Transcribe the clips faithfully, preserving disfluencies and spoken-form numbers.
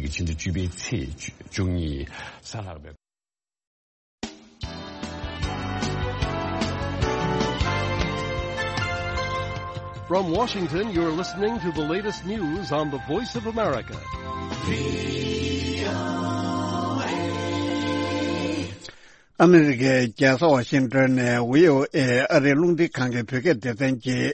ཕྱི་ཟླ་བཅུ་པའི་ཚེས་བཅུ་གཉིས་གཟའ་ལྷག་པའི། From Washington, you're listening to the latest news on the Voice of America. ཨ་མི་རི་ཀའི་རྒྱལ་ས་ཝ་ཤིང་ཏོན་ནས་བྷི་ཨོ་ཨེ་ཨ་རིའི་རླུང་འཕྲིན་ཁང་གི་བོད་སྐད་སྡེ་ཚན་གྱིས།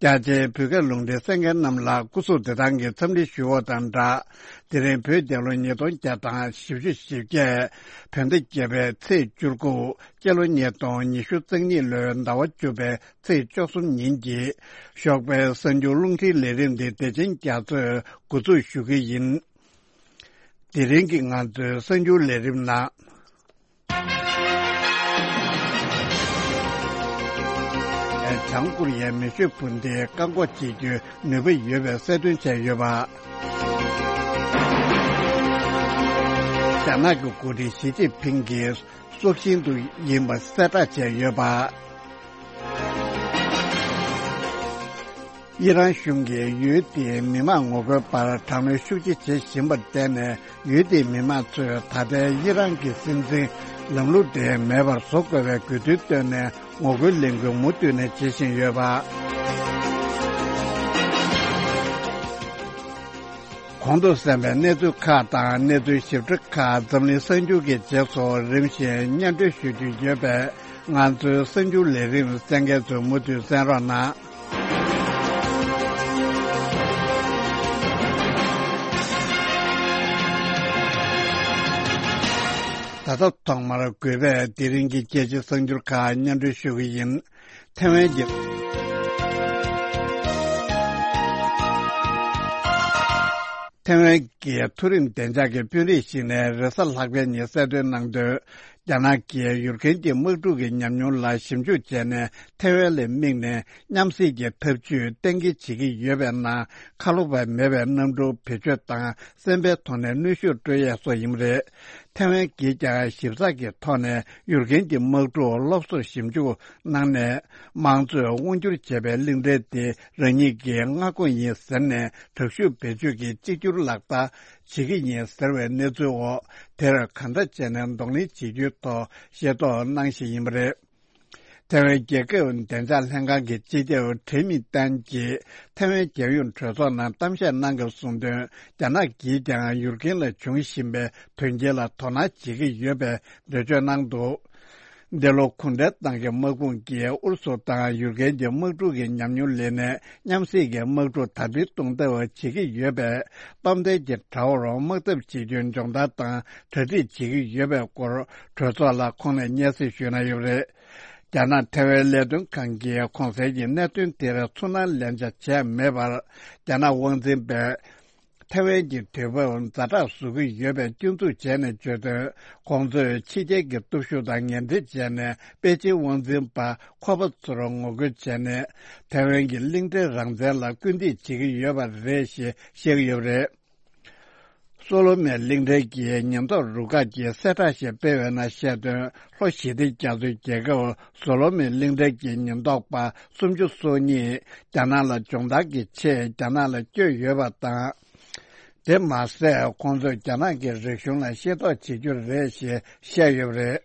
རྒྱ་ཆེའི་བོད་སྐད་ལུང་འདྲེན་གསན་མཁན་རྣམས་ལ་སྐུ་གཟུགས་བདེ་ཐང་གི་འཚམས་འདྲི་ཞུ་བ་དང་སྦྲགས། དེ་རིང་བོད་རྒྱལ་ལོ་ཉིས་སྟོང་བརྒྱ་དང་བཞི་བཅུ་ཞེ་བརྒྱད། བོད་ཟླ་བརྒྱད་པའི་ཚེས་བཅུ་དགུ། སྤྱི་ལོ་ཉིས་སྟོང་ཉི་ཤུ་རྩ་གཉིས་ལོའི་ཟླ་བ་བཅུ་པའི་ཚེས་བཅུ་གསུམ་ཉིན་གྱི་ཞོགས་པའི་གསར་འགྱུར་རླུང་འཕྲིན་ལས་རིམ་འདི་བདེ་ཆེན་རྒྱ་མཚོས་འགོ་འཛུགས་ཞུ་གི་ཡིན། དེ་རིང་གི་ང་ཚོའི་གསར་འགྱུར་ལས་རིམ་ནང་། བྱང་ཀོ་རི་ཡའི་མེ་ཤུགས་འཕུར་མདེལ་བཀག་འགོག་བྱེད་རྒྱུའི་ནུས་པ་ཡོད་པའི་གསལ་སྟོན་བྱས་ཡོད་པ། རྒྱ་ནག་གི་འགོ་ཁྲིད་ཞི་ཅིན་ཕིང་གིས་སྲོག་ཤིང་དུ་ཡིན་པ་གསལ་བསྒྲགས་བྱས་ཡོད་པ། ཨི་རན་གཞུང་གིས་ཡུལ་དེའི་མི་མང་ངོ་རྒོལ་པར་དྲག་གནོན་ཤུགས་ཆེ་བྱེད་བཞིན་པར་བརྟེན་ནས། ཡུལ་དེའི་མི་མང་ཚོས་ད་ལྟའི་ཨི་རན་གྱི་སྲིད་འཛིན་ལམ་ལུགས་དེ་མེད་པར་བཟོ་དགོས་པའི་དགོས་འདུན་བཏོན་ནས་ངོ་རྒོལ་ལས་འགུལ་མུ་མཐུད་ནས་བྱེད་བཞིན་ཡོད་པ། གོང་དུ་གསན་པའི་གནས་ཚུལ་ཁག་དང་གནས་ཚུལ་ཞིབ་ཕྲ་ཁག་འཛམ་གླིང་གསར་འགྱུར་གྱི་རྗེས་སུ་རིམ་བཞིན་སྙན་སྒྲོན་ཞུ་རྒྱུ་ཡོད་པས། ང་ཚོའི་གསར་འགྱུར་ལས་རིམ་གསན་མཁན་ཚོས་མུ་མཐུད་གསན་རོགས་གནང་། ད་ལྟ་ཐོག་མར་དགོས་པས་དེ་རིང་གི་རྒྱལ་སྤྱིའི་གསར་འགྱུར་ཁག་སྙན་སྒྲོན་ཞུ་གི་ཡིན། ཐེ་ཝན་གྱི། ཐེ་ཝན་གྱི་མཐོ་རིམ་བདེ་འཇགས་ཀྱི་དཔོན་རིགས་ཤིག་ནས་རེས་གཟའ་ལྷག་པའི་ཉིན་གསལ་སྟོན་གནང་དོན། རྒྱ་ནག་གིས་ཡུཀ་རེན་གྱི་དམག་འཁྲུག་གི་ཉམས་མྱོང་ལ་ཞིབ་འཇུག་བྱས་ནས། ཐེ་ཝན་ལ་དམིགས་ནས་མཉམ་བསྲེས་ཀྱི་འཐབ་ཇུས་གཏན་འཁེལ་བྱེད་ཀྱི་ཡོད་པའི་ནང་། ཁ་ལོ་བ་མེད་པའི་གནམ་གྲུ་བེད་སྤྱོད་དང་། བཙན་པོའི་ཐོག་ནས་གནོན་ཤུགས་སྤྲོད་ཡས་སོགས་ཡིན་པ་རེད། ཐེ་ཝན་གྱིས་ཀྱང་ཞིབ་ཚགས་ཀྱི་ཐོག་ནས་ཡུཀ་རེན་གྱི་དམག་འཁྲུག་སློབ་གསོར་ཞིབ་འཇུག་གནང་ནས། དམངས་གཙོས་དབང་བསྒྱུར་བྱས་པའི་གླིང་ཕྲན་དེ་རང་ཉིད་ཀྱི་མངའ་ཁོངས་ཡིན་ཟེར་ནས། དྲག་ཤུགས་བེད་སྤྱོད་ཀྱིས་གཅིག་གྱུར་ལག་བསྟར་བྱེད་ཀྱི་ཡིན་ཟེར་བའི་གནས་ཚུལ་འོག། དེར་གང་འདྲ་བྱས་ནས་གདོང་ལེན་བྱེད་རྒྱུའི་ཐོག་ཤེས་རྟོགས་གནང་བཞིན་ཡིན་པ་རེད། ཐེ་ཝན་རྒྱལ་ཁབ་བདེ་འཇགས་ལྷན་ཁང་གི་སྤྱི་ཁྱབ་ཁྲེ་མི་ཏན་གྱིས་ཐེ་ཝན་རྒྱལ་ཡོངས་གྲོས་ཚོགས་ནང་གཏམ་བཤད་གནང་སྐབས་གསུངས་དོན། རྒྱ་ནག་གིས་ཀྱང་ཡུཀ་རེན་ལ་འབྱུང་བཞིན་པའི་དོན་རྐྱེན་ལ་དོ་སྣང་བྱེད་ཀྱི་ཡོད་པའི་འགྲེལ་བརྗོད་གནང་འདུག། འདི་ལོ་གུང་ཁྲན་ཏང་གི་དམག་དཔུང་གིས་ཨུ་རུ་སུ་དང་ཡུཀ་རེན་གྱི་དམག་འཁྲུག་གི་ཉམས་མྱོང་ལེན་ནས། མཉམ་བསྲེས་ཀྱི་དམག་འཁྲུག་དམ་འཛིན་གཏོང་ཐབས་བྱེད་ཀྱི་ཡོད་པས། སྟབས་བདེ་གྱི་དྲ་བར་དམག་འཐབ་བྱེད་རྒྱུའི་སྦྱོང་བརྡར་དང་གྲ་སྒྲིག་བྱེད་ཀྱི་ཡོད་པའི་སྐོར་གྲོས་ཚོགས་ལ་ཁོང་ནས་སྙན་སེང་ཞུས་གནང་ཡོད་པ་རེད། རྒྱ་ནག་ཐེ་ཝན་ལས་དོན་ཁང་གིས་གོང་གསལ་གྱི་གནད་དོན་དེར་ཚུར་སྣང་ལན་ཆགས་བྱས་མེད་པར། རྒྱ་ནག་དབང་འཛིན་པས་ཐེ་ཝན་གྱི་དུས་བབ་ཛ་དྲག་བཟོ་གི་ཡོད་པའི་སྐྱོན་འཛུགས་བྱས་ནས་བརྗོད་དོན། ཁོང་ཚོས་ཕྱི་རྒྱལ་གྱི་སྟོབས་ཤུགས་དང་ངན་འབྲེལ་བྱས་ནས། པེ་ཅིན་དབང་འཛིན་པ་ཁོ་པ་ཚོར་ངོ་རྒོལ་བྱས་ནས། ཐེ་ཝན་གྱི་གླིང་ཕྲན་རང་བཙན་ལ་སྐུལ་འདེད་བྱེད་ཀྱི་ཡོད་པ་རེད་ཞེས་བཤད་ཀྱི་ཡོད་པ་རེད། སོ་ལོ་མོན་གླིང་ཕྲན་གྱི་ཉེན་རྟོག་རུ་ཁག་གིས་གསལ་བསྒྲགས་ཤིག་སྤེལ་བའི་ནང་བཤད་དོན། ལྷོ་ཞི་བདེ་རྒྱ་མཚོའི་རྒྱལ་ཁབ་སོ་ལོ་མོན་གླིང་ཕྲན་གྱི་ཉེན་རྟོག་པ་སུམ་ཅུ་སོ་གཉིས་རྒྱ་ནག་ལ་སྦྱོང་བརྡར་གྱི་ཆེད་རྒྱ་ནག་ལ་བསྐྱོད་ཡོད་པ་དང་། དེ་མ་ཟད། ཁོང་ཚོས་རྒྱ་ནག་གི་རིག་གཞུང་ལ་ཤེས་རྟོགས་བྱེད་རྒྱུ་རེད་ཞེས་བཤད་ཡོད་པ་རེད།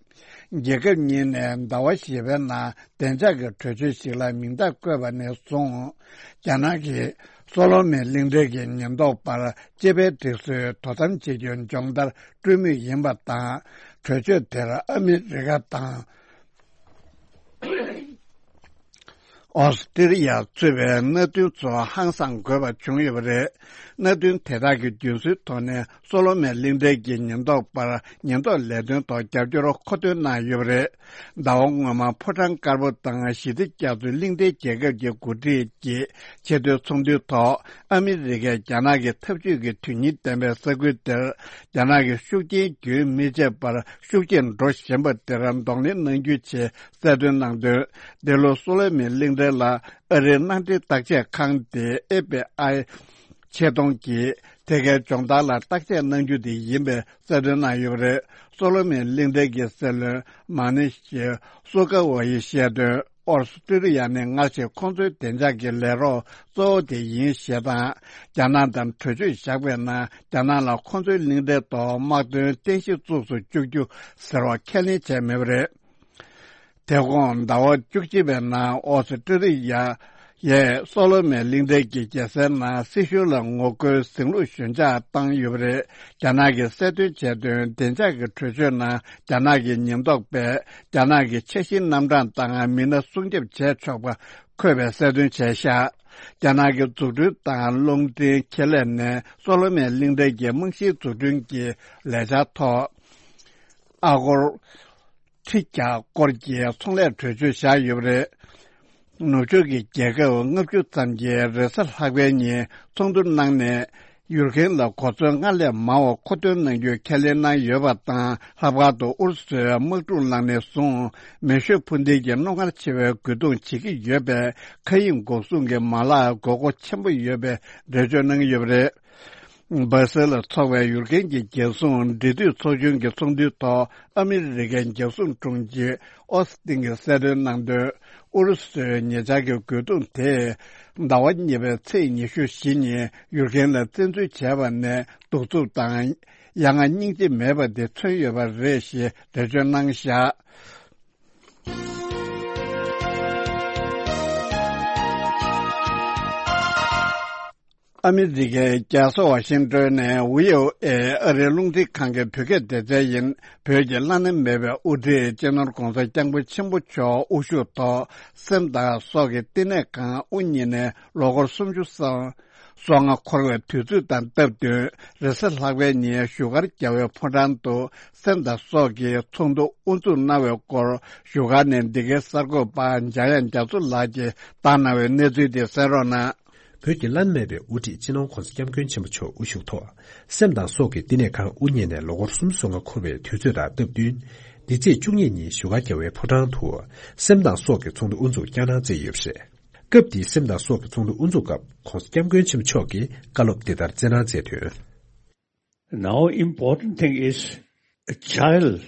རྒྱལ་ཁབ་གཉིས་ནས་ཟླ་བ་བཞི་པའི་ནང་བདེ་འཇགས་ཀྱི་གྲོས་ཆོད་ཞིག་ལ་མིང་རྟགས་བཀོད་པ་ནས་བཟུང་། རྒྱ་ནག་གིས་སོ་ལོ་མོན་གླིང་ཕྲན་གྱི་ཉེན་རྟོག་པར་སྤྱི་པའི་སྒྲིག་སྲོལ་དོ་དམ་བྱེད་རྒྱུའི་སྦྱོང་བརྡར་སྤྲོད་མུས་ཡིན་པ་དང་། གྲོས་ཆོད་དེར་ཨ་མི་རི་ཀ་དང་། ཨོ་སི་ཀྲི་ལི་ཡ་གཙོས་པའི་མནའ་མཐུན་ཚོ་ཧང་སངས་དགོས་པ་བྱུང་ཡོད་པ་རེད། མནའ་མཐུན་དེ་དག་གི་རྒྱུན་སྲོལ་ཐོག་ནས། སོ་ལོ་མོན་གླིང་ཕྲན་གྱི་ཉེན་རྟོག་པར་ཉེན་རྟོག་ལས་དོན་ཐོག་རྒྱབ་སྐྱོར་མཁོ་འདོན་གནང་ཡོད་པ་རེད། ཟླ་བ་སྔོན་མ་ཕོ་བྲང་དཀར་པོ་དང་ཞི་བདེ་རྒྱ་མཚོའི་གླིང་ཕྲན་རྒྱལ་ཁབ་ཀྱི་འགོ་ཁྲིད་ཀྱི་ཆེས་མཐོའི་ཚོགས་འདུའི་ཐོག་ཨ་མི་རི་ཀས་རྒྱ་ནག་གི་འཐབ་ཇུས་ཀྱི་དོན་སྙིང་ལྡན་པའི་ས་ཁུལ་དེར་རྒྱ་ནག་གི་ཤུགས་རྐྱེན་རྒྱུན་མི་ཆད་པར་ཤུགས་ཆེར་འགྲོ་བཞིན་པ་དེར་གདོང་ལེན་གནང་རྒྱུའི་ཆེད་གསལ་སྟོན་གནང་དོན། འདི་ལོ་སོ་ལོ་མོན་གླིང་ཕྲན་ལ་ཨ་རིའི་མནའ་འབྲེལ་བརྟག་དཔྱད་ཁང་སྟེ་ཨེཕ་པི་ཨའི་ཆེ་མཐོང་གིས་ཐད་ཀའི་སྦྱོང་བརྡར་ལ་བརྟག་དཔྱད་གནང་རྒྱུ་དེ་ཡིན་པའི་གསལ་སྟོན་གནང་ཡོད་པ་རེད། སོ་ལོ་མོན་གླིང་ཕྲན་གྱི་སྲིད་བློན་མ་ནེ་ཤི་སོ་ཀ་ཝ་ཡིས་བཤད་དོན། ཨོ་སི་ཀྲི་ལི་ཡ་ནི་སྔར་བཞིན་ཁོང་ཚོའི་བདེ་འཇགས་ཀྱི་ལས་རོགས་གཙོ་བོ་དེ་ཡིན་ཞེས་དང་། རྒྱ་ནག་དང་གྲོས་ཆོད་བཞག་པའི་ནང་རྒྱ་ནག་ལ་ཁོང་ཚོའི་གླིང་ཕྲན་ཐོག་དམག་དོན་རྟེན་གཞི་བཙུགས་སུ་བཅུག་རྒྱུ་ཟེར་བ་ཁས་ལེན་བྱས་མེད་པ་རེད། དེ་གོང་ཟླ་བ་བཅུ་གཅིག་པའི་ནང་ཨོ་སི་ཀྲི་ལི་ཡ་ཡས་སོ་ལོ་མོན་གླིང་ཕྲན་གྱི་རྒྱལ་སའི་ནང་སྲི་ཞུ་ལ་ངོ་རྒོལ་ཟིང་ལུགས་ཞོད་འཇགས་བཏང་ཡོད་པ་རེད། རྒྱ་ནག་གིས་གསལ་སྟོན་བྱས་དོན། བདེ་འཇགས་ཀྱི་གྲོས་ཆོད་ནང་རྒྱ་ནག་གི་ཉེན་རྟོག་པས་རྒྱ་ནག་གི་འཆར་གཞིའི་རྣམ་གྲངས་དང་མི་སྣ་སྲུང་སྐྱོབ་བྱས་ཆོག་པ་འཁོད་པའི་གསལ་སྟོན་བྱས་ཤག་རྒྱ་ནག་གི་འཛུགས་སྐྲུན་དང་རླུང་འཕྲིན་ཁེ་ལས་ནས་སོ་ལོ་མོན་གླིང་ཕྲན་གྱི་རྨང་གཞིའི་འཛུགས་སྐྲུན་གྱི་ལས་འཆར་ཐོག་ཨ་སྒོར་ཁྲི་བརྒྱ་སྐོར་གྱི་ཚོང་ལས་གྲོས་ཆོད་བཞག་ཡོད་པ་རེད། ནུབ་ཕྱོགས་ཀྱི་རྒྱལ་ཁབ་ལྔ་བཅུ་ཙམ་གྱིས་རེས་གཟའ་ལྷག་པའི་ཉིན་ཚོགས་འདུ་གནང་ནས། ཡུལ་ཁན་ལ་གོ་མཚོན་སྔར་ལས་མང་བ་མཁོ་འདོན་གནང་རྒྱུའི་ཁས་ལེན་གནང་ཡོད་པ་དང་། ལྷག་པར་དུ་ཨུ་རུ་སུའི་དམག་འཁྲུག་ནང་ནས་བཟུང་མེ་ཤུགས་འཕུར་མདེལ་གྱི་རྣོ་ངར་ཆེ་བའི་རྒོལ་རྡུང་བྱེད་ཀྱི་ཡོད་པས། མཁའ་དབྱིངས་འགོག་སྲུང་གི་མ་ལག་དགོས་མཁོ་ཆེན་པོ་ཡོད་པའི་འགྲེལ་བརྗོད་གནང་ཡོད་པ་རེད། སྦར་སེལ་ལ་འཚོགས་པའི་ཡུལ་ཁན་གྱི་རྒྱལ་སྲུང་འབྲེལ་མཐུད་ཚོགས་ཆུང་གི་ཚོགས་འདུའི་ཐོག་ཨ་མི་རི་ཀའི་རྒྱལ་སྲུང་དྲུང་ཆེ་ཨོ་སི་ཏིན་གྱིས་གསལ་སྟོན་གནང་དོན། ཨུ་རུ་སུའི་ཉེ་ཆར་གྱི་རྒོལ་རྡུང་དེས་ཟླ་བ་གཉིས་པའི་ཚེས་ཉི་ཤུ་བཞི་ཉིན་ཡུལ་ཁན་ལ་བཙན་འཛུལ་བྱས་པ་ནས་གདུག་རྩུབ་དང་ཡ་ང་སྙིང་རྗེ་མེད་པ་དེ་མཚོན་ཡོད་པ་རེད་ཞེས་འགྲེལ་བརྗོད་གནང་བཞག་ཨ་མི་རི་ཀའི་རྒྱལ་ས་ཝ་ཤིང་ཏོན་ནས་ཝི་ཨོ་ཨེ་ཨ་རིའི་རླུང་འཕྲིན་ཁང་གི་བོད་སྐད་སྡེ་ཚན་ཡིན། བོད་ཀྱི་བླ་ན་མེད་པའི་དབུ་ཁྲིད་སྤྱི་ནོར་༧གོང་ས་༧སྐྱབས་མགོན་ཆེན་པོ་མཆོག་དབུ་བཞུགས་ཐོག་སེམས་དང་སྲོག་གི་བསྟི་གནས་ཁང་དབུ་བརྙེས་ནས་ལོ་འཁོར་སུམ་ཅུ་སོ་ལྔ་འཁོར་བའི་དུས་ཚོད་དང་སྟབས་བསྟུན། རེས་གཟའ་ལྷག་པའི་ཉིན་བཞུགས་སྒར་རྒྱལ་བའི་ཕོ་བྲང་དུ་སེམས་དང་སྲོག་གི་ཚོགས་འདུ་དབུ་འཛུགས་གནང་བའི་སྐོར་བཞུགས་སྒར་ནས་འདི་གའི་གསར་འགོད་པ་འཇམ་དབྱངས་རྒྱ་མཚོ་ལགས་ཀྱིས་བཏང་གནང་བའི་གནས་ཚུལ་དེ་གསན་རོགས་གནང་། བོད་ཀྱི་བླ་ན་མེད་པའི་དབུ་ཁྲིད་སྤྱི་ནོར་༧གོང་ས་༧སྐྱབས་མགོན་ཆེན་པོ་མཆོག་དབུ་བཞུགས་ཐོག་སེམས་དང་སྲོག་གི་བསྟི་གནས་ཁང་དབུ་བརྙེས་ནས་ལོ་འཁོར་སུམ་ཅུ་སོ་ལྔ་འཁོར་བའི་དུས་ཚོད་དང་སྟབས་བསྟུན། འདི་ཚེས་བཅུ་གཉིས་ཉིན་བཞུགས་སྒར་རྒྱལ་བའི་ཕོ་བྲང་དུ་སེམས་དང་སྲོག་གི་ཚོགས་འདུ་དབུ་འཛུགས་བསྐྱངས་གནང་མཛད་ཡོད་པ་རེད། སྐབས་དེའི་སེམས་དང་སྲོག་གི་ཚོགས་འདུ་དབུ་འཛུགས་སྐབས་༧གོང་ས་༧སྐྱབས་མགོན་ཆེན་པོ་མཆོག་གིས་བཀའ་སློབ་འདི་ལྟར་སྩལ་གནང་མཛད་དོན། Now important thing is a child,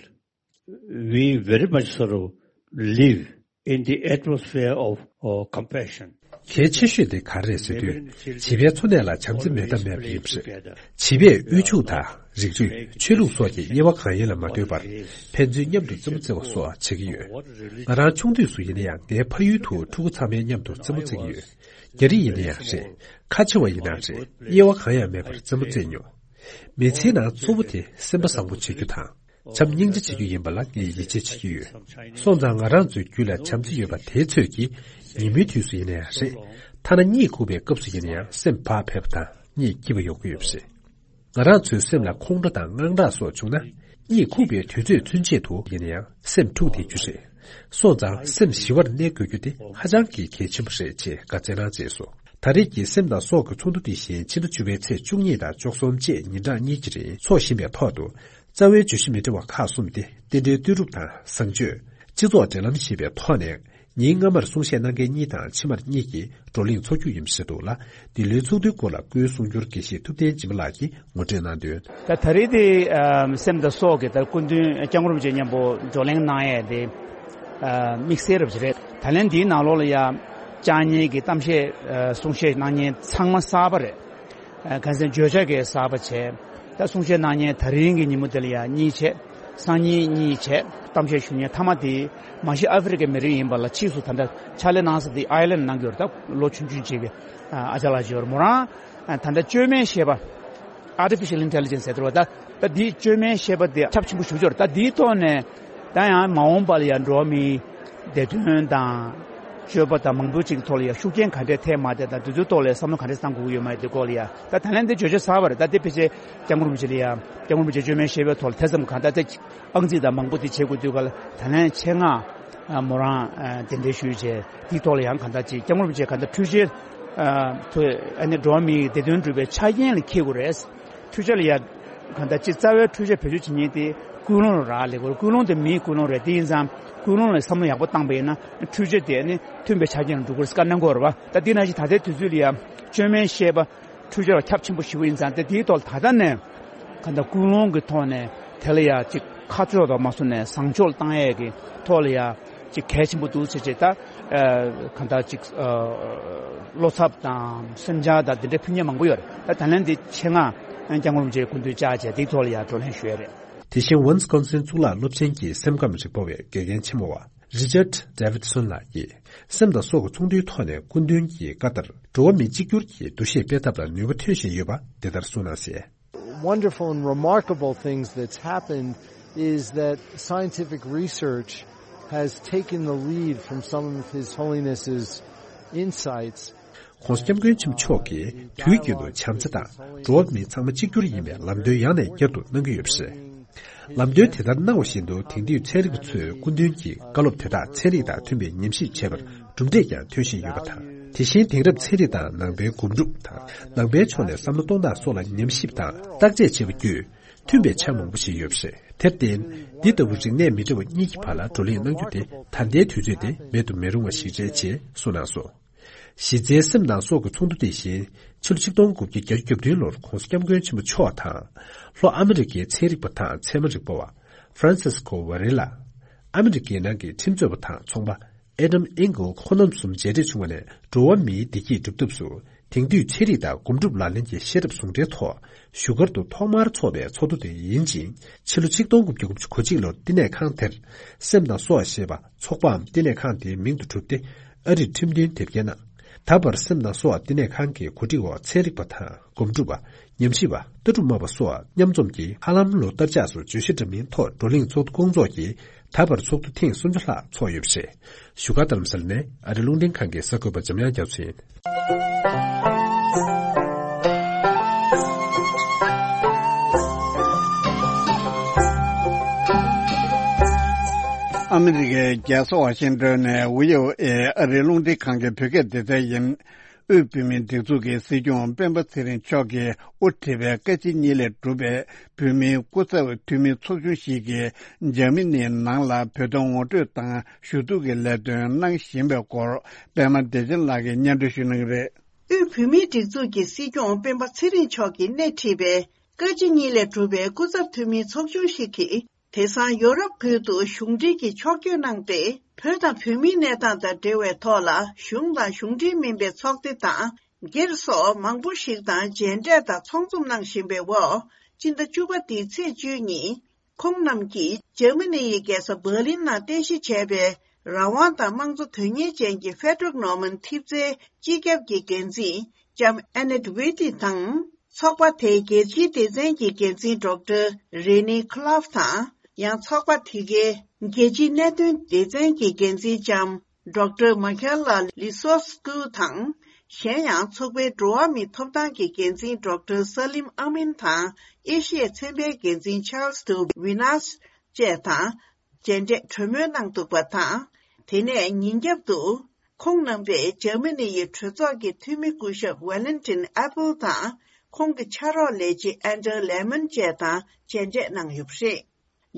we very much sort of live in the atmosphere of uh, compassion. གལ་ཆེ་ཤོས་དེ་ག་རེ་རེད་ཟེར་དུས། བྱིས་པའི་འཚོ་གནས་ལ་བྱམས་བརྩེ་མེད་ཐབས་མེད་པ་ཡིན་པ་རེད། བྱིས་པས་དབུལ་ཕྱུག་དང་རིགས་རུས་ཆོས་ལུགས་སོགས་ཀྱི་དབྱེ་བ་གང་ཡིན་ལ་མ་ལྟོས་པར་ཕན་ཚུན་མཉམ་དུ་རྩེད་མོ་རྩེ་བ་སོགས་བྱེད་ཀྱི་ཡོད། ང་རང་ཆུང་དུས་སུ་ཡིན་ན་ཡང་ངའི་ཕ་ཡུལ་དུ་ཕྲུ་གུ་ཚང་མས་མཉམ་དུ་རྩེད་མོ་རྩེ་གི་ཡོད། རྒྱ་རིགས་ཡིན་ན་ཡང་རེད། ཁ་ཆེ་བ་ཡིན་ན་རེད། དབྱེ་བ་གང་ཡང་མེད་པར་རྩེད་མོ་རྩེ་མྱོང་། མི་ཚེའི་ནང་གཙོ་བོ་དེ་སེམས་པ་བཟང་པོ་བྱེད་རྒྱུ་དང་། བྱམས་སྙིང་རྗེ་བྱེད་རྒྱུ་ཡིན་པ་ལ་ངས་ཡིད་ཆེས་བྱེད་ཀྱི་ཡོད། སོང་ཙང་ང་རང་ཚོའི་རྒྱུད་ལ་བྱམས་བརྩེ་ཡོད་པ་དེའི་ཚོད་ཀྱིས་ཉིན་མོའི་དུས་སུ་ཡིན་ན་ཡང་རེད། ཐ་ན་གཉིད་ཁུག་པའི་སྐབས་སུ་ཡིན་ན་ཡང་སེམས་བག་ཕེབས་པ་དང་གཉིད་སྐྱིད་པ་ཡོང་གི་ཡོད་པ་རེད། ང་རང་ཚོའི་སེམས་ལ་ཁོང་ཁྲོ་དང་དངངས་སྐྲག་སོགས་བྱུང་ན། གཉིད་ཁུག་པའི་དུས་ཚོད་ཚུན་ཆད་དུ་ཡིན་ན་ཡང་སེམས་འཁྲུག་བསྡད་རྒྱུ་རེད། སོང་ཙང་སེམས་ཞི་བར་གནས་དགོས་རྒྱུ་དེ་ཧ་ཅང་གི་གལ་ཆེན་པོ་རེད་ཅེས་བཀའ་སྩལ་གནང་མཛད་སོང་། ད་རེས་ཀྱི་སེམས་དང་སྲོག་གི་ཚོགས་འདུ་དེ་བཞིན་ཕྱི་ཟླ་བཅུ་པའི་ཚེས་བཅུ་གཉིས་དང་བཅུ་གསུམ་བཅས་ཉིན་གྲངས་གཉིས་ཀྱི་རིང་འཚོགས་བཞིན་པའི་ཐོག་ཏུ། རྩ་བའི་བརྗོད་གཞི་མི་འདྲ་བ་ཁག་གསུམ་སྟེ། རྟེན་འབྲེལ་ལྟོས་གྲུབ་དང་བཟང་སྤྱོད། སྤྱི་ཚོགས་འབྲེལ་ལམ་ཞེས་པའི་ཐོག་ནས། ཉིན་སྔ་མར་གསུང་བཤད་གནང་མཁན་གཉིས་དང་ཕྱི་མར་གཉིས་ཀྱིས་བགྲོ་གླེང་འཚོགས་རྒྱུ་ཡིན་པ་རེད་འདུག་ལ། འདི་ལོའི་ཚོགས་འདུའི་སྐོར་ལ་སྐུའི་གསུང་སྒྱུར་དགེ་བཤེས་ཐུབ་བསྟན་འཇིགས་མེད་ལགས་ཀྱིས་ངོ་སྤྲོད་གནང་དོན། ད་ད་རེས་དེ་ཨམ་སེམས་དང་སྲོག་གི་ད་སྐུ་མདུན་སྐྱབས་མགོན་རིན་པོ་ཆེ་མཉམ་པོ་བགྲོ་གླེང་གནང་ཡས་དེ་ཨ་དམིགས་བསལ་རབ་ཅིག་རེད། ད་ལན་འདིའི་ནང་ལོགས་ལ་ཡ་བཅར་མཁན་གྱི་གཏམ་བཤད་ཨ་གསུང་བཤད་གནང་མཁན་ཚང་མ་གསར་པ་རེད། ཨ་གང་ཟེར་བརྗོད་བྱ་གི་གསར་པ་བྱས། ད་གསུང་བཤད་གནང་མཁན་ད་རིང་གི་ཉིན་མོ་དེ་ལ་ཡང་གཉིས་བྱས། སང་ཉིན་གཉིས་བྱས། གཏམ་བཤད་ཞུ་མཁན་མཐའ་མ་དེ་མ་གཞི་ཨ་ཧྥེ་རི་ཀའི་མི་རིགས་ཡིན་པ་ལ་ཕྱིས་སུ་ད་ལྟ་ཕྱག་ལས་གནང་ས་དེ་ཨའི་ལན་གནང་གི་ཡོད་རེད། ད་ལོ་ཆུང་ཆུང་ཅིག་གི་ཨ་ཅག་ལགས་ཅིག་ཡོད་རེད། མོ་རང་ད་ལྟ་བཅོས་མའི་ཤེས་པ། Artificial Intelligence ཟེར་དུས་ད་ད་འདིའི་བཅོས་མའི་ཤེས་པ་དེ་ཁྱབ་ཆེན་པོ་ཞེ་པོ་ཅིག་ཡོད་རེད། ད་འདིའི་ཐོག་ནས་ད་ཡང་མ་འོངས་པ་ལ་ཡང་འགྲོ་བ་མིའི་བདེ་དོན་དང་། སྤྱོད་པ་དང་མང་པོ་ཅིག་ཐོག་ལ་ཡང་ཤུགས་རྐྱེན་ག་འདྲས་ཐེབས་མ་ཐེབས་དང་། དེ་ཚོའི་ཐོག་ལ་ཡང་བསམ་བློ་ག་འདྲས་བཏང་དགོས་ཀྱི་ཡོད་མ་ཡོད་དེ་སྐོར་ལ་ཡང་ད་ད་ལན་དེ་བརྗོད་བྱ་གསར་པ་རེད། ད་དེ་ཕལ་ཆེར་སྐྱབས་མགོན་རིན་པོ་ཆེ་ལ་ཡང་སྐྱབས་མགོན་རིན་པོ་ཆེ་བཅོས་མའི་བཤད་པའི་ཐོག་ལ་དེ་ཙམ་གང་ལྟར་དེ་ཨང་རྩིས་དང་མང་པོ་དེ་བྱེད་དགོས་དུས་ག་ལ་ད་ལན་ཆེད་མངགས་མོ་རང་གདན་འདྲེན་ཞུས་བྱས། དེའི་ཐོག་ལ་ཡང་གང་ལྟར་ཅིག་སྐྱབས་མགོན་རིན་པོ་ཆེ་གང་ལྟར་འཕྲུལ་ཆས་ཐོག་ཨ་ནི་འགྲོ་བ་མིའི་བདེ་དོན་སྒྲུབ་པའི་ཆ་རྐྱེན་ལ་འཁེལ་དགོས་རེད། འཕྲུལ་ཆས་ལ་ཡ་གང་ལྟར་སྤྱི་རྩ་བའི་འཕྲུལ་ཆས་བེད་སྤྱོད་བྱེད་མཁན་དེ་ཀུན་སློང་ལ་རག་ལས་དགོས། ཀུན་སློང་དེ་མིའི་ཀུན་སློང་རེད། དེ་ཡིན་ཙང་ཀུན་སློང་ལ་བསམ་བློ་ཡག་པོ་བཏང་པ་ཡིན་ན་འཕྲུལ་ཆས་དེ་ནི་མཐུན་པའི་ཆ་རྐྱེན་ལ་འགྲོ་དགོས་རེད་བཀའ་གནང་གི་ཡོད་རེད་པ། ད་དེ་ནང་བཞིན་ད་ལྟའི་དུས་ཚོད་ལ་ཡ་བཅོས་མའི་ཤེས་པ་འཕྲུལ་ཆས་ལ་ཁྱབ་ཆེན་པོ་ཞེ་པོ་ཡིན་ཙང་དེ་དེའི་ཐོག་ལ་ད་ལྟ་ནས་གང་ལྟར་ཀུན་སློང་གི་ཐོག་ནས་དེ་ལ་ཡ་ཅིག་ཁ་ཕྱོགས་དང་མ་སོང་ནས་བཟང་ཕྱོགས་ལ་བཏང་ཡས་ཀྱི་ཐོག་ལ་ཡ་ཅིག་གལ་ཆེན་པོ་འདུག་ཟེར་བྱས། ད་ ཨ་གང་ལྟར་ཅིག་ཨ་བློ་འཚབ་དང་སེམས་འཆར་དང་དེ་འདྲའི་ཕུལ་མཁན་མང་པོ་ཡོད་རེད། ད་ད་ལན་འདི་ཆེད་མངགས་སྐྱབས་མགོན་རིན་པོ་ཆེའི་སྐུ་མདུན་བཅར་བྱས་དེའི་ཐོག་ལ་ཡང་བགྲོ་གླེང་ཞུས་ཡོད་རེད། དེ་བཞིན་ཝིན་སི་ཀོན་སིན་གཙུག་ལག་སློབ་ཆེན་གྱི་སེམས་ཁམས་རིག་པ་བའི་དགེ་རྒན་ཆེན་མོ་བ་རི་ཅར་ཌེ་ཝིད་སོན་ལགས་ཀྱིས་སེམས་དང་སྲོག་གི་ཚོགས་འདུའི་ཐོག་ནས་སྐུ་མདུན་གྱིས་བཀའ་ལྟར་འགྲོ་བ་མི་གཅིག་གྱུར་གྱི་འདུ་ཤེས་སྤེལ་ཐབས་ལ་ནུས་པ་ཐོན་བཞིན་ཡོད་པ་དེ་ལྟར་གསུངས་གནང་གསལ། Wonderful and remarkable things that's happened is that scientific research has taken the lead from some of His Holiness's insights. ༸གོང་ས་༸སྐྱབས་མགོན་ཆེན་པོ་མཆོག་གིས་དུས་རྒྱུན་དུ་བྱམས་བརྩེ་དང་འགྲོ་བ་མི་ཚང་མ་གཅིག་གྱུར་ཡིན་པའི་ལམ་སྟོན་ཡང་ནས་བསྐྱར་དུ་གནང་གི་ཡོད་པ་རེད། ལམ་སྟོན་དེ་ལྟར་གནང་བ་བཞིན་དུ་དེང་དུས་ཚན་རིག་པ་ཚོས་སྐུ་མདུན་གྱི་བཀའ་སློབ་དེ་དག་ཚན་རིག་དང་མཐུན་པའི་ཉམས་ཞིབ་བྱས་པར་གྲུབ་འབྲས་ཀྱང་ཐོན་བཞིན་ཡོད་པ་དང་། དེ་བཞིན་དེང་རབས་ཚན་རིག་དང་ནང་པའི་སྒོམ་སྒྲུབ་དང་ནང་པའི་ཕྱོགས་ནས་བསམ་བློ་གཏོང་སྟངས་སོགས་ལ་ཉམས་ཞིབ་དང་བརྟག་དཔྱད་བྱས་པ་བརྒྱུད། མཐུན་པའི་ཆ་མང་པོ་ཞིག་ཡོད་པ་རེད། དེར་བརྟེན། འདི་ལྟ་བུ་རིག་གནས་མི་འདྲ་བ་གཉིས་ཀྱི་བར་ལ་བགྲོ་གླེང་གནང་རྒྱུ་དེ་ད་ལྟའི་དུས་ཚོད་དེ་མེད་དུ་མི་རུང་བ་ཞིག་རེད་ཅེས་གསུངས་གནང་སོང་། གཞི་རྩའི་སེམས་དང་སྲོག་གི་ཚོགས་འདུ་དེ་བཞིན་ཕྱི་ལོ་ཆིག་སྟོང་དགུ་བརྒྱ་བརྒྱད་ཅུ་གྱ་བདུན་ལོར་༸གོང་ས་༸སྐྱབས་མགོན་ཆེན་པོ་མཆོག་དང་། ལྷོ་ཨ་མི་རི་ཀའི་ཚན་རིག་པ་དང་ཚད་མ་རིག་པ་བ་ཧྥ་རན་སིས་ཀོ་ཝ་རེ་ལ། ཨ་མི་རི་ཀའི་ནང་གི་ཁྲིམས་རྩོད་པ་དང་ཚོང་པ། ཨེ་ཌམ་ཨིང་གལ་ཁོ་རྣམ་གསུམ་མཇལ་འཕྲད་བྱུང་བ་ནས་འགྲོ་བ་མིའི་བདེ་སྐྱིད་སྒྲུབ་ཐབས་སུ་དེང་དུས་ཚན་རིག་དང་སྒོམ་སྒྲུབ་ལག་ལེན་གྱི་ཤེས་རབ་ཟུང་འབྲེལ་ཐོག་བཞུགས་སྒར་དུ་ཐོག་མར་འཚོགས་པའི་ཚོགས་འདུ་དེ་ཡིན་ཅིང་། ཕྱི་ལོ་ཆིག་སྟོང་དགུ་བརྒྱ་དགུ་བཅུ་གོ་གཅིག་ལོར་བསྟི་གནས་ཁང་དེར་སེམས་དང་སྲོག་ཞེས་པ་ཚོགས་པའམ་བསྟི་གནས་ཁང་དེའི་མིང་དུ་གྲུབ་སྟེ་ཨ་རིར་ཁྲིམས་མཐུན་དེབ་སྐྱེལ་གནང་། ད་བར་སེམས་དང་སྲོག་བསྟི་གནས་ཁང་གི་གོ་སྒྲིག་འོག་ཚན་རིག་པ་དང་སྒོམ་སྒྲུབ་པ། ཉམས་ཞིབ་པ། ལྟ་གྲུབ་སྨྲ་བ་སོགས་མཉམ་འཛོམས་ཀྱིས་ཧ་ལམ་ལོ་ལྟར་ཆགས་སུ་བརྗོད་གཞི་འདྲ་མིན་ཐོག་བགྲོ་གླེང་ཚོགས་འདུ་སྐོང་ཚོགས་ཀྱིས་ད་བར་ཚོགས་འདུ་ཐེངས་སུམ་ཅུ་ལྷག་ཚོགས་ཡོད་པ་རེད། བཞུགས་སྒར་རྡ་རམ་ས་ལ་ནས་ཨ་རི་རླུང་འཕྲིན་ཁང་གི་གསར་འགོད་པ་འཇམ་དབྱངས་རྒྱ་མཚོ་ཡིན། ཨ་མི་རི་ཀའི་རྒྱལ་ས་ཝ་ཤིང་ཏོན་ནས་བྷི་ཨོ་ཨེ་ཨ་རིའི་རླུང་འཕྲིན་ཁང་གི་བོད་སྐད་སྡེ་ཚན་ཡིན། དབུས་བོད་མིའི་སྒྲིག་འཛུགས་ཀྱི་སྲིད་སྐྱོང་སྤེན་པ་ཚེ་རིང་མཆོག་གིས་དབུ་ཁྲིད་པའི་བཀའ་སྤྱི་གཉིས་ལས་གྲུབ་པའི་བོད་མིའི་སྐུ་ཚབ་འཐུས་མི་ཚོགས་ཆུང་ཞིག་གིས་འཇར་མ་ནིའི་ནང་ལ་བོད་དོན་ངོ་སྤྲོད་དང་ཞུ་གཏུག་གི་ལས་དོན་གནང་བཞིན་པའི་སྐོར་པད་མ་བདེ་ཆེན་ལགས་ཀྱིས་སྙན་སྒྲོན་ཞུ་གནང་གི་རེད། དབུས་བོད་མིའི་སྒྲིག་འཛུགས་ཀྱི་སྲིད་སྐྱོང་སྤེན་པ་ཚེ་རིང་མཆོག་གིས་སྣེ་ཁྲིད་པའི་བཀའ་སྤྱི་གཉིས་ལས་གྲུབ་པའི་སྐུ་ཚབ་འཐུས་མིའི་ཚོགས་ཆུང་ཞིག་གིས། དེང་སང་ཡོ་རོབ་ཁུལ་དུ་གཞུང་འབྲེལ་གྱི་ཕྱོགས་བསྐྱོད་གནང་སྟེ། བོད་དང་བོད་མིའི་གནས་སྟངས་དང་འབྲེལ་བའི་ཐོག་ལ་གཞུང་དང་གཞུང་འབྲེལ་མིན་པའི་ཚོགས་སྡེ་དང་སྒེར་སོགས་མང་པོ་ཞིག་དང་མཇལ་འཕྲད་དང་ཚོགས་འཛོམས་གནང་བཞིན་པའི་འོག་སྤྱི་ཟླ་བཅུ་པ་འདིའི་ཚེས་བཅུ་ཉིན། ཁོང་རྣམས་ཀྱིས་འཇར་མ་ནི་ཡི་རྒྱལ་ས་འབར་ལིན་ནང་རྟེན་གཞི་བྱས་པའི་རང་དབང་དང་དམངས་གཙོ་དོན་གཉེར་ཅན་གྱི་ཧྥེ་ཏྲོག་ནོར་མན་ཐེབས་རྩའི་སྤྱི་ཁྱབ་ཀྱི་འགན་འཛིན་ལྕམ་ཨེ་ནེ་ཏི་ཝེ་ཏི་དང་། ཚོགས་པ་དེའི་རྒྱལ་སྤྱིའི་སྡེ་ཚན་གྱི་འགན་འཛིན་ཌོག་ཊར་རེ་ནི་ཁ་ལབ་དང་། ཡང་ཚོགས་པ་དེ་གའི་རྒྱལ་སྤྱིའི་གནད་དོན་སྡེ་ཚན་གྱི་འགན་འཛིན་ལྕམ་ཌོག་ཊར་མ་ཁེ་ལ་ལི་སོ་སྐུ་དང་། གཞན་ཡང་ཚོགས་པའི་འགྲོ་བ་མིའི་ཐོབ་ཐང་གི་འགན་འཛིན་ཌོག་ཊར་ས་ལིམ་ཨ་མིན་དང་ཨེ་ཤི་ཡའི་ཚན་པའི་འགན་འཛིན་ཆཱལ་སི་ཏུ་ཝི་ནཱས་བཅས་དང་མཇལ་འཕྲད་གྲོས་མོལ་གནང་འདུག་པ་དང་། དེ་ནས་ཉིན་རྒྱབ་ཏུ། ཁོང་རྣམ་པས་འཇར་མ་ནི་ཡི་གྲོས་ཚོགས་ཀྱི་འཐུས་མི་སྐུ་ཞབས་ཝེ་ལན་ཏིན་ཨེ་པལ་དང་ཁོང་གི་ཕྱག་རོགས་ལས་བྱེད་ཨན་ཏར་ལེ་མན་བཅས་དང་མཇལ་འཕྲད་གནང་ཡོད་པ་རེད།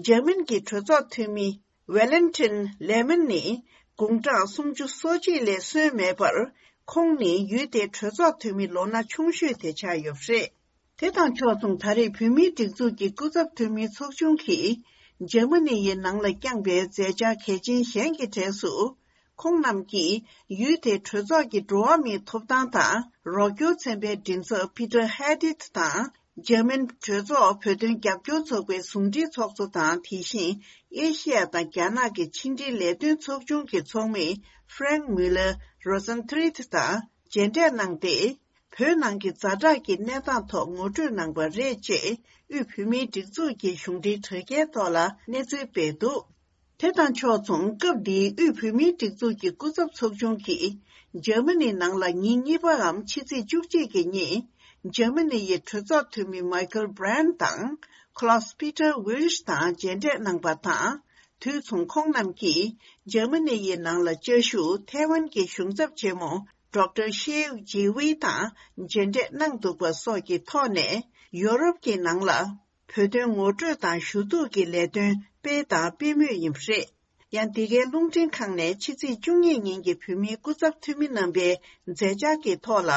འཇར་མན་གྱི་གྲོས་ཚོགས་འཐུས་མི་ཝེ་ལན་ཏིན་ལེ་མན་ནི་དགུང་གྲངས་སུམ་ཅུ་སོ་གཅིག་ལས་སོན་མེད་པར་ཁོང་ནི་ཡུལ་དེའི་གྲོས་ཚོགས་འཐུས་མི་ལོ་ན་ཆུང་ཤོས་དེ་ཆགས་ཡོད་པ་རེད། དེ་དང་ཕྱོགས་མཚུངས་ད་རེས་བོད་མིའི་སྒྲིག་འཛུགས་ཀྱི་སྐུ་ཚབ་འཐུས་མིའི་ཚོགས་ཆུང་གིས་འཇར་མ་ནི་ཡི་ནང་ལ་བསྐྱངས་པའི་མཛད་འཆར་གལ་ཆེན་གཞན་གྱི་གྲས་སུ། ཁོང་རྣམས་ཀྱིས་ཡུལ་དེའི་གྲོས་ཚོགས་ཀྱི་འགྲོ་བ་མིའི་ཐོབ་ཐང་དང་རོགས་སྐྱོར་ཚན་པའི་མགྲིན་ཚབ་པི་ཏར་ཧེ་ཏིད་དང་འཇར་མན་གྲོས་ཚོགས་བོད་དོན་རྒྱབ་སྐྱོར་ཚོགས་པའི་ཟུང་འབྲེལ་ཚོགས་གཙོ་དང་དེ་བཞིན་ཨེ་ཤེ་ཡ་དང་རྒྱ་ནག་གི་ཕྱི་འབྲེལ་ལས་དོན་ཚོགས་ཆུང་གི་ཚོགས་མི་ཧྥ་རེང་མུ་ལར་རོ་སན་ཐི་རིད་དང་མཇལ་འཕྲད་གནང་སྟེ། བོད་ནང་གི་ཛ་དྲག་གི་གནས་སྟངས་ཐོག་ངོ་སྤྲོད་གནང་པ་རེད་ཅེས་དབུས་བོད་མིའི་སྒྲིག་འཛུགས་ཀྱི་གཞུང་འབྲེལ་དྲ་རྒྱའི་ཐོག་ལ་གནས་ཚུལ་སྤེལ་འདུག་དེ་དང་ཕྱོགས་མཚུངས་སྐབས་འདིའི་དབུས་བོད་མིའི་སྒྲིག་འཛུགས་ཀྱི་སྐུ་ཚབ་ཚོགས་ཆུང་གིས་འཇར་མ་ནི་ནང་ལ་ཉིན་གཉིས་པའམ་ཕྱི་ཚེས་བཅུ་གཅིག་གི་ཉིན་འཇར་མ་ནི་ཡི་གྲོས་ཚོགས་འཐུས་མི་མའི་ཁལ་བྷི་རན་དང་ཁ་ལོས་པི་ཏར་ཝིལ་ཤི་དང་མཇལ་འཕྲད་གནང་པ་དང་། དུས་མཚུངས་ཁོང་རྣམས་ཀྱིས་འཇར་མ་ནི་ཡི་ནང་ལ་བཅའ་བཞུགས་ཐའེ་ཝན་གྱི་གཞུང་ཚབ་ཆེན་མོ་ཌོག་ཊར་ཤེའུ་ཇི་ཝེ་དང་མཇལ་འཕྲད་གནང་འདུག་པ་སོགས་ཀྱི་ཐོག་ནས་ཡོ་རོབ་ཀྱི་ནང་ལ་བོད་དོན་ངོ་སྤྲོད་དང་ཞུ་གཏུག་གི་ལས་དོན་སྤེལ་དང་སྤེལ་མུས་ཡིན་པ་རེད། ཡང་འདི་གའི་རླུང་འཕྲིན་ཁང་ནས་ཕྱི་ཚེས་བཅུ་གཉིས་ཉིན་གྱི་བོད་མིའི་སྐུ་ཚབ་འཐུས་མི་རྣམ་པའི་མཛད་འཆར་གྱི་ཐོག་ལ་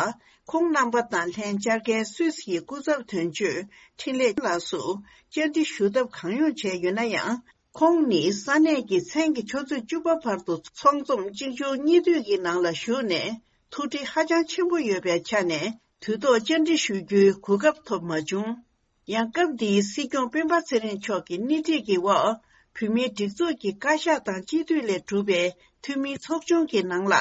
ཁོང་རྣམ་པ་དང་ལྷན་བཅར་མཁན་སུད་སི་ཡི་སྐུ་ཚབ་དོན་གཅོད་འཕྲིན་ལས་ལགས་སུ་བཅར་འདྲི་ཞུ་ཐབས་གང་ཡོང་བྱས་ཡོད་ན་ཡང་། ཁོང་ནི་ས་གནས་ཀྱི་མཚན་གྱི་ཆུ་ཚོད་བཅུ་པ་བར་དུ་ཚོགས་འཛོམས་གཅིག་མཇུག་གཉིས་མཐུད་ཀྱི་ནང་ལ་ཞུགས་ནས། ཐུགས་འདྲེ་ཧ་ཅང་ཆེན་པོ་ཡོད་པའི་ཆ་ནས། དུས་ཐོག་བཅར་འདྲི་ཞུ་རྒྱུའི་གོ་སྐབས་ཐོབ་མ་བྱུང་། ཡང་སྐབས་འདིའི་སྲིད་སྐྱོང་སྤེན་པ་ཚེ་རིང་མཆོག་གི་སྣེ་ཁྲིད་ཀྱི་འོག་བོད་མིའི་སྒྲིག་འཛུགས་ཀྱི་བཀའ་ཤག་དང་སྤྱི་འཐུས་ལས་གྲུབ་པའི་འཐུས་མིའི་ཚོགས་ཆུང་གི་ནང་ལ།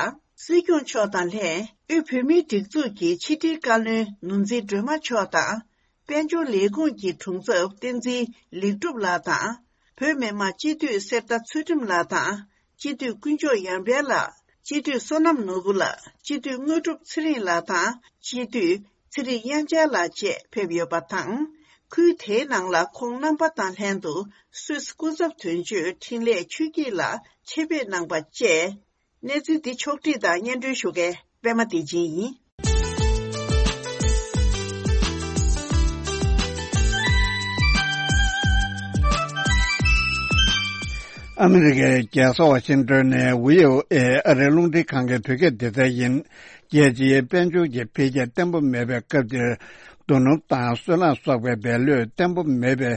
སྲིད་སྐྱོང་མཆོག་དང་ལྷན། དབུས་བོད་མིའི་སྒྲིག་འཛུགས་ཀྱི་ཕྱི་དྲིལ་བཀའ་བློན་ནོར་འཛིན་སྒྲོལ་མ་མཆོག་དང་། དཔལ་འབྱོར་ལས་ཁུངས་ཀྱི་དྲུང་ཚབ་བསྟན་འཛིན་ལེགས་གྲུབ་ལགས་དང་། བོད་མི་མང་སྤྱི་འཐུས་གསེར་རྟ་ཚུལ་ཁྲིམས་ལགས་དང་། སྤྱི་འཐུས་དཀོན་མཆོག་ཡར་འཕེལ་ལགས། སྤྱི་འཐུས་བསོད་ནམས་ནོར་བུ་ལགས། སྤྱི་འཐུས་དངོས་གྲུབ་ཚེ་རིང་ལགས་དང་། སྤྱི་འཐུས་ཚེ་རིང་དབྱངས་འཆར་ལགས་བཅས་ཕེབས་ཡོད་པ་དང་། ཁུལ་དེའི་ནང་ལ་ཁོང་རྣམ་པ་དང་ལྷན་དུ་སུད་སི་སྐུ་ཚབ་དོན་གཅོད་འཕྲིན་ལས་ཆོས་སྐྱིད་ལགས་ཆེད་ཕེབས་གནང་པ་བཅས། གནས་ཚུལ་འདི་ཕྱོགས་བསྒྲིགས་དང་སྙན་སྒྲོན་ཞུ་མཁན་པད་མ་བདེ་ཆེན་ཡིན། ཨ་མི་རི་ཀའི་རྒྱལ་ས་ཝ་ཤིང་ཏོན་ནས་བྷི་ཨོ་ཨེ་ཨ་རིའི་རླུང་འཕྲིན་ཁང་གི་བོད་སྐད་སྡེ་ཚན་ཡིན། རྒྱལ་སྤྱིའི་དཔལ་འབྱོར་གྱི་འཕེལ་རྒྱས་བརྟན་པོ་མེད་པའི་སྐབས་འདིར། རྡོ་སྣུམ་དང་སོལ་རླངས་སོགས་པའི་བེད་ལུས་བརྟན་པོ་མེད་པའི།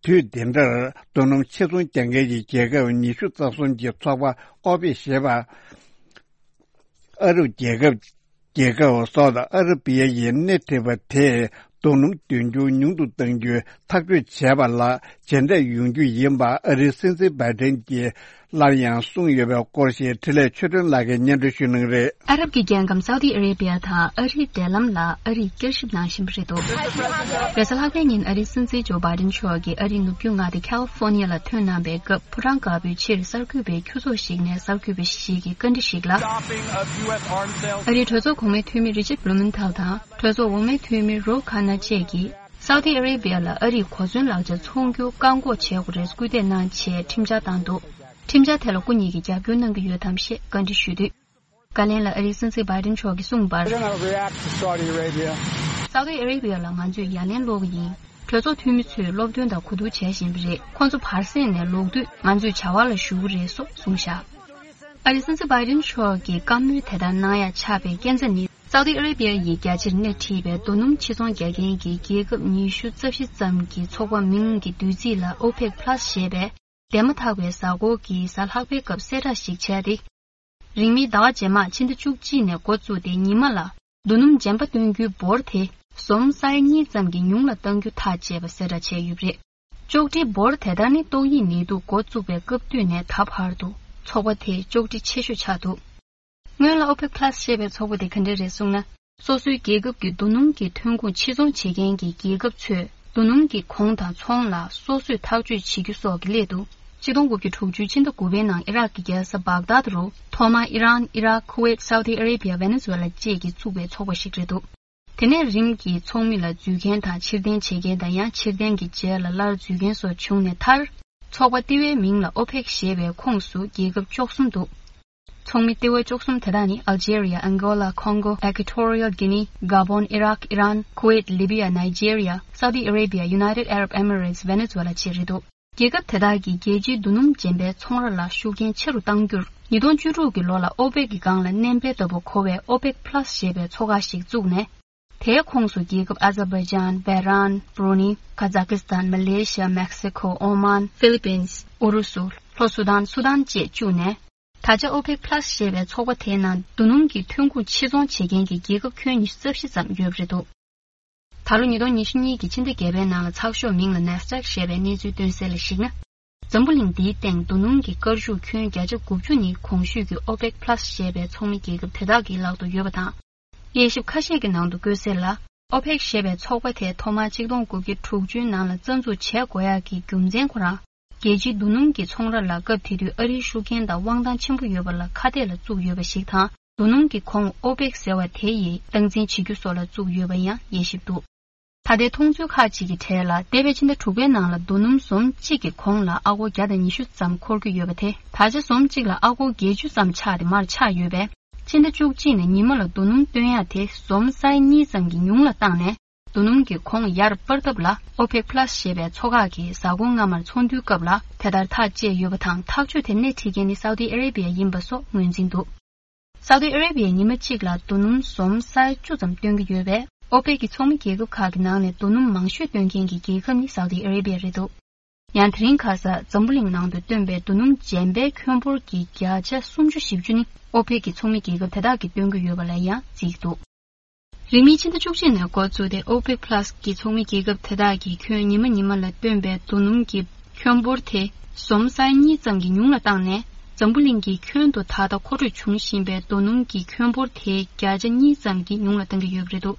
དུས་འདི་འདྲར་རྡོ་སྣུམ་ཕྱིར་ཚོང་རྒྱག་མཁན་གྱི་རྒྱལ་ཁབ་ཉི་ཤུ་རྩ་གསུམ་གྱི་ཚོགས་པ་ཨོ་པེག་ཞེས་པ། ཨ་རབ་རྒྱལ་ཁབ། རྒྱལ་ཁབ་སོགས་དང་ཨ་ར་བི་ཡ་ཡིས་སྣེ་ཁྲིད་པ་དེས་རྡོ་སྣུམ་འདོན་རྒྱུ་ཉུང་དུ་གཏང་རྒྱུའི་ཐག་གཅོད་བྱས་པ་ལ་རྗེས་འབྲས་ཡོང་རྒྱུ་ཡིན་པ་ཨ་རིའི་སྲིད་འཛིན་བྷའི་ཏིན་གྱིས་སླར་ཡང་གསུངས་ཡོད་པའི་སྐོར་ཞིག་འཕྲིན་ལས་ཆོས་སྒྲོན་ལགས་ཀྱིས་སྙན་སྒྲོན་ཞུ་གནང་གི་རེད། ཨ་རབ་ཀྱི་རྒྱལ་ཁམས་སའུ་ཏི་ཨ་རེ་བྷི་ཡ་དང་ཨ་རིའི་འབྲེལ་ལམ་ལ་ཨ་རིས་བསྐྱར་ཞིབ་གནང་བཞིན་པ་རེད་འདུག་རེས་གཟའ་ལྷག་པའི་ཉིན་ཨ་རིའི་སྲིད་འཛིན་ཇོ་བྷའི་ཏིན་མཆོག་གིས་ཨ་རིའི་ནུབ་རྒྱུད་མངའ་སྡེ་ཁ་ལི་ཧྥོ་ནི་ཡ་ལ་ཐོན་གནང་པའི་སྐབས། ཕོ་བྲང་དཀར་པོའི་ཕྱིར་གསར་འགོད་པའི་ཁྱུ་ཚོགས་ཤིག་ནས་གསར་འགོད་པ་ཞིག་གིས་བཀའ་འདྲི་ཞིག་ལ། ཨ་རིའི་གྲོས་ཚོགས་གོང་མའི་འཐུས་མི་རི་ཆར་བྷུ་ལུ་མེན་ཐལ་དང་གྲོས་ཚོགས་འོག་མའི་འཐུས་མི་རོ་ཁ་ན་བཅས་ཀྱིས་སའུ་ཏི་ཨ་རེ་བྷི་ཡ་ལ་ཨ་རིས་གོ་མཚོན་ལག་ཆ་འཚོང་རྒྱུ་བཀག་འགོག་བྱེད་དགོས་རེད་སྐུལ་འདེད་གནང་ཆེད་ཁྲིམས་འཆར་བཏང་འདུག་ཁྲིམས་འཆར་དེ་ལ་སྐུ་ཉིད་ཀྱིས་རྒྱབ་སྐྱོར་གནང་གི་ཡོད་དམ་ཞེས་བཀའ་འདྲི་ཞུས་དུས། བཀའ་ལན་ལ་ཨ་རིའི་སྲིད་འཛིན་བྷའི་ཏིན་མཆོག་གིས་གསུངས་པར། We're gonna react to Saudi Arabia. སའུ་ཏི་ཨ་རེ་བྷི་ཡ་ལ་ང་ཚོས་ཡ་ལན་སློག་གི་ཡིན། གྲོས་ཚོགས་འཐུས་མི་ཚོས་སློབ་སྟོན་དང་གོ་བསྡུར་བྱས་བཞིན་པ་རེད། ཁོང་ཚོ་བར་གསེང་ནས་ལོག་དུས་ང་ཚོས་བྱ་བ་ལ་ཞུགས་ཀྱི་རེད་སོགས་གསུངས་བཞག་ཨ་རིའི་སྲིད་འཛིན་བྷའི་ཏིན་མཆོག་གི་བཀའ་མོལ་དེ་ལྟར་གནང་ཡག་ཆགས་པའི་རྐྱེན་རྩ་ནི། སའུ་ཏི་ཨ་རེ་བྷི་ཡ་ཡིས་རྒྱ་ཆེར་སྣེ་ཁྲིད་པའི་རྡོ་སྣུམ་ཕྱིར་ཚོང་རྒྱག་མཁན་གྱི་རྒྱལ་ཁབ་ཉི་ཤུ་རྩ་བཞི་ཙམ་གྱི་ཚོགས་པ་མིང་གི་བསྡུས་ཚིག་ལ་ཨོ་པེག་པ་ལཱས་ཞེས་པའི་འདས་མ་ཐག་པའི་གཟའ་འཁོར་གྱི་གཟའ་ལྷག་པའི་སྐབས་གསལ་བསྒྲགས་ཤིག་བྱས་ཏེ། རིང་མིན་ཟླ་བ་རྗེས་མ་ཕྱི་ཟླ་བཅུ་གཅིག་ནས་འགོ་བཙུགས་ཏེ་ཉི་མ་ལ་རྡོ་སྣུམ་རྗེན་པ་བཏོན་རྒྱུའི་འབོར་དེ་ཟོམ་སའི་གཉིས་ཙམ་གྱིས་ཉུང་ལ་གཏང་རྒྱུ་ཐག་བཅད་པ་གསལ་བསྒྲགས་བྱས་ཡོད་པ་རེད། གཅོག་འཕྲིའི་འབོར་དེ་ལྟར་ནི་ཏོག་དབྱིབས་ནད་དུག་འགོ་བཙུགས་པའི་སྐབས་དུས་ནས་ད་བར་དུ་ཚོགས་པ་དེས་གཅོག་འཕྲི་ཆེ་ཤོས་ཆགས་འདུག་སྔོན་ལ་ཨོ་པེག་པ་ལཱས་ཞེས་པའི་ཚོགས་པ་དེ་ག་འདྲ་རེད་གསུངས་ན། སོ་སོའི་རྒྱལ་ཁབ་ཀྱི་རྡོ་སྣུམ་གྱི་ཐོན་ཁུངས་ཕྱིར་ཚོང་བྱེད་མཁན་གྱི་རྒྱལ་ཁབ་ཚོས་རྡོ་སྣུམ་གྱི་གོང་དང་ཚོང་ལ་སོ་སོས་ཐག་གཅོད་བྱེད་རྒྱུ་སོགས་ཀྱི་སླད་དུ། ཆིག་སྟོང་དགུ་བརྒྱ་དྲུག་ཅུ་ཕྱི་ཟླ་དགུ་པའི་ནང་ཨི་རག་གི་རྒྱལ་ས་བྷག་དཱད་རུ་ཐོག་མར་ཨི་རན། ཨི་རག། ཁུ་ཝེད། སའུ་ཏི་ཨ་རེ་བྷི་ཡ། ཝེ་ནེ་ཛུ་ཝེ་ལ་བཅས་ཀྱིས་བཙུགས་པའི་ཚོགས་པ་ཞིག་རེད་འདུག་དེ་ནས་རིམ་གྱིས་ཚོགས་མི་ལ་འཛུལ་མཁན་དང་ཕྱིར་འཐེན་བྱེད་མཁན་དང་ཡང་ཕྱིར་འཐེན་གྱི་རྗེས་ལ་སླར་འཛུལ་མཁན་སོགས་བྱུང་ནས་མཐར། ཚོགས་པ་ལྟེ་བའི་མིང་ལ་ཨོ་པེག་ཞེས་པའི་ཁོངས་སུ་རྒྱལ་ཁབ་བཅུ་གསུམ་འདུག་ཚོགས་མི་ལྟེ་བ་བཅུ་གསུམ་དེ་དག་ནི་ཨལ་ཇེ་རི་ཡ། ཨན་གོ་ལ། ཁོང་གོ། ཨེ་ཀུ་ཊོ་རི་ཡལ་གྷི་ནི། གྷ་བོན། ཨི་རག། ཨི་རན། ཁུ་ཝེད། ལི་བི་ཡ། ནའི་ཇེ་རི་ཡ། སའུ་ཏི་ཨ་རེ་བྷི་ཡ། ཡུ་ནའི་ཊེཌ་ཨ་རབ་ཨེ་མི་རེ་ཊི། ཝེ་ནེ་ཛུ་ཝེ་ལ་བཅས་རེད་འདུག་རྒྱལ་ཁབ་དེ་དག་གིས་རྒྱལ་སྤྱིའི་རྡོ་སྣུམ་རྗེན་པའི་ཚོང་ར་ལ་ཤུགས་རྐྱེན་ཆེ་རུ་གཏང་རྒྱུར། ཉིས་སྟོང་བཅུ་དྲུག་གི་ལོ་ལ་ཨོ་པེག་གི་སྒང་ལ་སྣོན་པའི་ལྟ་བུ་གོ་བའི་ཨོ་པེག་པ་ལཱས་ཞེས་པའི་ཚོགས་ཁག་ཞིག་བཙུགས་ནས། དེའི་ཁོངས་སུ་རྒྱལ་ཁབ་ཨ་ཛར་བྷའི་ཇན། བྷེ་རན། བྷུ་རུ་ནི། ཁ་ཛ་ཀི་སི་ཐན། མ་ལེ་ཤི་ཡ། མེག་སི་ཁོ། ཨོ་མན། ཧྥི་ལི་པིན། ཨུ་རུ་སུ། ལྷོ་སུ་དཱན། སུ་དཱན་བཅས་བཅུག་ནས། ད་ཆ་ཨོ་པེག་པ་ལཱས་ཞེས་པའི་ཚོགས་པ་དེའི་ནང་རྡོ་སྣུམ་གྱི་ཐོན་ཁུངས་ཕྱིར་ཚོང་བྱེད་མཁན་གྱི་རྒྱལ་ཁབ་ཁྱོན་ཉི་ཤུ་རྩ་བཞི་ཙམ་ཡོད་པ་རེད་འདུག་ད་ལོ་ཉིས་སྟོང་ཉི་ཤུ་གཉིས་ཀྱི་ཕྱི་ཟླ་བརྒྱད་པའི་ནང་ལ་ཚགས་ཤོག་མིང་ལ་ནེ་སི་ཌེག་ཞེས་པའི་གནས་ཚུལ་བཏོན་གསལ་ལ་གཞིགས་ན། འཛམ་བུ་གླིང་འདིའི་སྟེང་རྡོ་སྣུམ་གྱི་དཀར་ཤུགས་ཁྱོན་བརྒྱ་ཆ་དགུ་བཅུ་ནི་གོང་ཞུས་ཀྱི་ཨོ་པེག་པ་ལཱས་ཞེས་པའི་ཚོགས་མི་རྒྱལ་ཁབ་དེ་དག་གི་ལག་ཏུ་ཡོད་པ་དང་། དབྱེ་ཞིབ་ཁ་ཤས་ཀྱི་ནང་དུ་བཀོད་གསལ་ལ། ཨོ་པེག་ཞེས་པའི་ཚོགས་པ་དེ་ཐོག་མར་ཆིག་སྟོང་དགུ་བརྒྱ་དྲུག་ཅུའི་ནང་ལ་རྩ་འཛུགས་བྱེད་དགོས་ཡག་གི་རྒྱུ་མཚན་ཁོ་རང་། རྒྱལ་སྤྱིའི་རྡོ་སྣུམ་གྱི་ཚོང་ར་ལ་སྐབས་དེ་དུས་ཨ་རིའི་ཤུགས་རྐྱེན་དང་དབང་ཐང་ཆེན་པོ་ཡོད་པ་ལ་ཁ་གཏད་ལ་བཙུགས་ཡོད་པ་ཞིག་དང་། རྡོ་སྣུམ་གྱི་གོང་ཨོ་པེག་ཟེར་བ་དེ་ཡིས་སྟངས་འཛིན་བྱེད་རྒྱུ་སོགས་ལ་བཙུགས་ཡོད་པ་ཡང་དབྱེ་ཞིབ་འདུག་ད་ལྟའི་མཐོང་ཚུལ་ཁག་ཅིག་གི་གྲས་ལ། འདས་པའི་ཕྱི་ཟླ་དྲུག་པའི་ནང་ལ་རྡོ་སྣུམ་ཟོམ་གཅིག་གི་གོང་ལ་ཨ་སྒོར་བརྒྱ་དང་ཉི་ཤུ་ཙམ་འཁོར་གྱི་ཡོད་པ་དེ། ད་ཆ་ཟོམ་གཅིག་ལ་ཨ་སྒོར་བརྒྱད་ཅུ་ཙམ་ཆགས་ཏེ་མར་ཆག་ཡོད་པས། ཕྱི་ཟླ་བཅུ་གཅིག་ནས་ཉི་མ་ལ་རྡོ་སྣུམ་བཏོན་ཡག་དེ་ཟོམ་སའི་གཉིས་ཙམ་གྱིས་ཉུང་ལ་བཏང་ནས། རྡོ་སྣུམ་གྱི་གོང་ཡར་སྤར་ཐབས་ལ་ཨོ་པེག་པ་ལཱས་ཞེས་པའི་ཚོགས་ཁག་གིས་གཟའ་འཁོར་སྔ་མར་ཚོགས་འདུའི་སྐབས་ལ་དེ་ལྟར་ཐག་བཅད་ཡོད་པ་དང་། ཐག་གཅོད་དེ་སྣེ་ཁྲིད་མཁན་ནི་སའུ་ཏི་ཨ་རེ་བྷི་ཡ་ཡིན་པ་སོགས་ངོས་འཛིན་འདུག་སའུ་ཏི་ཨ་རེ་བྷི་ཡས་ཉི་མ་གཅིག་ལ་རྡོ་སྣུམ་ཟོམ་སའི་བཅུ་ཙམ་བཏོན་གྱི་ཡོད་པས། ཨོ་པེག་གི་ཚོགས་མི་རྒྱལ་ཁབ་ཁག་གི་ནང་ནས་རྡོ་སྣུམ་མང་ཤོས་བཏོན་མཁན་གྱི་རྒྱལ་ཁབ་ནི་སའུ་ཏི་ཨ་རེ་བྷི་ཡ་རེད་འདུག་ཡང་དེ་རིང་ཁ་སང་འཛམ་བུ་གླིང་ནང་དུ་བཏོན་པའི་རྡོ་སྣུམ་རྗེན་པའི་ཁྱོན་འབོར་གྱི་བརྒྱ་ཆ་སུམ་ཅུ་བཞི་བཅུ་ནི་ཨོ་པེག་གི་ཚོགས་མི་རྒྱལ་ཁབ་དེ་དག་གིས་བཏོན་གྱི་ཡོད་པ་ལ་ཡང་བརྩིས་འདུག་རིང་མིན་ཕྱི་ཟླ་བཅུ་གཅིག་ནས་འགོ་བཙུགས་ཏེ་ཨོ་པེག་པ་ལ་སི་གི་ཚོགས་མི་རྒྱལ་ཁབ་དེ་དག་གིས་ཁྱོན་ཉི་མ་ཉི་མ་ལ་བཏོན་པའི་རྡོ་སྣུམ་གྱི་ཁྱོན་འབོར་དེ་ཟོམ་སའི་གཉིས་ཙམ་གྱིས་ཉུང་ལ་བཏང་ནས། འཛམ་བུ་གླིང་གི་ཁྱོན་དུ་ད་ལྟ་མཁོ་སྤྲོད་བྱུང་བཞིན་པའི་རྡོ་སྣུམ་གྱི་ཁྱོན་འབོར་དེའི་བརྒྱ་ཆ་གཉིས་ཙམ་གྱིས་ཉུང་ལ་བཏང་གི་ཡོད་པ་རེད་འདུག་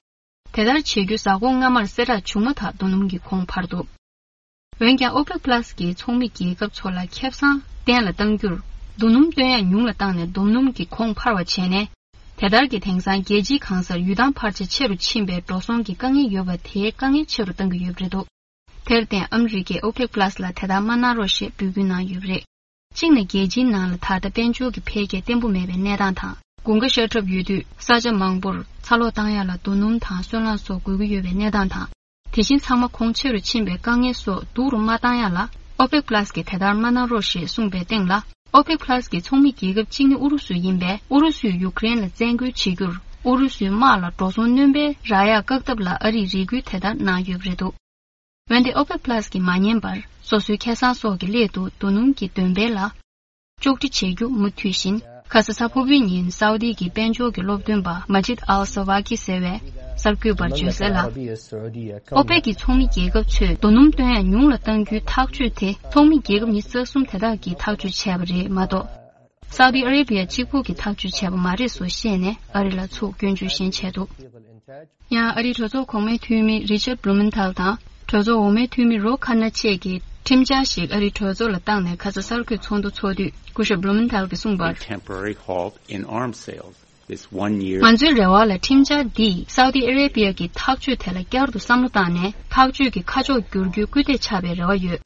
དེ་ལྟར་བྱེད་རྒྱུ་གཟའ་འཁོར་སྔ་མར་གསལ་བསྒྲགས་བྱུང་མ་ཐག་རྡོ་སྣུམ་གྱི་གོང་འཕར་འདུག་འོན་ཀྱང་ཨོ་པེག་པ་ལ་སི་གི་ཚོགས་མི་རྒྱལ་ཁབ་ཚོ་ལ་ཁེ་བཟང་བརྟན་ལ་གཏང་རྒྱུར། རྡོ་སྣུམ་བཏོན་ཡག་ཉུང་ལ་བཏང་ནས་རྡོ་སྣུམ་གྱི་གོང་འཕར་བ་བྱས་ནས། དེ་ལྟར་གྱི་དེང་སང་རྒྱལ་སྤྱིའི་གང་སར་ཡུལ་ཐང་འཕར་ཆ་ཆེ་རུ་ཕྱིན་པའི་འགྲོ་སོང་གི་དཀའ་ངལ་ཡོད་པ་དེའི་དཀའ་ངལ་ཆེ་རུ་གཏང་གི་ཡོད་པ་རེད་འདུག་དེར་བརྟེན་ཨ་མི་རི་ཀས་ཨོ་པེག་པ་ལ་སི་ལ་དེ་ལྟར་མ་གནང་རོགས་ཞེས་འབོད་སྐུལ་གནང་ཡོད་པ་རེད། གཅིག་ནས་རྒྱལ་སྤྱིའི་ནང་ལ་ད་ལྟ་དཔལ་འབྱོར་གྱི་འཕེལ་རྒྱས་བརྟན་པོ་མེད་པའི་གནས་སྟངས་དང་། དགུན་ཁ་ཤར་གྲབས་ཡོད་དུས་ས་ཆ་མང་པོར་ཚ་གློག་བཏང་ཡག་ལ་རྡོ་སྣུམ་དང་སོལ་རླངས་སོགས་དགོས་ཀྱི་ཡོད་པའི་གནས་སྟངས་དང་། དེ་བཞིན་ཚང་མ་གོང་ཆེ་རུ་ཕྱིན་པའི་དཀའ་ངལ་སོགས་སྡུག་རུ་མ་བཏང་ཡག་ལ་ཨོ་པེག་པ་ལ་སི་གིས་དེ་ལྟར་མ་གནང་རོགས་ཞེས་གསུངས་པའི་སྟེང་ལ། ཨོ་པེག་པ་ལ་སི་གི་ཚོགས་མི་རྒྱལ་ཁབ་གཅིག་ནི་ཨུ་རུ་སུ་ཡིན་པས། ཨུ་རུ་སུས་ཡུཀ་རེན་ལ་བཙན་རྒོལ་བྱེད་རྒྱུར་ཨུ་རུ་སུའི་དམག་ལ་འགྲོ་སོང་སྣོན་པའི་རག་ཡག་བཀག་ཐབས་ལ་ཨ་རིས་རེ་སྐུལ་དེ་ལྟར་གནང་ཡོད་པ་རེད་འདུག་འོན་ཏེ་ཨོ་པེག་པ་ལ་སི་གིས་མ་ཉན་པར་སོ་སོའི་ཁེ་བཟང་སོགས་ཀྱི་སླད་དུ་རྡོ་སྣུམ་གྱི་འདོན་སྤེལ་ལ་གཅོག་འཕྲི་བྱེད་རྒྱུ་མུ་མཐུད་བཞིན། ཁ་ས་གཟའ་ཕུར་བུའི་ཉིན་སའུ་དི་གི་དཔལ་འབྱོར་གྱི་སློབ་སྟོན་པ་མ་ཇིད་ཨལ་ས་ཝ་ཀི་ཟེར་བས་གསར་འགོད་པར་བརྗོད་གསལ་ལ། ཨོ་པེག་གི་ཚོགས་མི་རྒྱལ་ཁབ་ཚོས་རྡོ་སྣུམ་བཏོན་ཡག་ཉུང་ལ་གཏང་རྒྱུའི་ཐག་གཅོད་དེ་ཚོགས་མི་རྒྱལ་ཁབ་ཉི་ཤུ་རྩ་གསུམ་དེ་དག་གིས་ཐག་གཅོད་བྱས་པ་རེད་མ་གཏོགས། སའུ་དི་ཨ་རེ་བི་ཡ་གཅིག་པུ་གིས་ཐག་གཅོད་བྱས་པ་མ་རེད་སོགས་བཤད་ནས་ཨ་རི་ལ་ཚུར་སྐྱོན་བརྗོད་གཞན་བྱས་འདུག་ཡང་ཨ་རིའི་གྲོས་ཚོགས་གོང་མའི་འཐུས་མི་རི་ཆར་བྷུ་ལུ་མན་ཐལ་དང་གྲོས་ཚོགས་འོག་མའི་འཐུས་མི་རོ་ཁ་ན་ཆེ་གིས་ཁྲིམས་འཆར་ཞིག་ཨ་རིའི་གྲོས་ཚོགས་ལ་བཏང་ནས་ཁ་ས་གསར་འགོད་ཚོགས་འདུ་འཚོགས་དུས་སྐུ་ཞབས་བྷུ་ལུ་མན་ཐལ་གྱིས་གསུངས་པར། Temporary halt in arms sales this one year. ང་ཚོའི་རེ་བ་ལ་ཁྲིམས་འཆར་འདིས་སའུ་དི་ཨ་རེ་བི་ཡ་གི་ཐག་གཅོད་དེ་ལ་བསྐྱར་དུ་བསམ་བློ་བཏང་ནས་ཐག་གཅོད་ཀྱི་ཁ་ཕྱོགས་བསྒྱུར་རྒྱུའི་སྐུལ་འདེད་ཆགས་པའི་རེ་བ་ཡོད།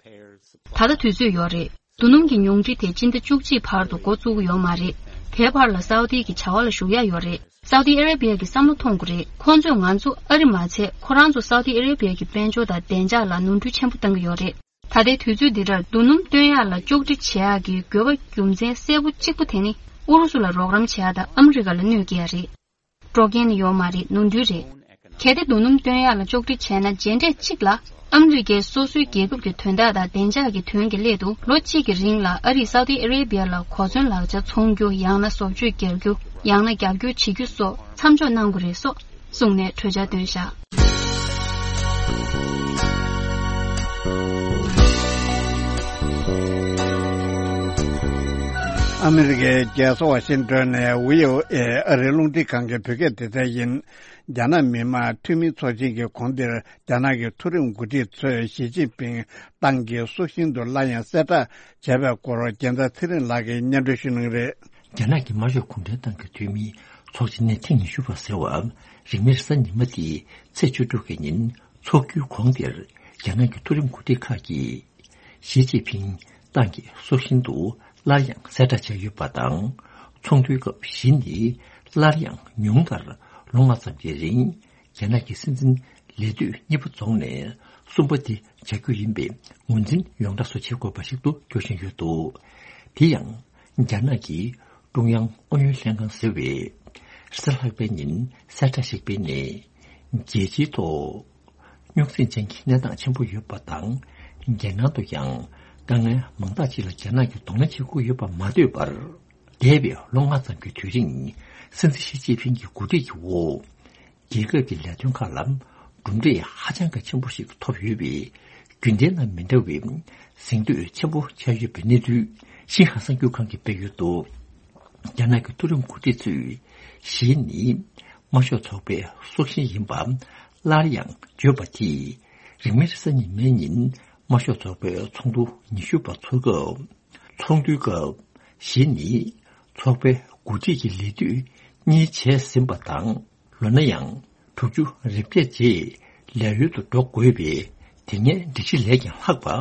ད་ལྟ་དུས་ཚོད་ཡོད་རེད། རྡོ་སྣུམ་གྱི་ཉུང་འཕྲི་དེ་སྤྱི་ཟླ་བཅུ་གཅིག་བར་དུ་འགོ་བཙུགས་ཀྱི་ཡོད་མ་རེད། དེའི་བར་ལ་སའུ་དི་གི་བྱ་བ་ལ་ཞུགས་ཡག་ཡོད་རེད། སའུ་དི་ཨ་རེ་བི་ཡ་གི་བསམ་བློ་ཐོངས་དགོས་རེད། ཁོང་ཚོས་ང་ཚོ་ཨ་རི་མ་ཚད་ཁོ་རང་ཚོ་སའུ་དི་ཨ་རེ་བི་ཡ་གི་དཔལ་འབྱོར་དང་བདེ་འཇགས་ལ་ནོར་འཁྲུལ་ཆེན་པོ་བཏང་གི་ཡོད་རེད། ད་ལྟའི་དུས་ཚོད་འདི་འདྲར་རྡོ་སྣུམ་བཏོན་ཡག་ལ་གཅོག་འཕྲི་བྱེད་ཡག་གི་དགོས་པ་རྒྱུ་མཚན་གསལ་པོ་གཅིག་པུ་དེ་ནི་ཨུ་རུ་སུ་ལ་རོགས་རམ་བྱེད་ཡག་དང་ཨ་མི་རི་ཀ་ལ་གནོད་སྐྱེལ་ཡག་རེད། སྤྲོ་མཁན་ནི་ཡོད་མ་རེད། ནོར་འཁྲུལ་རེད། གལ་ཏེ་རྡོ་སྣུམ་བཏོན་ཡག་ལ་གཅོག་འཕྲི་བྱས་ན་རྗེས་འབྲས་གཅིག་ལ་ཨ་མི་རི་ཀས་སོ་སོའི་རྒྱལ་ཁབ་ཀྱི་དོན་དག་དང་བདེ་འཇགས་ཀྱི་དོན་གྱི་སླད་དུ་ལོ་གཅིག་གི་རིང་ལ་ཨ་རིས་སའུ་དི་ཨ་རེ་བི་ཡ་ལ་གོ་མཚོན་ལག་ཆ་ཚོང་རྒྱུ། ཡང་ན་བཟོ་བཅོས་རྒྱག་རྒྱུ། ཡང་ན་རྒྱབ་སྐྱོར་བྱེད་རྒྱུ་སོགས་མཚམས་འཇོག་གནང་དགོས་རེད་སོགས་གསུངས་ནས་གྲོས་འཆར་བཏོན་བཞག་ཨ་མི་རི་ཀའི་རྒྱལ་ས་ཝ་ཤིང་ཏོན་ནས་བྷི་ཨོ་ཨེ་ཨ་རིའི་རླུང་འཕྲིན་ཁང་གི་བོད་སྐད་སྡེ་ཚན་ཡིན། རྒྱ་ནག་མི་དམངས་འཐུས་མི་ཚོགས་ཆེན་གྱི་གོང་འདིར་རྒྱ་ནག་གི་མཐོ་རིམ་འགོ་ཁྲིད་ཚོས་ཞི་ཅིན་ཕིང་ཏང་གི་སྲོག་ཤིང་དུ་སླར་ཡང་གསལ་བསྒྲགས་བྱས་པའི་སྐོར་རྒྱལ་མཚན་ཚེ་རིང་ལགས་ཀྱིས་སྙན་སྒྲོན་ཞུ་གནང་རེད། རྒྱ་ནག་གི་དམར་ཤོག་གུང་ཁྲན་ཏང་གི་འཐུས་མིའི་ཚོགས་ཆེན་ཐེངས་ཉི་ཤུ་པ་ཟེར་བ་རིང་མིན་གཟའ་ཉི་མ་སྟེ་ཚེས་བཅུ་དྲུག་གི་ཉིན་འཚོགས་རྒྱུའི་གོང་དེར་རྒྱ་ནག་གི་མཐོ་རིམ་འགོ་ཁྲིད་ཁག་གིས་ཞི་ཅིན་ཕིང་ཏང་གི་སྲོག་ཤིང་དུ་སླར་ཡང་གསལ་བསྒྲགས་བྱས་ཡོད་པ་དང་། ཚོགས་འདུའི་སྐབས་གཞི་ནས་སླར་ཡང་ཉུང་མཐར་ལོ་ལྔ་ཙམ་གྱི་རིང་རྒྱ་ནག་གི་སྲིད་འཛིན་ལས་དུས་གཉིས་པ་རྫོགས་ནས་གསུམ་པ་དེ་བྱ་རྒྱུ་ཡིན་པའི་ངོས་འཛིན་ཡོངས་གྲགས་སུ་བྱེད་དགོས་པ་ཞིག་ཏུ་འགྱུར་བཞིན་ཡོད་འདུག་དེ་ཡང་རྒྱ་ནག་གི་ཀྲུང་དབྱང་ཨུ་ཡོན་ལྷན་ཁང་ཟེར་བས་རེས་གཟའ་ལྷག་པའི་ཉིན་གསལ་བསྒྲགས་ཤིག་སྤེལ་ནས། རྒྱལ་སྤྱིའི་ཐོག་རྙོག་འཛིང་ཅན་གྱི་གནས་སྟངས་ཆེན་པོ་ཡོད་པ་དང་། རྒྱལ་ནང་དུ་ཡང་དཀའ་ངལ་མང་དག་ཅིག་ལ་རྒྱ་ནག་གིས་གདོང་ལེན་བྱེད་ཀྱི་ཡོད་པ་མ་ལྟོས་པར། འདས་པའི་ལོ་ལྔ་ཙམ་གྱི་དུས་རིང་སྲིད་འཛིན་ཞི་ཅིན་ཕིང་གི་འགོ་ཁྲིད་ཀྱི་འོག་རྒྱལ་ཁབ་ཀྱི་ལས་དོན་ཁག་ལ་གྲུབ་འབྲས་ཧ་ཅང་གི་ཆེན་པོ་ཞིག་ཐོབ་ཡོད་པའི་རྒྱུན་ལྡན་དང་མི་འདྲ་བའི་གཟེངས་བསྟོད་ཆེན་པོ་བྱས་ཡོད་པའི་གནས་ཚུལ་ཤིན་ཧྭ་གསར་འགྱུར་ཁང་གིས་སྤེལ་ཡོད་འདུག་རྒྱ་ནག་གི་མཐོ་རིམ་འགོ་ཁྲིད་ཚོས་གཞི་ནས་དམར་ཤོག་ཚོགས་པའི་སྲོག་ཤིང་ཡིན་པ་སླར་ཡང་བརྗོད་པ་དེས་རིང་མིན་རེས་གཟའ་ཉི་མའི་ཉིན་དམར་ཤོག་ཚོགས་པའི་ཚོགས་འདུ་ཉི་ཤུ་པ་འཚོགས་སྐབས། ཚོགས་འདུའི་སྐབས་གཞི་ནས་ཚོགས་པའི་འགོ་ཁྲིད་ཀྱི་ལས་དུས་གཉིས་བྱས་ཟིན་པ་དང་། ལོ་ན་ཡང་དྲུག་ཅུ་རེ་བརྒྱད་རྗེས་ལས་ཡུལ་དུ་འགྲོ་དགོས་པའི་དེ་སྔའི་སྒྲིག་གཞི་ལས་ཀྱང་ལྷག་པ།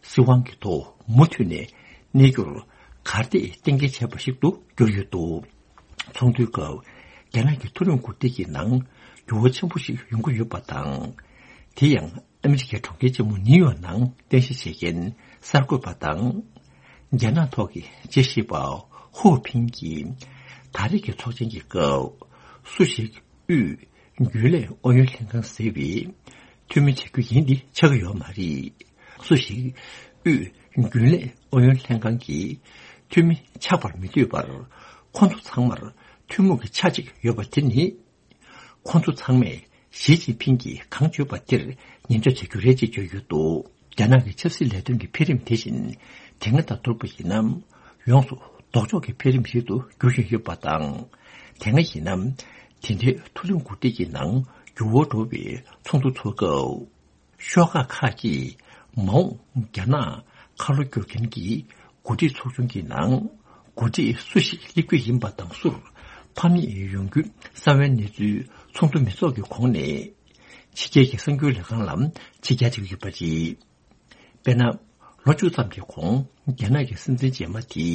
སྲིད་དབང་གི་ཐོག་མུ་མཐུད་ནས་གནས་རྒྱུར་གར་སྟེགས་གཏན་འཁེལ་བྱས་པ་ཞིག་ཏུ་གྱུར་ཡོད་འདུག་ཚོགས་འདུའི་སྐབས་རྒྱ་ནག་གི་མཐོ་རིམ་འགོ་ཁྲིད་ཀྱི་ནང་འགྱུར་བ་ཆེན་པོ་ཞིག་ཡོང་གི་ཡོད་པ་དང་། དེ་ཡང་ཨ་མི་རི་ཀའི་གྲོང་ཁྱེར་ཆེན་མོ་ནིའུ་ཡོག་ནང་རྟེན་གཞི་བྱེད་མཁན་གསར་འགོད་པ་དང་། རྒྱ་ནག་ཐོག་གི་དཔྱད་ཞིབ་པ་ཧོ་ཕིང་གིས་ད་རེས་ཀྱི་ཚོགས་ཆེན་གྱི་སྐབས་སུ་ཞིག་དབུས་རྒྱུན་ལས་ཨུ་ཡོན་ལྷན་ཁང་ཟེར་བའི་འཐུས་མི་བྱ་རྒྱུ་ཡིན་འདི་ཆགས་ཀྱི་ཡོད་མ་རེད། སུ་ཞིག་ དབུས་རྒྱུན་ལས་ཨུ་ཡོན་ལྷན་ཁང་གི་འཐུས་མི་ཆགས་པར་མི་འདོད་པར། ཁོང་ཚོ་ཚང་མར་ཐུན་མོང་གི་ཆ་གཅིག་ཡོད་པ་དེ་ནི། ཁོང་ཚོ་ཚང་མས་ཞི་ཅིན་ཕིང་གིས་གང་བརྗོད་པ་དེར་ཉན་འཇོག་བྱ་རྒྱུ་རེད་ཅེས་བརྗོད་ཡོད་འདུག་རྒྱ་ནག་གི་ཆབ་སྲིད་ལས་དོན་གྱི་འཕེལ་རིམ་དེ་བཞིན་དེ་སྔ་དང་བསྡུར་བ་ཡིན་ན། ཡོངས་སུ་ལྡོག་ཕྱོགས་ཀྱི་འཕེལ་རིམ་ཞིག་ཏུ་འགྱུར་བཞིན་ཡོད་པ་དང་། དེ་སྔ་ཡིན་ན། དེ་འདྲའི་མཐོ་རིམ་འགོ་ཁྲིད་ཀྱི་ནང་འགྱུར་བ་འགྲོ་བའི་ཚོགས་འདུ་འཚོགས་སྐབས། ཤོག་ཁག་ཁག་གིས་མ་འོངས་རྒྱ་ནག་ཁ་ལོ་སྒྱུར་མཁན་གྱི་འགོ་ཁྲིད་ཚོགས་ཆུང་གི་ནང་འགོ་ཁྲིད་སུ་ཞིག་སླེབས་རྒྱུ་ཡིན་པ་དང་། སུར་ཕམ་ཉེས་ཡོང་རྒྱུའི་གསང་བའི་གནས་ཚུལ་ཚོགས་འདུ་མི་ཚོགས་ཀྱི་གོང་ནས་ཕྱི་རྒྱལ་གྱི་གསར་འགྱུར་ལས་ཁང་ལ་ཕྱི་རྒྱ་བྱེད་ཀྱི་ཡོད་པ་རེད། དཔེར་ན། ལོ་བཅུ་ཙམ་གྱི་གོང་རྒྱ་ནག་གི་སྲིད་འཛིན་རྗེས་མ་དེ་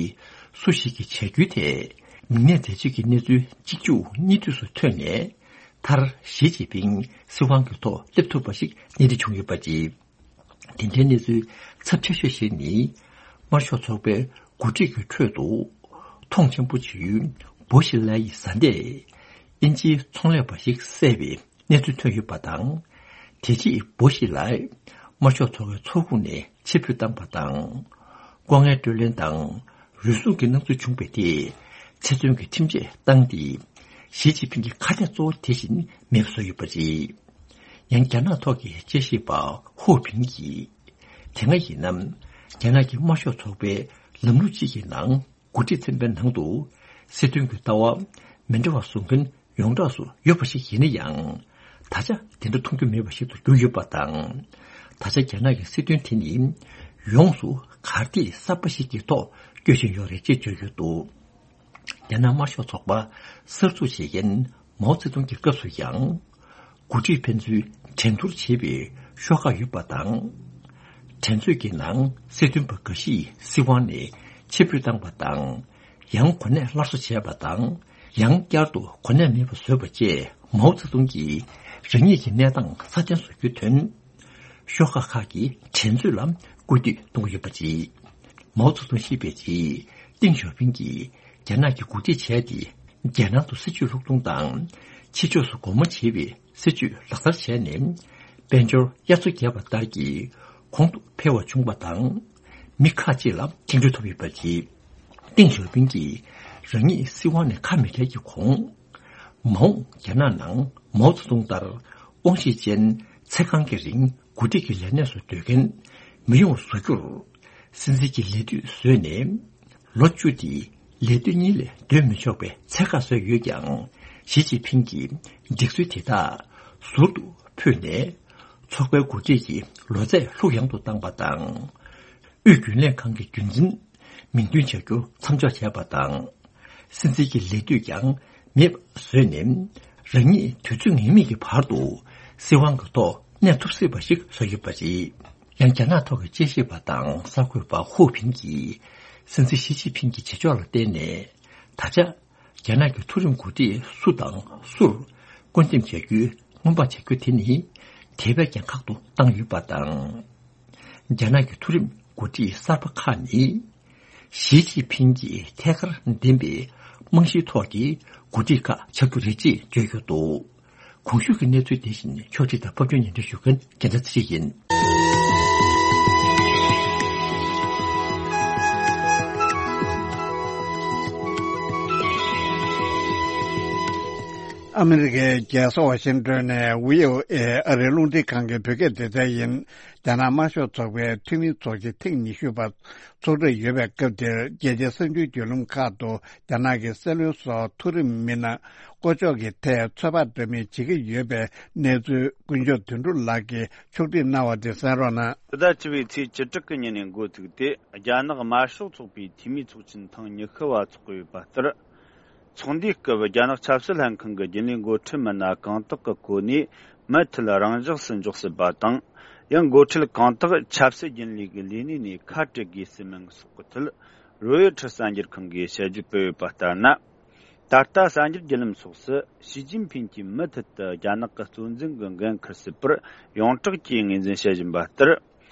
སུ་ཞིག་གིས་བྱ་རྒྱུའི་ཐད་མིང་ནས་འཛད་སྤྱོད་ཀྱི་གནས་ཚུལ་གཅིག་མཇུག་གཉིས་མཐུད་སུ་ཐོན་ནས། མཐར་ཞི་ཅིན་ཕིང་སྲིད་དབང་གི་ཐོག་སླེབས་ཐུབ་པ་ཞིག་གནད་འགྲིག་བྱུང་ཡོད་པ་རེད། དེ་འདྲའི་གནས་ཚུལ་ཚབས་ཆེ་ཤོས་ཤིག་ནི། དམར་ཤོག་ཚོགས་པའི་འགོ་ཁྲིད་ཀྱི་ཁྲོད་དུ་མཐོང་ཆེན་པོ་བྱེད་ཡུལ་བོ་ཞི་ལའི་ཡི་བཟའ་ཟླས་དབྱིན་ཇིའི་ཚོང་ལས་པ་ཞིག་བསད་པའི་གནས་ཚུལ་ཐོན་ཡོད་པ་དང་། དེ་རྗེས་བོ་ཞི་ལའི་དམར་ཤོག་ཚོགས་པའི་ཚོགས་ཁོངས་ནས་ཕྱིར་འབུད་བཏང་པ་དང་། ལྐོག་རྔན་སྤྲོད་ལེན་དང་རུལ་སུངས་ཀྱི་སྣང་ཚུལ་བྱུང་བའི་ཐད། ཚེ་བཙོན་གྱི་ཁྲིམས་ཆད་བཏང་སྟེ། ཞི་ཅིན་ཕིང་གི་ཁ་གཏད་གཙོ་བོ་དེ་བཞིན་མེད་པ་བཟོས་ཡོད་པ་རེད། ཡང་རྒྱ་ནག་ཐོག་གི་དཔྱད་ཞིབ་པ་ཧོ་ཕིང་གིས། དེ་སྔ་ཡིན་ན། རྒྱ་ནག་གི་དམར་ཤོག་ཚོགས་པའི་ལམ་ལུགས་གཅིག་གི་ནང་། འགོ་ཁྲིད་ཚན་པའི་ནང་དུ་སྲིད་དོན་གྱི་ལྟ་བ་མི་འདྲ་བ་བཟུང་མཁན་ཡོངས་གྲགས་སུ་ཡོད་པ་ཞིག་ཡིན་ན་ཡང་། ད་ཆ་དེ་འདྲ་མཐོང་རྒྱུ་མེད་པ་ཞིག་ཏུ་གྱུར་ཡོད་པ་དང་། ད་ཆ་རྒྱ་ནག་གི་སྲིད་དོན་དེ་ནི་ཡོངས་སུ་གར་སྟེགས་གསར་པ་ཞིག་གི་ཐོག་བསྐྱོད་བཞིན་ཡོད་རེད་ཅེས་བརྗོད་ཡོད་འདུག་རྒྱ་ནག་དམར་ཤོག་ཚོགས་པ་གསར་འཛུགས་བྱེད་མཁན་མའོ་ཙེ་ཏུང་གི་སྐབས་སུ་ཡང་། འགོ་ཁྲིད་ཕན་ཚུན་འགྲན་བསྡུར་བྱེད་པའི་ཤོག་ཁག་ཡོད་པ་དང་། འགྲན་རྩོད་ཀྱི་ནང་སྲིད་དོན་པ་འགའ་ཞིག་སྲིད་དབང་ནས་ཕྱིར་འབུད་བཏང་པ་དང་། ཡང་གོ་གནས་སླར་གསོ་བྱས་པ་དང་། ཡང་བསྐྱར་དུ་གོ་གནས་མེད་པ་བཟོས་པ་བཅས། མའོ་ཙེ་ཏུང་གིས་རང་ཉིད་ཀྱི་གནས་སྟངས་སྲ་བརྟན་བཟོ་རྒྱུའི་དོན། ཤོག་ཁག་ཁག་གིས་འགྲན་རྩོད་ལ་སྐུལ་འདེད་གཏོང་གི་ཡོད་པ་རེད། མའོ་ཙེ་ཏུང་ཤི་བའི་རྗེས། ཏེང་ཞའོ་ཕིང་གིས་རྒྱ་ནག་གི་འགོ་ཁྲིད་བྱས་ཏེ། རྒྱལ་ནང་དུ་སྲིད་ཇུས་ལྷུག་གཏོང་དང་། ཕྱི་ཕྱོགས་སུ་སྒོ་མོ་འབྱེད་པའི་སྲིད་ཇུས་ལག་བསྟར་བྱས་ནས། དཔལ་འབྱོར་དབྱར་མཚོ་རྒྱས་པ་ལྟར་གྱི་གོང་དུ་འཕེལ་བ་བྱུང་བ་དང་། མི་ཁག་ཅིག་ལ་མཐུན་འགྱུར་ཐོབ་ཡོད་པ་རེད། ཏེང་ཞའོ་ཕིང་གིས་རང་ཉིད་སྲིད་དབང་ནས་ཁ་མེད་ལས་ཀྱི་གོང་། མ་འོངས་རྒྱ་ནག་ནང་མའོ་ཙེ་ཏུང་ལྟར་དབང་ཤེད་ཅན་ཚེ་གང་གི་རིང་འགོ་ཁྲིད་ཀྱི་ལས་གནས་སུ་སྡོད་མཁན་མི་ཡོང་བར་བཟོ་རྒྱུར། སྲིད་འཛིན་གྱི་ལས་དུས་བཟོས་ནས། ལོ་བཅུ་དེ་ལས་དུས་གཉིས་ལས་ལྡོག་མི་ཆོག་པའི་ཚད་བཀག་བཟོས་ཡོད་ཀྱང་། ཞི་ཅིན་ཕིང་གིས་སྒྲིག་སྲོལ་དེ་དག་ཟུར་དུ་ཕུད་ནས། ཚོགས་པའི་འགོ་ཁྲིད་ཀྱི་ལོ་ཚད་ལྷུག་ཡངས་དུ་བཏང་པ་དང་། དབུས་རྒྱུན་ལས་ཁང་གི་རྒྱུན་འཛིན་མིང་འདོན་བྱ་རྒྱུ་མཚམས་འཇོག་བྱས་པ་དང་། སྲིད་འཛིན་གྱི་ལས་དུས་ཀྱང་མེད་པ་བཟོས་ནས། རང་ཉིད་དུས་ཚོད་ངེས་མེད་ཀྱི་བར་དུ་སྲིད་དབང་གི་ཐོག་གནས་ཐུབ་སྲིད་པ་ཞིག་བཟོ་ཡོད་པ་རེད། ཡང་རྒྱ་ནག་ཐོག་གི་དཔྱད་ཞིབ་པ་དང་གསར་འགོད་པ་ཧུའུ་ཕིང་གིས། སྲིད་འཛིན་ཞི་ཅིན་ཕིང་གི་བྱེད་ཕྱོགས་ལ་བརྟེན་ནས། ད་ཆ་རྒྱ་ནག་གི་མཐོ་རིམ་འགོ་ཁྲིད་སུ་དང་སུར་བསྐོ་འདེམས་བྱ་རྒྱུའི་སྔོན་དཔག་བྱ་རྒྱུ་དེ་ནི་དེ་བས་ཀྱང་ཁག་ཏུ་བཏང་ཡོད་པ་དང་། རྒྱ་ནག་གི་མཐོ་རིམ་འགོ་ཁྲིད་གསར་པ་ཁག་ནི། ཞི་ཅིན་ཕིང་གི་ཐད་ཀར་འདེམས་པའི་རྨང་གཞིའི་ཐོག་གི་འགོ་ཁྲིད་ཁག་ཆགས་རྒྱུ་རེད་ཅེས་བརྗོད་ཡོད་འདུག་གོང་ཞུས་ཀྱི་གནས་ཚུལ་དེ་བཞིན་ཕྱོགས་སྒྲིག་དང་ཕབ་སྒྱུར་སྙན་སྒྲོན་ཞུ་མཁན་རྒྱལ་མཚན་ཚེ་རིང་ཡིན། ཨ་མི་རི་ཀའི་རྒྱལ་ས་ཝ་ཤིང་ཏོན་ནས་བྷི་ཨོ་ཨེ་ཨ་རིའི་རླུང་འཕྲིན་ཁང་གི་བོད་སྐད་སྡེ་ཚན་ཡིན། རྒྱ་ནག་དམར་ཤོག་ཚོགས་པའི་འཐུས་མི་ཚོགས་ཆེན་ཐེངས་ཉི་ཤུ་པ་ཚོགས་འདུ་ཡོད་པའི་སྐབས་དེར། རྒྱལ་སྤྱིའི་གསར་འགྱུར་བརྒྱུད་ལམ་ཁག་ཏུ་རྒྱ་ནག་གི་སྲིད་བློན་སོགས་མཐོ་རིམ་མི་སྣ་བསྐོ་གཞག་གི་ཐད་ཚོད་དཔག་འདྲ་མིན་བྱེད་ཀྱི་ཡོད་པའི་གནས་ཚུལ། དཀོན་མཆོག་དོན་གྲུབ་ལགས་ཀྱིས་ཕྱོགས་སྒྲིག་གནང་བ་དེ་གསན་རོགས་གནང་། ཕྱི་ཟླ་བཅུ་པའི་ཚེས་བཅུ་དྲུག་གི་ཉིན་ནས་འགོ་བཙུགས་ཏེ། རྒྱ་ནག་དམར་ཤོག་ཚོགས་པའི་འཐུས་མིའི་ཚོགས་ཆེན་ཐེངས་ཉི་ཤུ་པ་འཚོགས་ཡོད་པ་ལྟར། ཚོགས་འདུའི་སྐབས་རྒྱ་ནག་ཆབ་སྲིད་ལྷན་ཁང་གི་རྒྱུན་ལས་འགོ་ཁྲིད་མི་སྣ་གང་དག་གི་གོ་གནས་མུ་མཐུད་རང་འཇགས་སུ་འཇོག་སྲིད་པ་དང་། ཡང་འགོ་ཁྲིད་གང་དག་ཆབ་སྲིད་རྒྱུན་ལས་ཀྱི་ལས་གནས་ནས་ཁ་བྲལ་དགོས་སྲིད་མིན་སོགས་ཀྱི་ཐད། རོའི་ཊར་གསར་འགྱུར་ཁང་གིས་དཔྱད་བརྗོད་སྤེལ་ཡོད་པ་ལྟར་ན། ད་ལྟ་གསར་འགྱུར་བརྒྱུད་ལམ་སོགས་སུ་ཞི་ཅིན་ཕིན་གྱིས་མུ་མཐུད་དུ་རྒྱ་ནག་གི་གཙོ་འཛིན་གྱི་འགན་འཁུར་སྲིད་པར་ཡོངས་གྲགས་ཀྱིས་ངོས་འཛིན་བྱེད་བཞིན་པ་ལྟར།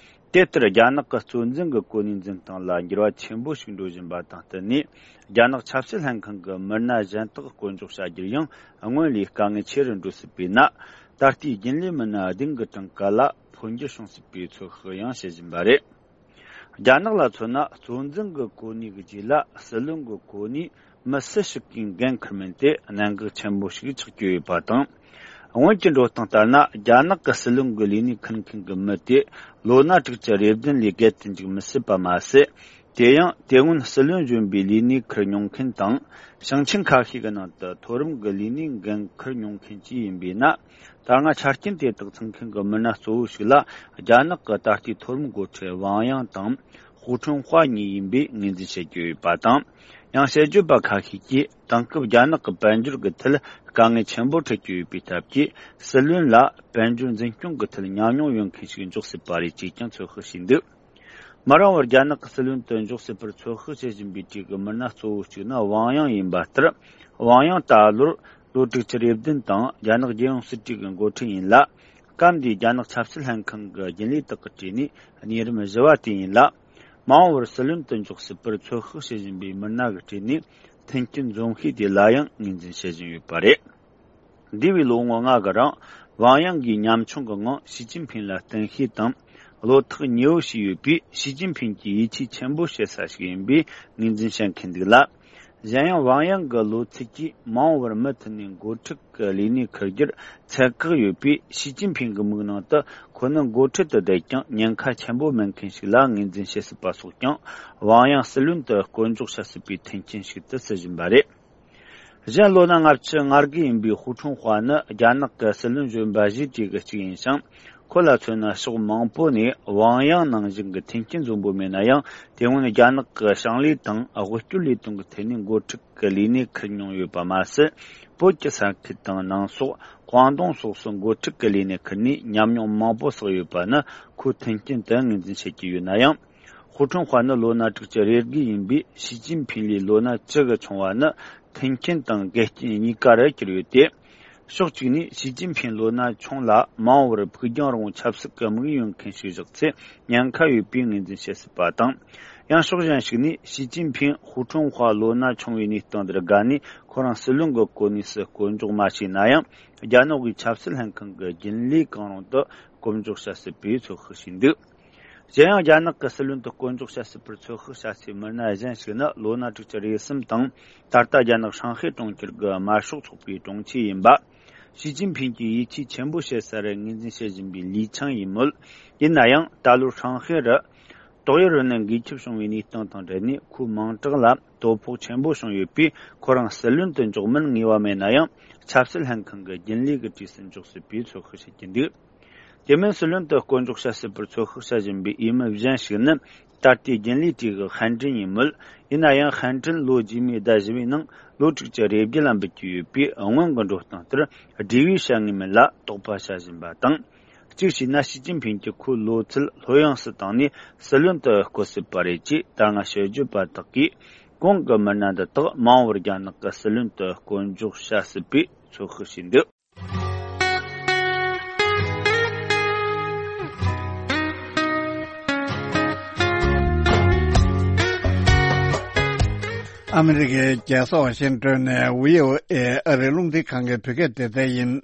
དེ་ལྟར་རྒྱ་ནག་གི་གཙོ་འཛིན་གྱི་གོ་གནས་འཛིན་སྟངས་ལ་འགྱུར་བ་ཆེན་པོ་ཞིག་འགྲོ་བཞིན་པ་དང་བསྟུན་ནས། རྒྱ་ནག་ཆབ་སྲིད་ལྷན་ཁང་གི་མི་སྣ་གཞན་དག་བསྐོ་འཇོག་བྱ་རྒྱུར་ཡང་སྔོན་ལས་དཀའ་ངལ་ཆེ་རུ་འགྲོ་སྲིད་པས་ན། ད་ལྟའི་རྒྱུན་ལས་མི་སྣ་བདུན་གྱི་གྲངས་ཀ་ལ་འཕོ་འགྱུར་བྱུང་སྲིད་པའི་ཚོད་དཔག་ཡང་བྱེད་བཞིན་པ་རེད། རྒྱ་ནག་ལ་མཚོན་ན། གཙོ་འཛིན་གྱི་གོ་གནས་ཀྱི་རྗེས་ལ་སྲིད་བློན་གྱི་གོ་གནས་མི་སུ་ཞིག་གིས་འགན་འཁུར་མིན་དེ་གནད་འགག་ཆེན་པོ་ཞིག་ཆགས་ཀྱི་ཡོད་པ་དང་། སྔོན་གྱི་འགྲོ་སྟངས་ལྟར་ན། རྒྱ་ནག་གི་སྲིད་བློན་གྱི་ལས་གནས་འཁུར་མཁན་གྱི་མི་དེ་ལོ་ན་དྲུག་ཅུ་རེ་བདུན་ལས་བརྒལ་དུ་འཇུག་མི་སྲིད་པ་མ་ཟད། དེ་ཡང་དེ་སྔོན་སྲིད་བློན་གཞོན་པའི་ལས་གནས་འཁུར་མྱོང་མཁན་དང་། ཞིང་ཆེན་ཁ་ཤས་ཀྱི་ནང་དུ་མཐོ་རིམ་གྱི་ལས་གནས་འགན་འཁུར་མྱོང་མཁན་བཅས་ཡིན་པས་ན། ད་སྔ་ཆ་རྐྱེན་དེ་དག་ཚང་མཁན་གྱི་མི་སྣ་གཙོ་བོ་ཞིག་ལ། རྒྱ་ནག་གི་ད་ལྟའི་མཐོ་རིམ་འགོ་ཁྲིད་ཝང་ཡང་དང་། ཧུའུ་ཁྲུན་ཧྭ་གཉིས་ཡིན་པའི་ངོས་འཛིན་བྱེད་ཀྱི་ཡོད་པ་དང་། ཡང་། དཔྱད་བརྗོད་པ་ཁ་ཤས་ཀྱིས། དེང་སྐབས་རྒྱ་ནག་གི་དཔལ་འབྱོར་གྱི་ཐད་དཀའ་ངལ་ཆེན་པོ་འཕྲད་ཀྱི་ཡོད་པའི་སྟབས་ཀྱིས། སྲིད་བློན་ལ་དཔལ་འབྱོར་འཛིན་སྐྱོང་གི་ཐད་ཉམས་མྱོང་ཡོད་མཁན་ཞིག་འཇོག་སྲིད་པ་རེད་ཅེས་ཀྱང་ཚོད་དཔག་བྱས་འདུག་མ་རིང་བར་རྒྱ་ནག་གི་སྲིད་བློན་དུ་འཇོག་སྲིད་པར་ཚོད་དཔག་བྱེད་བཞིན་པའི་གྲས་ཀྱི་མི་སྣ་གཙོ་བོ་གཅིག་ནི་ཝང་ཡང་ཡིན་པ་ལྟར། ཝང་ཡང་ད་ལོར་ལོ་དྲུག་ཅུ་རེ་བདུན་དང་། རྒྱ་ནག་རྒྱལ་ཡོངས་སྲིད་གྲོས་ཀྱི་འགོ་ཁྲིད་ཡིན་ལ། སྐབས་འདིའི་རྒྱ་ནག་ཆབ་སྲིད་ལྷན་ཁང་གི་རྒྱུན་ལས་དག་གི་གྲས་ནས་གནས་རིམ་བཞི་བ་དེ་ཡིན་ལ། མ་འོངས་པར་སྲིད་བློན་དུ་འཇོག་སྲིད་པར་ཚོད་དཔག་བྱེད་བཞིན་པའི་མི་སྣ་གི་གྲས་ནས་མཐུན་རྐྱེན་འཛོམས་ཤོས་དེ་ལ་ཡང་ངོས་འཛིན་བྱེད་བཞིན་ཡོད་པ་རེད། འདས་པའི་ལོ་ངོ་ལྔ་གི་རིང་ཝང་ཡང་གིས་ཉམ་ཆུང་གི་ངང་ཞི་ཅིན་ཕིང་ལ་བསྟུན་ཤེས་དང་བློ་ཐག་ཉེ་བོ་བྱས་ཡོད་པས། ཞི་ཅིན་ཕིང་གྱིས་ཡིད་ཆེས་ཆེན་པོ་བྱེད་ས་ཞིག་ཡིན་པའི་ངོས་འཛིན་བྱེད་མཁན་འདུག་ལ། གཞན་ཡང་། ཝང་ཡང་གི་ལོ་ཚད་ཀྱིས་མ་འོངས་པར་མུ་མཐུད་ནས་འགོ་ཁྲིད་ཀྱི་ལས་གནས་འཁུར་རྒྱུར་ཚད་བཀག་ཡོད་པས། ཞི་ཅིན་ཕིང་གི་མིག་ནང་དུ་ཁོ་ནི་འགོ་ཁྲིད་དུ་བསྡད་ཀྱང་ཉེན་ཁ་ཆེན་པོ་མེད་མཁན་ཞིག་ལ་ངོས་འཛིན་བྱེད་སྲིད་པ་སོགས་ཀྱང་། ཝང་ཡང་སྲིད་བློན་དུ་བསྐོ་འཇོག་བྱ་སྲིད་པའི་མཐུན་རྐྱེན་ཞིག་ཏུ་བརྩི་བཞིན་པ་རེད། གཞན། ལོ་ན་ལྔ་བཅུ་ང་དགུ་ཡིན་པའི་ཧུའུ་ཁྲུན་ཧྭ་ནི་རྒྱ་ནག་གི་སྲིད་བློན་གཞོན་པ་བཞིའི་གྲས་ཀྱི་གཅིག་ཡིན་ཞིང་། ཁོ་ལ་མཚོན་ན་ཕྱོགས་མང་པོ་ནས་ཝང་ཡང་ནང་བཞིན་གྱི་མཐུན་རྐྱེན་འཛོམས་པོ་མེད་ན་ཡང་། དེ་སྔོན་རྒྱ་ནག་གི་ཞིང་ལས་དང་དབུལ་སྐྱོར་ལས་དོན་གྱི་ཐད་ནས་འགོ་ཁྲིད་ཀྱི་ལས་གནས་འཁུར་མྱོང་ཡོད་པ་མ་ཟད། བོད་ཀྱི་ས་ཁུལ་དང་ནང་སོག་ཀོང་ཏུང་སོགས་སུ་འགོ་ཁྲིད་ཀྱི་ལས་གནས་འཁུར་ནས་ཉམས་མྱོང་མང་པོ་བསགས་ཡོད་པ་ནི་ཁོའི་མཐུན་རྐྱེན་དུ་ངོས་འཛིན་བྱེད་ཀྱི་ཡོད་ན་ཡང་། ཧུའུ་ཁྲུན་ཧྭ་ནི་ལོ་ན་དྲུག་ཅུ་རེ་དགུ་ཡིན་པས། ཞི་ཅིན་ཕིང་ལས་ལོ་ན་བཅུ་གི་ཆུང་བ་ནི་མཐུན་རྐྱེན་དང་འགལ་རྐྱེན་གཉིས་ཀ་རུ་གྱུར་ཡོད་དེ། ཕྱོགས་གཅིག་ནས་ཞི་ཅིན་ཕིང་ལོ་ན་ཆུང་ལ་མ་འོངས་པར་ཕུགས་རྒྱང་རིང་བོ་ཆབ་སྲིད་ཀྱི་དམིགས་ཡུལ་ཡོད་མཁན་ཞིག་བཞག་ཚེ་ཉེན་ཁ་ཡོད་པའི་ངོས་འཛིན་བྱེད་སྲིད་པ་དང་། ཡང་ཕྱོགས་གཞན་ཞིག་ནས་ཞི་ཅིན་ཕིང་ཧུའུ་ཁྲུན་ཧྭ་ལོ་ན་ཆུང་བའི་གནས་སྟངས་འདིར་དགའ་ནས་ཁོ་རང་སྲིད་བློན་གྱི་གོ་གནས་སུ་བསྐོ་འཇོག་མ་བྱས་ན་ཡང་། རྒྱ་ནག་གི་ཆབ་སྲིད་ལྷན་ཁང་གི་རྒྱུན་ལས་གང་རུང་དུ་བསྐོ་འཇོག་བྱ་སྲིད་པའི་ཚོད་དཔག་བྱས་འདུག་གཞན་ཡང་། རྒྱ་ནག་གི་སྲིད་བློན་དུ་བསྐོ་འཇོག་བྱ་སྲིད་པར་ཚོད་དཔག་བྱ་སའི་མི་སྣ་གཞན་ཞིག་ནི་ལོ་ན་དྲུག་ཅུ་རེ་གསུམ་དང་། ད་ལྟ་རྒྱ་ནག་ཧྲང་ཧའེ་གྲོང་ཁྱེར་གྱི་དམར་ཤོག་ཚོགས་པའི་དྲུང་ཆེ་ཡིན་པ། ཞི་ཅིན་ཕིང་གིས་ཡིད་ཆེས་ཆེན་པོ་བྱེད་ས་རུ་ངོས་འཛིན་བྱེད་བཞིན་པའི་ལི་ཆང་ཡིན་མོད། ཡིན་ན་ཡང་། ད་ལོར་ཧྲང་ཧའེ་རུ་ཏོག་དབྱིབས་རིམས་ནད་འགོས་ཁྱབ་བྱུང་བའི་གནས་སྟངས་དང་འབྲེལ་ནས། ཁོའི་མིང་གྲགས་ལ་དོ་ཕོག་ཆེན་པོ་བྱུང་ཡོད་པས། ཁོ་རང་སྲིད་བློན་དུ་འཇོག་མིན་ངེས་པ་མེད་ན་ཡང་། ཆབ་སྲིད་ལྷན་ཁང་གི་རྒྱུན་ལས་ཀྱི་གྲས་སུ་འཇོག་སྲིད་པའི་ཚོད་དཔག་བྱེད་ཀྱི་འདུག་དེ་མིན། སྲིད་བློན་དུ་བསྐོ་འཇོག་བྱ་སྲིད་པར་ཚོད་དཔག་བྱ་བཞིན་པའི་འོས་མི་གཞན་ཞིག་ནི། ད་ལྟའི་རྒྱུན་ལས་གྲས་ཀྱི་ཧན་ཀྲིན་ཡིན་མོད། ཡིན་ན་ཡང་། ཧན་ཀྲིན་ལོ་རྗེས་མའི་ཟླ་བཞི་པའི་ནང་ལོ་དྲུག་ཅུ་རེ་བརྒྱད་ལ་འབུད་ཀྱི་ཡོད་པས། སྔོན་གྱི་འགྲོ་སྟངས་ལྟར་བགྲེས་པོའི་བྱ་ངན་མིན་ལ་དོགས་པ་བྱ་བཞིན་པ་དང་། གཅིག་བྱས་ན། ཞི་ཅིན་ཕིང་གིས་ཁོའི་ལོ་ཚད་ལྷོད་ཡངས་སུ་བཏང་ནས་སྲིད་བློན་དུ་བསྐོ་སྲིད་པ་རེད་ཅེས། ད་སྔ་དཔྱད་བརྗོད་པ་དག་གིས། གོང་གི་མི་སྣ་འདི་དག་མ་འོངས་པར་རྒྱ་ནག་གི་སྲིད་བློན་དུ་བསྐོ་འཇོག་བྱ་སྲིད་པའི་ཚོད་དཔག་བྱས་འདུག་ཨ་མི་རི་ཀའི་རྒྱལ་ས་ཝ་ཤིང་ཏོན་ནས་བྷི་ཨོ་ཨེ་ཨ་རིའི་རླུང་འཕྲིན་ཁང་གི་བོད་སྐད་སྡེ་ཚན་ཡིན།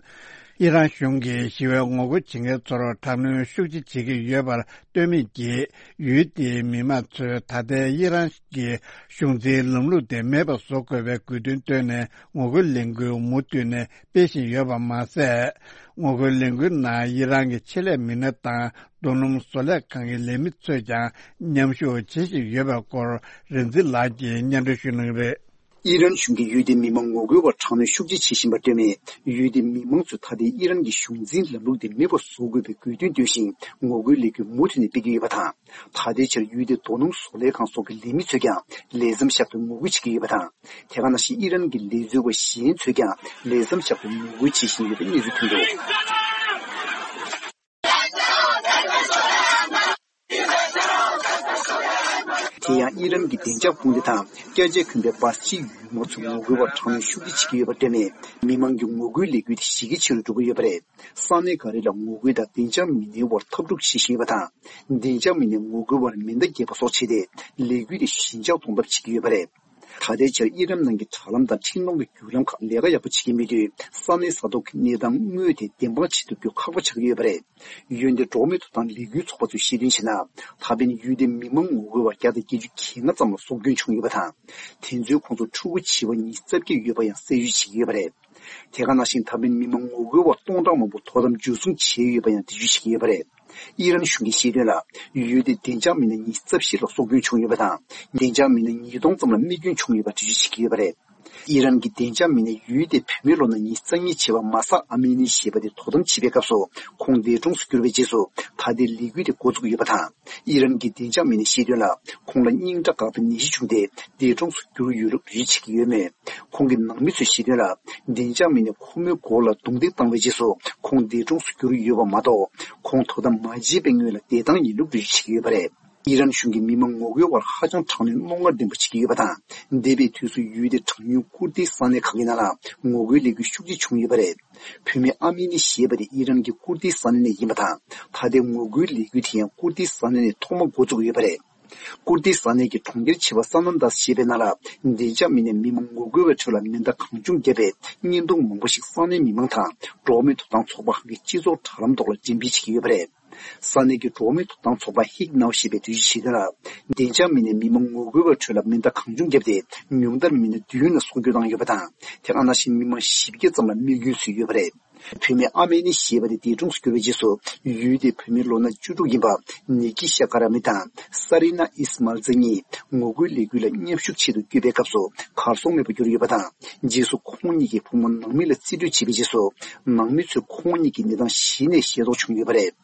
ཨི་རན་གཞུང་གིས་ཞི་བའི་ངོ་རྒོལ་བྱེད་མཁན་ཚོར་དྲག་གནོན་ཤུགས་ཆེ་བྱེད་ཀྱི་ཡོད་པར་ལྟོས་མེད་ཀྱིས། ཡུལ་དེའི་མི་མང་ཚོས་ད་ལྟའི་ཨི་རན་གྱི་གཞུང་འཛིན་ལམ་ལུགས་དེ་མེད་པར་བཟོ་དགོས་པའི་དགོས་འདུན་བཏོན་ནས། ངོ་རྒོལ་ལས་འགུལ་མུ་མཐུད་ནས་སྤེལ་བཞིན་ཡོད་པ་མ་ཟད། ངོ་རྒོལ་ལས་འགུལ་ནང་ཨི་རན་གྱི་ཆེད་ལས་མི་སྣ་དང་། རྡོ་སྣུམ་བཟོ་ལས་ཁང་གི་ལས་མི་ཚོས་ཀྱང་མཉམ་ཞུགས་བྱེད་བཞིན་ཡོད་པའི་སྐོར། རིག་འཛིན་ལགས་ཀྱིས་སྙན་སྒྲོན་ཞུ་གནང་གི་རེད། ཨི་རན་གཞུང་གིས་ཡུལ་དེའི་མི་མང་ངོ་རྒོལ་བར་དྲག་གནོན་ཤུགས་ཆེ་བྱེད་བཞིན་པར་ལྟོས་ནས། ཡུལ་དེའི་མི་མང་ཚོས་ད་ལྟའི་ཨི་རན་གྱི་གཞུང་འཛིན་ལམ་ལུགས་དེ་མེད་པར་བཟོ་དགོས་པའི་དགོས་འདུན་འདོན་བཞིན། ངོ་རྒོལ་ལས་འགུལ་མུ་མཐུད་ནས་སྤེལ་གྱི་ཡོད་པ་དང་། ད་ལྟའི་ཆར་ཡུལ་དེའི་རྡོ་སྣུམ་བཟོ་ལས་ཁང་སོགས་ཀྱི་ལས་མི་ཚོས་ཀྱང་ལས་མཚམས་བཞག་སྟེ་ངོ་རྒོལ་བྱེད་ཀྱི་ཡོད་པ་དང་། དེ་ག་ནང་བཞིན་ཨི་རན་གྱི་ལས་བཟོ་བ་གཞན་ཚོས་ཀྱང་ལས་མཚམས་བཞག་སྟེ་ངོ་རྒོལ་བྱེད་བཞིན་ཡོད་པའི་གནས་ཚུལ་ཐོན་འདུག་དེ་ཡང་ཨི་རན་གྱི་བདེ་འཇགས་དཔུང་སྡེ་དང་། སྐད་ཆ་འཁོན་པའི་བར་ཆད་ཡོད་མཁན་ཚོ་ངོ་རྒོལ་བར་དྲག་གནོན་ཤུགས་ཆེ་བྱེད་ཀྱི་ཡོད་པར་ལྟོས་ནས། མི་མང་གི་ངོ་རྒོལ་ལས་འགུལ་དེ་ཞི་རྒྱས་ཆེ་རུ་འགྲོ་གི་ཡོད་པ་རེད། ས་གནས་ག་རེ་ལ་ངོ་རྒོལ་དང་བདེ་འཇགས་མི་སྣའི་དབར་འཐབ་འཁྲུག་བྱེད་བཞིན་ཡོད་པ་དང་། བདེ་འཇགས་མི་སྣས་ངོ་རྒོལ་བར་མེ་མདའ་བརྒྱབ་པ་སོགས་བྱས་ཏེ། ལས་འགུལ་དེ་ཞི་འཇགས་གཏོང་ཐབས་བྱེད་ཀྱི་ཡོད་པ་རེད། ད་ལྟའི་ཆར་ཨི་རན་ནང་གི་དྲ་ལམ་དང་འཕྲིན་གཏོང་གི་བརྒྱུད་ལམ་ཁག་ལས་ཀ་ཡག་པོ་བྱེད་ཀྱི་མེད་དུས། ས་གནས་ས་ཐོག་གི་གནས་སྟངས་དངོས་དེ་བདེན་དཔང་བྱེད་ཐུབ་རྒྱུ་ཁག་པོ་ཆགས་ཀྱི་ཡོད་པ་རེད། འོན་ཏེ་འགྲོ་བ་མིའི་ཐོབ་ཐང་ལས་འགུལ་ཚོགས་པ་ཚོས་བཤད་དོན་བྱས་ན། ད་ཕན་ཡུལ་དེའི་མི་མང་ངོ་རྒོལ་བ་བརྒྱ་དང་བརྒྱད་ཅུ་གྱ་ལྔ་ཙམ་ལ་སྲོག་སྐྱོན་བྱུང་ཡོད་པ་དང་། དེ་ཚོའི་ཁོངས་སུ་ཕྲུ་གུ་བྱིས་པ་ཉི་ཤུ་རྩ་བརྒྱད་ཡོད་པ་ཡང་གསལ་བརྗོད་བྱེད་ཀྱི་ཡོད་པ་རེད། དེ་ག་ནང་བཞིན་ད་ཕན་མི་མང་ངོ་རྒོལ་བ་སྟོང་ཕྲག་མང་པོ་དོ་དམ་འཇུ་བཟུང་བྱས་ཡོད་པ་ཡང་འགྲེལ་བརྗོད་བྱེད་ཀྱི་ཡོད་པ་རེད། ཨི་རན་གཞུང་གིས་བཤད་དོན་ལ། ཡུལ་དེའི་བདེ་འཇགས་མི་སྣ་ཉི་ཤུ་རྩ་བཞི་ལ་སྲོག་སྐྱོན་བྱུང་ཡོད་པ་དང་། བདེ་འཇགས་མི་སྣ་ཉིས་སྟོང་ཙམ་ལ་རྨས་སྐྱོན་བྱུང་ཡོད་པ་འགྲེལ་བརྗོད་བྱེད་ཀྱི་ཡོད་པ་རེད། ཨི་རན་གྱི་བདེ་འཇགས་མི་སྣས་ཡུལ་དེའི་བུད་མེད་ལོ་ན་ཉི་ཤུ་རྩ་གཉིས་བྱས་པ་མ་ས་ཨ་མི་ནི་ཞེས་པ་དེ་དོ་དམ་བྱེད་པའི་སྐབས་སུ། ཁོང་འདས་གྲོངས་སུ་གྱུར་བའི་རྗེས་སུ། ད་ལྟའི་ལས་འགུལ་དེ་འགོ་བཙུགས་ཡོད་པ་དང་། ཨི་རན་གྱི་བདེ་འཇགས་མི་སྣས་བཤད་དོན་ལ། ཁོང་ལ་སྙིང་ཁྲག་འགག་པའི་ནད་གཞི་བྱུང་སྟེ། འདས་གྲོངས་སུ་གྱུར་ཡོད་ལུགས་འགྲེལ་བརྗོད་བྱེད་ཀྱི་ཡོད་མོད། ཁོང་གི་ནང་མི་ཚོས་བཤད་དོན་ལ། བདེ་འཇགས་མི་སྣས་ཁོ་མོའི་མགོ་ལ་རྡུང་རྡེག་བཏང་བའི་རྗེས་སུ། ཁོང་འདས་གྲོངས་སུ་གྱུར་ཡོད་པ་མ་གཏོགས། ཁོང་དོ་དམ་མ་བྱས་པའི་སྔོན་ལ་བསྡད་སྟངས་ཡིན་ལུགས་འགྲེལ་བརྗོད་བྱེད་ཀྱི་ཡོད་པ་རེད། ཨི་རན་གཞུང་གིས་མི་མང་ངོ་རྒོལ་བར་ཧ་ཅང་དྲག་གནོན་རྣོ་ངར་ལྡན་པ་བྱེད་ཀྱི་ཡོད་པ་དང་། འདས་པའི་དུས་སུ་ཡུལ་དེའི་གྲངས་ཉུང་ཀུར་ཏིའི་ས་གནས་ཁག་གི་ནང་ལ་ངོ་རྒོལ་ལས་འགུལ་ཤུགས་ཆེ་བྱུང་ཡོད་པ་རེད། བུད་མེད་ཨ་མི་ནི་ཞེས་པ་དེ་ཨི་རན་གྱི་ཀུར་ཏིའི་ས་གནས་ནས་ཡིན་པ་དང་། ད་ལྟའི་ངོ་རྒོལ་ལས་འགུལ་དེ་ཡང་ཀུར་ཏིའི་ས་གནས་ནས་ཐོག་མ་འགོ་བཙུགས་ཡོད་པ་རེད། ཀུར་ཏི་ས་གནས་ཀྱི་གྲོང་ཁྱེར་ཆེ་བ་ས་ན་འདས་ཞེས་པའི་ནང་ལ། བདེ་འཇགས་མི་སྣས་མི་མང་ངོ་རྒོལ་བའི་ཁྲོད་ལ་མེ་མདའ་གང་བྱུང་བརྒྱབ་པས། བརྙན་ཐུང་མང་པོ་ཞིག་ས་གནས་མི་མང་དང་། འགྲོ་བ་མིའི་ཐོབ་ཐང་ཚོགས་པ་ཁག་གི་སྤྱི་ཚོགས་དྲ་ལམ་ཐོག་ལ་འགྲེམས་སྤེལ་བྱེད་ཀྱི་ཡོད་པ་རེད། ས་གནས་ཀྱི་འགྲོ་བ་མིའི་ཐོབ་ཐང་ཚོགས་པ་ཧིག་ནའོ་ཞེས་པས་འགྲེལ་བརྗོད་བྱས་དོན་ལ། བདེ་འཇགས་མི་སྣས་མི་མང་ངོ་རྒོལ་བའི་ཁྲོད་ལ་མེ་མདའ་གང་བྱུང་བརྒྱབ་སྟེ། ཉུང་མཐར་མི་སྣ་བདུན་ལ་སྲོག་སྐྱོན་བཏང་ཡོད་པ་དང་། དེ་ག་ནང་བཞིན་མི་མང་བཞི་བརྒྱ་ཙམ་ལ་རྨས་སྐྱོན་བཟོས་ཡོད་པ་རེད། བུད་མེད་ཨ་མེ་ནི་ཞེས་པ་དེ་འདས་གྲོངས་སུ་གྱུར་བའི་རྗེས་སུ། ཡུལ་དེའི་བུད་མེད་ལོ་ན་བཅུ་དྲུག་ཡིན་པ། ནི་ཀི་ཤ་ཀ་ར་མི་དང་། ས་རི་ན་ཨིས་མལ་ཛི་གཉིས། ངོ་རྒོལ་ལས་འགུལ་ལ་མཉམ་ཞུགས་ཆེད་དུ་བསྐྱོད་པའི་སྐབས་སུ། གར་སོང་མེད་པར་གྱུར་ཡོད་པ་དང་། རྗེས་སུ་ཁོང་གཉིས་ཀྱི་བུ་མོ་ནང་མི་ལ་རྩིས་སྤྲོད་བྱས་པའི་རྗེས་སུ། ནང་མི་ཚོས་ཁོང་གཉིས་ཀྱི་གནས་སྟངས་གཞི་ནས་ཤེས་རྟོགས་བྱུང་ཡོད་པ་རེད།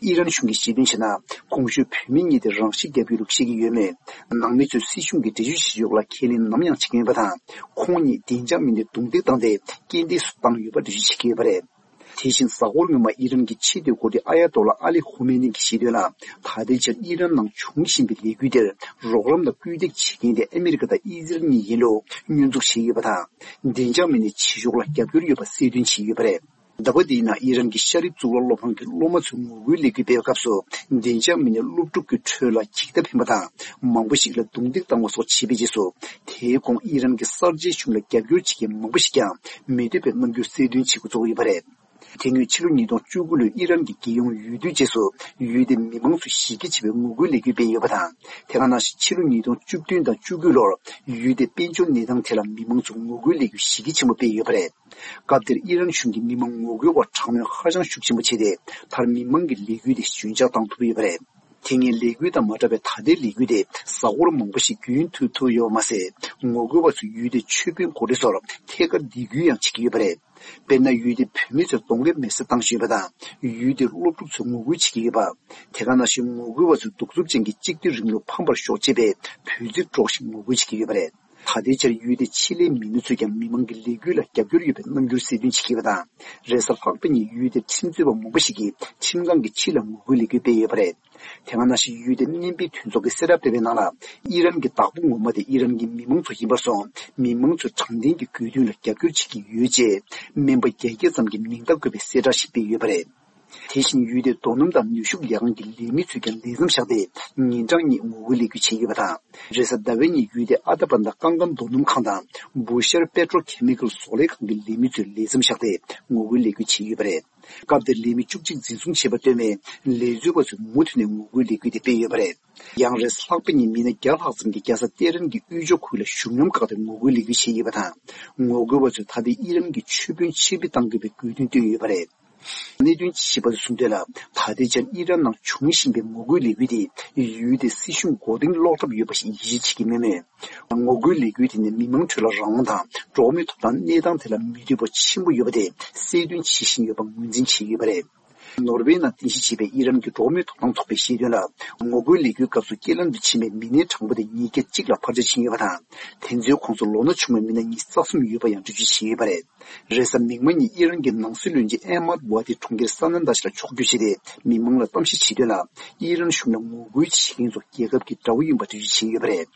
ཨི་རན་གཞུང་གིས་བཤད་དོན་བྱས་ན། གོང་ཞུས་བུད་མེད་གཉིས་དེ་རང་ཤི་བརྒྱབ་ཡོད་ལུགས་བཤད་ཀྱི་ཡོད་མོད། ནང་མི་ཚོས་སྲིད་གཞུང་གི་འགྲེལ་བརྗོད་བྱེད་ཕྱོགས་ལ་ཁས་ལེན་ནམ་ཡང་བྱེད་ཀྱི་ཡོད་པ་དང་། ཁོང་གཉིས་བདེ་འཇགས་མི་སྣས་རྡུང་རྡེག་བཏང་སྟེ། རྐྱེན་འདས་སུ་བཏང་ཡོད་པ་འགྲེལ་བརྗོད་བྱེད་ཀྱི་ཡོད་པ་རེད། དེ་བཞིན་གཟའ་འཁོར་སྔོན་མ་ཨི་རན་གྱི་ཕྱི་སྡོད་འགོ་ཁྲིད་ཨ་ཡ་ཏོ་ལ་ཨ་ལི་ཁོ་མེ་ནི་གྱིས་བཤད་དོན་ལ། ད་ལྟའི་ཆར་ཨི་རན་ནང་འབྱུང་བཞིན་པའི་ལས་འགུལ་དེར་རོགས་རམ་དང་སྐུལ་འདེད་བྱེད་མཁན་དེ་ཨ་མི་རི་ཀ་དང་ཨི་ཟི་རལ་གཉིས་ཡིན་ལུགས་བསྙོན་འཛུགས་བྱས་ཡོད་པ་དང་། བདེ་འཇགས་མི་སྣའི་བྱེད་ཕྱོགས་ལ་རྒྱབ་སྐྱོར་ཡོད་པ་གསལ་སྟོན་བྱས་ཡོད་པ་རེད། ཟླ་བ་འདིའི་ནང་ཨི་རན་གྱི་ཤ་རིབ་གཙུག་ལག་སློབ་ཁང་གི་སློབ་མ་ཚོས་ངོ་རྒོལ་ལས་འགུལ་སྤེལ་བའི་སྐབས་སུ། བདེ་འཇགས་མི་སྣས་སློབ་ཕྲུག་གི་ཁྲོད་ལ་འཇིགས་སྐྲག་འཕེན་པ་དང་། མང་པོ་ཞིག་ལ་རྡུང་རྡེག་བཏང་བ་སོགས་བྱས་པའི་རྗེས་སུ། དེའི་གོང་ཨི་རན་གྱི་གསར་བརྗེའི་གཞུང་ལ་རྒྱབ་སྐྱོར་བྱེད་མཁན་མང་པོ་ཞིག་ཀྱང་མི་འདོད་པའི་རྣམ་འགྱུར་གསལ་སྟོན་བྱེད་འགོ་བཙུགས་ཡོད་པ་རེད། དེ་སྔོན་ཕྱི་ལོ་ཉིས་སྟོང་བཅུ་དགུ་ལོའི་ཨི་རན་གྱི་རྒྱལ་ཡོངས་འོས་བསྡུའི་རྗེས་སུ། ཡུལ་དེའི་མི་མང་ཚོས་གཞི་རྒྱ་ཆེ་བའི་ངོ་རྒོལ་ལས་འགུལ་སྤེལ་ཡོད་པ་དང་། དེ་ག་ནང་བཞིན་ཕྱི་ལོ་ཉིས་སྟོང་བཅུ་བདུན་དང་བཅུ་དགུ་ལོར་ཡུལ་དེའི་དཔལ་འབྱོར་གནས་སྟངས་ཐད་ལ་མི་མང་ཚོས་ངོ་རྒོལ་ལས་འགུལ་གཞི་རྒྱ་ཆེན་པོ་སྤེལ་ཡོད་པ་རེད། སྐབས་དེར་ཨི་རན་གཞུང་གིས་མི་མང་ངོ་རྒོལ་བར་དྲག་གནོན་ཧ་ཅང་ཤུགས་ཆེན་པོ་བྱས་ཏེ། མཐར་མི་མང་གི་ལས་འགུལ་དེ་ཞོད་འཇགས་བཏང་ཐུབ་ཡོད་པ་རེད། དེ་སྔའི་ལས་འགུལ་དང་མ་འདྲ་བའི་ད་ལྟའི་ལས་འགུལ་དེ་གཟའ་འཁོར་མང་པོ་ཞིག་རྒྱུན་མཐུད་ཐུབ་ཡོད་པ་མ་ཟད། ངོ་རྒོལ་བ་ཚོས་ཡུལ་དེའི་ཆོས་དཔོན་འགོ་ཁྲིད་ཚོར་ཐད་ཀར་སྡིགས་སྐུལ་ཡང་བྱེད་ཀྱི་ཡོད་པ་རེད། དཔེར་ན། ཡུལ་དེའི་བུད་མེད་ཚོས་གདོང་ཁའི་མེ་བསྲེགས་བཏང་བཞིན་ཡོད་པ་དང་། ཡུལ་དེའི་སློབ་ཕྲུག་ཚོས་ངོ་རྒོལ་བྱེད་ཀྱི་ཡོད་པ། དེ་ག་ནང་བཞིན་ངོ་རྒོལ་བ་ཚོས་གདུག་རྩུབ་ཅན་གྱི་གཅིག་སྡུད་རིང་ལུགས་ཕམ་པར་ཤོག་ཅེས་པའི་འབོད་ཚིག་སྒྲོག་བཞིན་ངོ་རྒོལ་བྱེད་ཀྱི་ཡོད་པ་རེད། ད་ལྟའི་ཆར་ཡུལ་དེའི་ཆེད་ལས་མི་སྣ་ཚོས་ཀྱང་མི་མང་གི་ལས་འགུལ་ལ་རྒྱབ་སྐྱོར་ཡོད་པའི་རྣམ་འགྱུར་གསལ་སྟོན་བྱེད་ཀྱི་ཡོད་པ་དང་། རེས་གཟའ་ལྷག་པ་ཉིན་ཡུལ་དེའི་ཁྲིམས་རྩོད་པ་མང་པོ་ཞིག་གིས་ཁྲིམས་ཁང་གི་ཕྱི་ལ་ངོ་རྒོལ་ལས་འགུལ་སྤེལ་ཡོད་པ་རེད། དེ་ག་ནང་བཞིན་ཡུལ་དེའི་མནན་པའི་མཐུན་ཚོགས་ཀྱིས་གསལ་བསྒྲགས་སྤེལ་བའི་ནང་ལ། ཨི་རན་གྱི་བདག་པོ་ངོ་མ་དེ་ཨི་རན་གྱི་མི་མང་ཚོ་ཡིན་པར་སོང་། མི་མང་ཚོས་དྲང་བདེན་གྱི་དགོས་འདུན་ལ་རྒྱབ་སྐྱོར་བྱེད་ཀྱི་ཡོད་ཅེས། སྨན་པ་བརྒྱད་བརྒྱ་ཙམ་གྱི་མིང་རྟགས་བཀོད་པའི་གསལ་བསྒྲགས་ཤིག་སྤེལ་ཡོད་པ་རེད། དེ་བཞིན་ཡུལ་དེའི་རྡོ་སྣུམ་དང་ནུས་ཤུགས་ལས་ཁང་གི་ལས་མི་ཚོས་ཀྱང་ལས་མཚམས་བཞག་སྟེ། ཉིན་གྲངས་གཉིས་ངོ་རྒོལ་ལས་འགུལ་བྱས་ཡོད་པ་དང་། རེས་གཟའ་ཟླ་བའི་ཉིན་ཡུལ་དེའི་ཨ་ཏ་པན་ད་ཀང་ཀང་རྡོ་སྣུམ་ཁང་དང་། བུ་ཤར་པེ་ཏྲོ་ཁེ་མི་ཀལ་བཟོ་ལས་ཁང་གི་ལས་མི་ཚོས་ལས་མཚམས་བཞག་སྟེ། ངོ་རྒོལ་ལས་འགུལ་བྱས་ཡོད་པ་རེད། སྐབས་དེར་ལས་མི་བཅུ་གཅིག་འཛིན་བཟུང་བྱས་པ་བཏོན་མེད། ལས་བཟོ་བ་ཚོས་མུ་མཐུད་ནས་ངོ་རྒོལ་ལས་འགུལ་དེ་སྤེལ་ཡོད་པ་རེད། ཡང་རེས་ལྷག་པ་ཉིན་མི་སྣ་བརྒྱ་ལྷག་ཙམ་གྱིས་རྒྱལ་ས་ཏེ་རན་གྱི་དབུས་ཕྱོགས་ཁུལ་ལ་གཞུང་ལམ་བཀག་སྟེ་ངོ་རྒོལ་ལས་འགུལ་བྱས་ཡོད་པ་དང་། ངོ་རྒོལ་བ་ཚོས་ད་ལྟའི་ཨི་རན་གྱི་ཆོས་དཔོན་ཕྱིར་འབུད་གཏང་དགོས་པའི་དགོས་འདུན་བཏོན་ཡོད་པ་རེད། གནད་དོན་དཔྱད་ཞིབ་པ་ཚོས་གསུངས་དོན་ལ། ད་ལྟའི་ཆར་ཨི་རན་ནང་འབྱུང་བཞིན་པའི་ངོ་རྒོལ་ལས་འགུལ་དེ་ཡུལ་དེའི་སྲིད་གཞུང་མགོ་རྟིང་སློག་ཐབས་ཡོད་པ་ཞིག་ཡིད་ཆེས་བྱེད་ཀྱི་མེད་མོད། ངོ་རྒོལ་ལས་འགུལ་དེ་ནི་མི་མང་ཁྲོད་ལ་རང་དབང་དང་འགྲོ་བ་མིའི་ཐོབ་ཐང་གནས་སྟངས་དེ་ལ་མི་འདོད་པ་ཆེན་པོ་ཡོད་པ་དེ་གསལ་སྟོན་བྱེད་བཞིན་ཡོད་པ་ངོས་འཛིན་བྱས་ཡོད་པ་རེད། ནོར་ཝེ་ནང་རྟེན་གཞི་བྱས་པའི་ཨི་རན་གྱི་འགྲོ་བ་མིའི་ཐོབ་ཐང་ཚོགས་པས་བཤད་དོན་ལ། ངོ་རྒོལ་ལས་འགུལ་སྐབས་སུ་རྐྱེན་ལམ་དུ་ཕྱིན་པའི་མི་སྣའི་གྲངས་འབོར་དེ་ཉིས་བརྒྱ་གཅིག་ལ་འཕར་ཆ་ཕྱིན་ཡོད་པ་དང་། དེ་ཚོའི་ཁོངས་སུ་ལོ་ན་ཆུང་བའི་མི་སྣ་ཉི་ཤུ་རྩ་གསུམ་ཡོད་པ་ཡང་འགྲེལ་བརྗོད་བྱས་ཡོད་པ་རེད། རེས་གཟའ་མིག་དམར་ཉིན་ཨི་རན་གྱི་ནང་སྲིད་བློན་ཆེན་ཨེ་མཱད་ཝ་ཏི་གྲོང་ཁྱེར་ས་ན་འདའ་ཞིག་ལ་ཕྱོགས་བསྐྱོད་བྱས་ཏེ། མི་མང་ལ་གཏམ་བཤད་བྱས་དོན་ལ། ཨི་རན་གཞུང་ལ་ངོ་རྒོལ་བྱེད་མཁན་ཚོ་རྒྱལ་ཁབ་ཀྱི་དགྲ་བོ་ཡིན་པ་འགྲེལ་བརྗོད་བྱས་ཡོད་པ་རེད།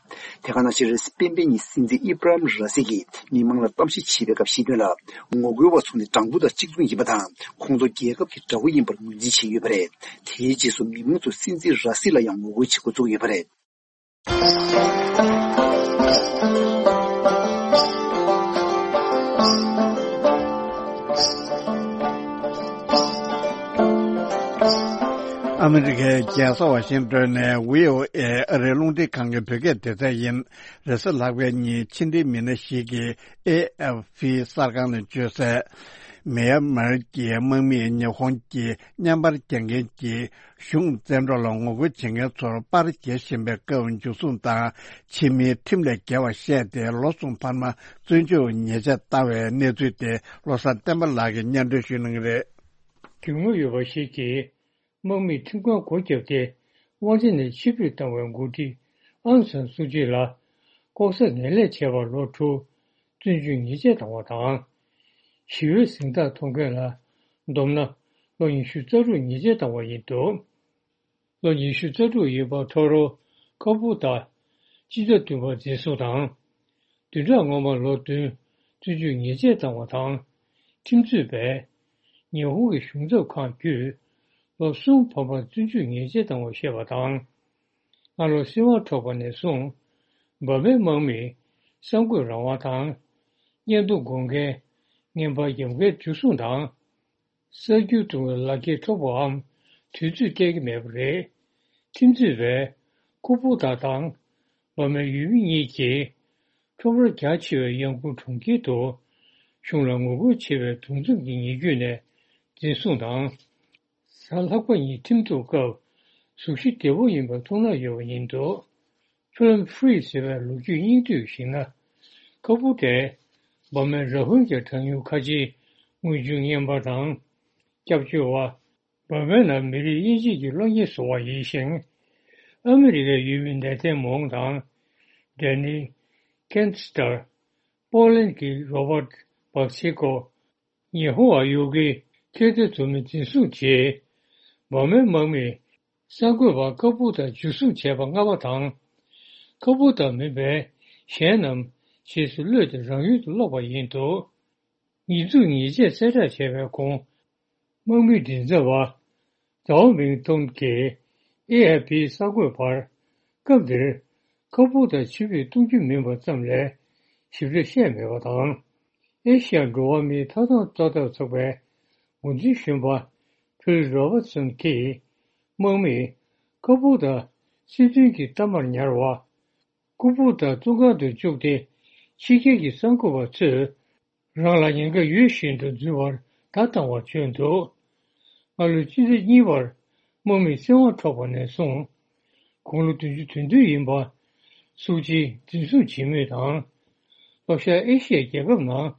དེ་ག་ནང་བཞིན་རེས་གཟའ་སྤེན་པའི་ཉིན་སྲིད་འཛིན་ཨི་བྷ་རམ་ར་སི་གིས་མི་མང་ལ་གཏམ་བཤད་བྱས་པའི་སྐབས་བཤད་དོན་ལ། ངོ་རྒོལ་བ་ཚོ་ནི་སྦྲང་བུ་དང་གཅིག་མཚུངས་ཡིན་པ་དང་། ཁོང་ཚོ་རྒྱལ་ཁབ་ཀྱི་དགྲ་བོ་ཡིན་པར་ངོས་འཛིན་བྱས་ཡོད་པ་རེད། དེའི་རྗེས་སུ་མི་མང་ཚོས་སྲིད་འཛིན་ར་སི་ལ་ཡང་ངོ་རྒོལ་བྱེད་འགོ་བཙུགས་ཡོད་པ་རེད། ཨ་མི་རི་ཀའི་རྒྱལ་ས་ཝ་ཤིང་ཏོན་ནས་བྷི་ཨོ་ཨེ་ཨ་རིའི་རླུང་འཕྲིན་ཁང་གི་བོད་སྐད་སྡེ་ཚན་ཡིན། རེས་གཟའ་ལྷག་པའི་ཉིན་ཕྱི་འབྲེལ་མི་སྣ་ཞིག་གིས་ཨེ་ཨེཕ་པི་གསར་ཁང་ལ་བརྗོད་གསལ། མེ་ཡན་མར་གྱི་དམག་མིས་ཉི་ཧོང་གི་བརྙན་པར་རྒྱག་མཁན་གྱི་གཞུང་བཙན་འཕྲོག་ལ་ངོ་རྒོལ་བྱེད་མཁན་ཚོར་པར་རྒྱག་བཞིན་པའི་སྐབས་འཇུ་བཟུང་དང་ཕྱི་མིའི་ཁྲིམས་ལས་འགལ་བ་བཤད་དེ་ལོ་གསུམ་བར་མ་བཙོན་འཇུག་ཉེས་ཆད་བཏང་བའི་གནས་ཚུལ་དེ་བློ་བཟང་བསྟན་པ་ལགས་ཀྱིས་སྙན་སྒྲོན་ཞུ་གནང་གི་རེད། རྒྱུས་མངའ་ཡོད་པ་ཞིག་གིས་དམག་མིས་ཁྲིམས་ཁང་སྒོ་བརྒྱབ་སྟེ་དབང་ཆ་ནས་ཕྱིར་འབུད་བཏང་བའི་འགོ་ཁྲིད་ཨང་སན་སུ་ཅི་ལ་ལྐོག་ཟ་ངན་ལས་བྱས་པར་ལོ་དྲུག་བཙོན་འཇུག་ཉེས་ཆད་བཏང་བ་དང་། ཞི་བའི་གཟེངས་རྟགས་ཐོབ་མཁན་ལ་བསྡོམས་ན་ལོ་ཉི་ཤུ་རྩ་དྲུག་ཉེས་ཆད་བཏང་བ་ཡིན་འདུག་ལོ་ཉི་ཤུ་རྩ་དྲུག་ཡིན་པ་ཐོ་རོ་ཁ་པུ་ཏ་སྤྱི་ཟླ་བདུན་པར་འཛིན་བཟུང་དང་། བདུན་ཕྲག་སྔོན་མར་ལོ་བདུན་བཙོན་འཇུག་ཉེས་ཆད་བཏང་བ་དང་། ཁྲིམས་རྩོད་པས་ཉི་ཧོང་གི་གཞུང་ཚབ་ཁང་བརྒྱུད་ལོ་གསུམ་བར་མ་བཙོན་འཇུག་ཉེས་ཆད་བཏང་བ་བཤད་པ་དང་། སྔ་ལོ་སྲིད་དབང་འཕྲོག་པ་ནས་བཟུང་འབར་མའི་དམག་མིས་གསར་འགོད་རང་དབང་དང་། སྙན་ཐོ་འགོད་མཁན་བརྙན་པར་རྒྱབ་མཁན་འཇུ་བཟུང་དང་། གསར་འགྱུར་བཏང་བའི་ལག་འཁྱེར་འཕྲོག་པའམ་དུས་ཚོད་བསྐྱལ་གྱི་མེད་པ་རེད། ཁྲིམས་རྩོད་པས་ཁུ་པུ་ཏ་དང་འབར་མའི་ཡུལ་མི་གཉིས་ཀྱིས་འཕྲོག་པར་རྒྱ་ཆེ་བའི་ཡང་ཀུང་གྲོང་ཁྱེར་དུ་གཞུང་ལ་ངོ་རྒོལ་བྱེད་པའི་གདུང་འཛོམས་ཀྱི་ཉེས་བརྒྱུད་ནས་འཛིན་བཟུང་དང་། གཟའ་ལྷག་པ་ཉིན་ཁྲིམས་གཏུག་སྐབས་གཟུགས་གཞི་བདེ་པོ་ཡིན་པའི་ཐུགས་སྣང་ཡོད་པ་ཡིན་འདུག Film Free ཟེར་བའི་ལོ་རྒྱུས་སྙིང་བསྡུས་ཤིག་ན། ཁ་པུ་ཏས་འབར་མའི་ར་ཧུན་གྱི་གྲངས་ཉུང་ཁ་ཆེའི་དངུལ་ཆུ་རྔན་པ་དང་། སྐྱབས་བཅོལ་བ། འབར་མའི་ནང་མི་རིགས་དབྱེ་འབྱེད་ཀྱི་གློག་བརྙན་བཟོ་བ་ཡིན་ཞིང་། ཨ་མི་རི་ཀའི་ཡུལ་མི་ནེ་ཐན་མོང་དང་། ཌེ་ནི་ཀེན་སི་ཏར། པོ་ལན་གྱི་རོ་བར་བག་ཚི་ཀོ། ཉི་ཧོང་ཨ་ཡོ་གི་ཁེ་ཏེ་ཛོ་མི་འཛིན་བཟུང་རྗེས། འབར་མའི་དམག་མིས་གསར་འགོད་པ་ཁ་པུ་ཏ་འཇུ་བཟུང་བྱས་པ་ལྔ་པ་དང་། ཁ་པུ་ཏ་མིན་པའི་གཞན་རྣམས་རྗེས་སུ་གློད་དེ་རང་ཡུལ་དུ་སློག་པ་ཡིན་འདུག་ཉེས་འཛུགས་ཉེས་ཆད་གསལ་བསྒྲགས་བྱས་པའི་གོང་། དམག་མི་མགྲིན་ཚབ་པ་ཛའོ་མིང་ཏོན་གྱིས་ཨེ་ཨེཕ་པི་གསར་འགོད་པར། སྐབས་འདིར་ཁ་པུ་ཏ་ཕྱིར་འབུད་གཏོང་རྒྱུ་མིན་པ་ཙམ་ལས་ཞིབ་ཕྲ་བཤད་མེད་པ་དང་། ཨེ་ཤི་ཡ་འགྲོ་བ་མིའི་ཐོབ་ཐང་རྩོད་ཐབས་ཚོགས་པའི་འགོ་འཛིན་གཞོན་པ་ཕིལ་རོ་བར་སོན་གྱིས་དམག་མིས་ཁ་པུ་ཏ་སྲིད་དོན་གྱི་གཏའ་མར་ཉར་བ། ཁ་པུ་ཏ་བཙོན་ཁང་དུ་བཅུག་སྟེ་ཕྱི་རྒྱལ་གྱི་གསར་འགོད་པ་ཚོས། རང་ལ་ཉེན་ཁ་ཡོད་བཞིན་དུ་འཛུལ་བར་བརྡ་བཏང་བར་བྱོན་འདུག་སྔ་ལོའི་སྤྱི་ཟླ་གཉིས་པར་དམག་མིས་སྲིད་དབང་འཕྲོག་པ་ནས་བཟུང་། དགུང་ལོ་བདུན་ཅུ་དོན་བདུན་ཡིན་པ་སུའུ་ཅི་འཛིན་བཟུང་བྱེད་མུས་དང་། ལྷོ་ཤར་ཨེ་ཤི་ཡའི་རྒྱལ་ཁབ་ནང་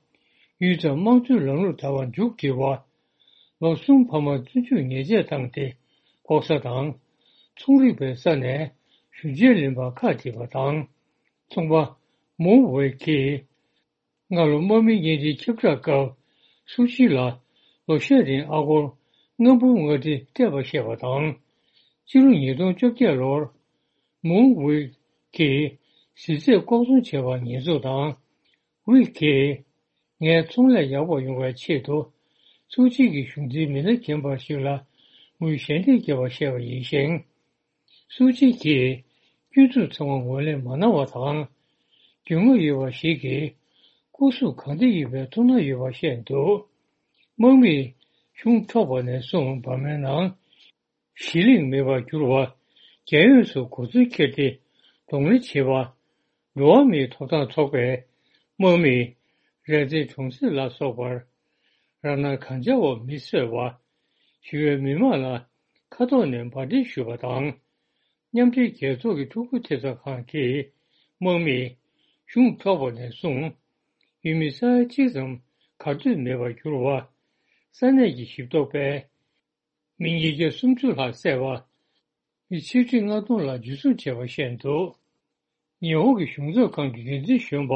ཡུད་ཙམ་དམངས་གཙོའི་ལམ་ལུགས་དར་བར་མཇུག་སྒྲིལ་བ། ལོ་གསུམ་ཕ་མར་བཙོན་འཇུག་ཉེས་ཆད་བཏང་སྟེ་ལྐོག་ཟ་དང་། ཚོང་རིག་པའི་ས་ནས་ཞུ་རྗེས་ལེན་པར་ཁག་སྒྲིག་པ་དང་། ཚོང་པ་མུའུ་ཝེ་ཁེ། སྔ་ལོ་དམག་མིའི་བརྙན་འཕྲིན་ཁྱབ་བསྒྲགས་སྐབས་སུའུ་ཅི་ལ་ལོ་ཤས་རིང་ཨ་སྒོར་ལྔ་འབུམ་ལྔ་ཁྲི་སྤྲད་པ་བཤད་པ་དང་། སྤྱི་ལོ་ཉིས་སྟོང་བཅོ་བརྒྱད་ལོར་མུའུ་ཝེ་ཁེས་གཟི་རྫས་ལྐོག་ཚོང་བྱས་པར་ཉེས་འཛུགས་དང་། ཝེ་ཁེས་ངའི་ཚོང་ལས་ཡག་པ་ཡོང་བའི་ཆེད་དུ་སུའུ་ཅི་གི་གཞུང་འཛིན་མི་སྣ་རྒན་པ་ཞིག་ལ་དངུལ་ཞལ་འདེབས་བརྒྱབ་པ་བཤད་པ་ཡིན་ཞིང་། སུའུ་ཅི་གིས་སྐྱོན་འཛུགས་ཚང་མ་ངོས་ལེན་མ་གནང་བ་དང་། རྒྱུས་མངའ་ཡོད་པ་ཞིག་གིས་སྐུ་གཟུགས་གང་བདེ་ཡིན་པའི་ཐུགས་སྣང་ཡོད་པ་བཤད་འདུག་དམག་མིས་གཞུང་འཕྲོག་པ་ནས་བཟུང་འབར་མའི་ནང་གཞི་གླིང་མེད་པར་གྱུར་བ། རྒྱལ་ཡོངས་སུ་གོ་མཚོན་འཁྱེར་ཏེ་གདོང་ལེན་བྱེད་པ། འགྲོ་བ་མིའི་ཐོབ་ཐང་ཚོགས་པའི་དམག་མིས་རེག་ཛིན་གྲོང་གསེབ་ལ་སོགས་པར་རང་སྣང་གང་འཇལ་བར་མི་གསོད་པ། ཞི་བའི་མི་མང་ལ་ཁ་ཐོག་ནས་འབར་འདྲེན་ཞུས་པ་དང་། མཉམ་འབྲེལ་རྒྱལ་ཚོགས་ཀྱི་འཁྲུག་པ་ཐེབས་ཚང་ཁང་གིས་དམག་མིས་གཞུང་འཕྲོག་པ་ནས་བཟུང་ཡུལ་མི་ས་ཡ་གཅིག་ཙམ་གར་སྡོད་མེད་པར་གྱུར་བ། ས་གནས་ཀྱི་ཞིབ་འཚོལ་པས་མི་ཉིས་བརྒྱ་སུམ་ཅུ་ལྷག་བསད་པ། མི་ཆིག་ཁྲི་ལྔ་སྟོང་ལ་འཇུ་བཟུང་བྱས་པ་བཤད་འདུག་ཉི་ཧོང་གི་གཞུང་ཚབ་ཁང་གི་འགན་འཛིན་གཞོན་པ་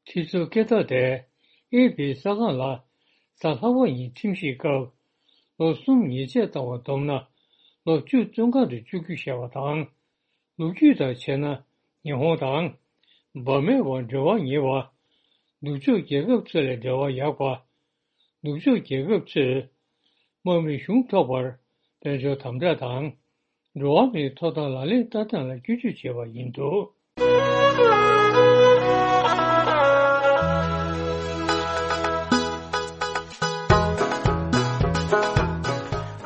ཁྲི་ཚོ་ཀེ་ཏཱ་དེ་ཨེ་ཨེཕ་པི་གསར་ཁང་ལ་གཟའ་ལྷག་པ་ཉིན་ཁྲིམས་ཞིབ་སྐབས་ལོ་གསུམ་ཉེས་ཆད་བཏང་བ་བསྡོམས་ན་ལོ་བཅུ་བཙོན་ཁང་དུ་བཅུག་རྒྱུ་བཤད་པ་དང་། ལོ་རྒྱུས་ལྟར་བྱས་ན་ཉི་ཧོང་དང་འབར་མའི་བར་འབྲེལ་བ་ཉེ་བ། ནུབ་ཕྱོགས་རྒྱལ་ཁབ་ཚོ་ལས་འབྲེལ་བ་ཡག་པ། ནུབ་ཕྱོགས་རྒྱལ་ཁབ་ཚོས་དམག་མི་གཞུང་འཕྲོག་པར་དཔལ་འབྱོར་དམ་དྲག་དང་། འགྲོ་བ་མིའི་ཐོབ་ཐང་ལག་ལེན་བསྟར་སྟངས་ལ་སྐྱོན་བརྗོད་བྱས་པ་ཡིན་འདུག་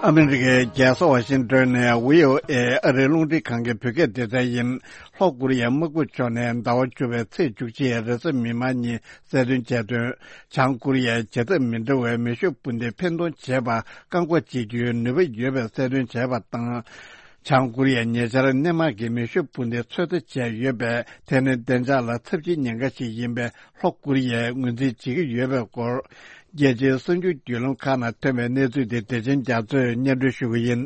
ཨ་ ཨ་མི་རི་ཀའི་རྒྱལ་ས་ཝ་ཤིང་ཏོན་ནས་བྷི་ཨོ་ཨེ་ཨ་རིའི་རླུང་འཕྲིན་ཁང་གི་བོད་སྐད་སྡེ་ཚན་ཡིན། ལྷོ་ཀོ་རི་ཡའི་དམག་དཔུང་ཕྱོགས་ནས་ཟླ་བ་བཅུ་པའི་ཚེས་བཅུ་གཅིག་རེས་གཟའ་མིག་དམར་ཉིན་གསལ་སྟོན་བྱས་དོན། བྱང་ཀོ་རི་ཡས་བྱེད་ཐབས་མི་འདྲ་བའི་མེ་ཤུགས་འཕུར་མདེལ་འཕེན་གཏོང་བྱེད་པར་བཀག་འགོག་བྱེད་རྒྱུའི་ནུས་པ་ཡོད་པའི་གསལ་སྟོན་བྱས་པ་དང་། བྱང་ཀོ་རི་ཡས་ཉེ་ཆར་སྣེ་མང་གི་མེ་ཤུགས་འཕུར་མདེལ་ཚོད་ལྟ་བྱས་ཡོད་པས། དེ་ནི་བདེ་འཇགས་ལ་ཚབས་ཆེའི་ཉེན་ཁ་ཞིག་ཡིན་པའི་ལྷོ་ཀོ་རི་ཡས་ངོས་འཛིན་བྱེད་ཀྱི་ཡོད་པའི་སྐོར། རྒྱལ་སྤྱིའི་གསར་འགྱུར་བརྒྱུད་ལམ་ཁག་ནང་ཐོན་པའི་གནས་ཚུལ་དེ་བདེ་ཆེན་རྒྱ་མཚོས་སྙན་སྒྲོན་ཞུ་གི་ཡིན།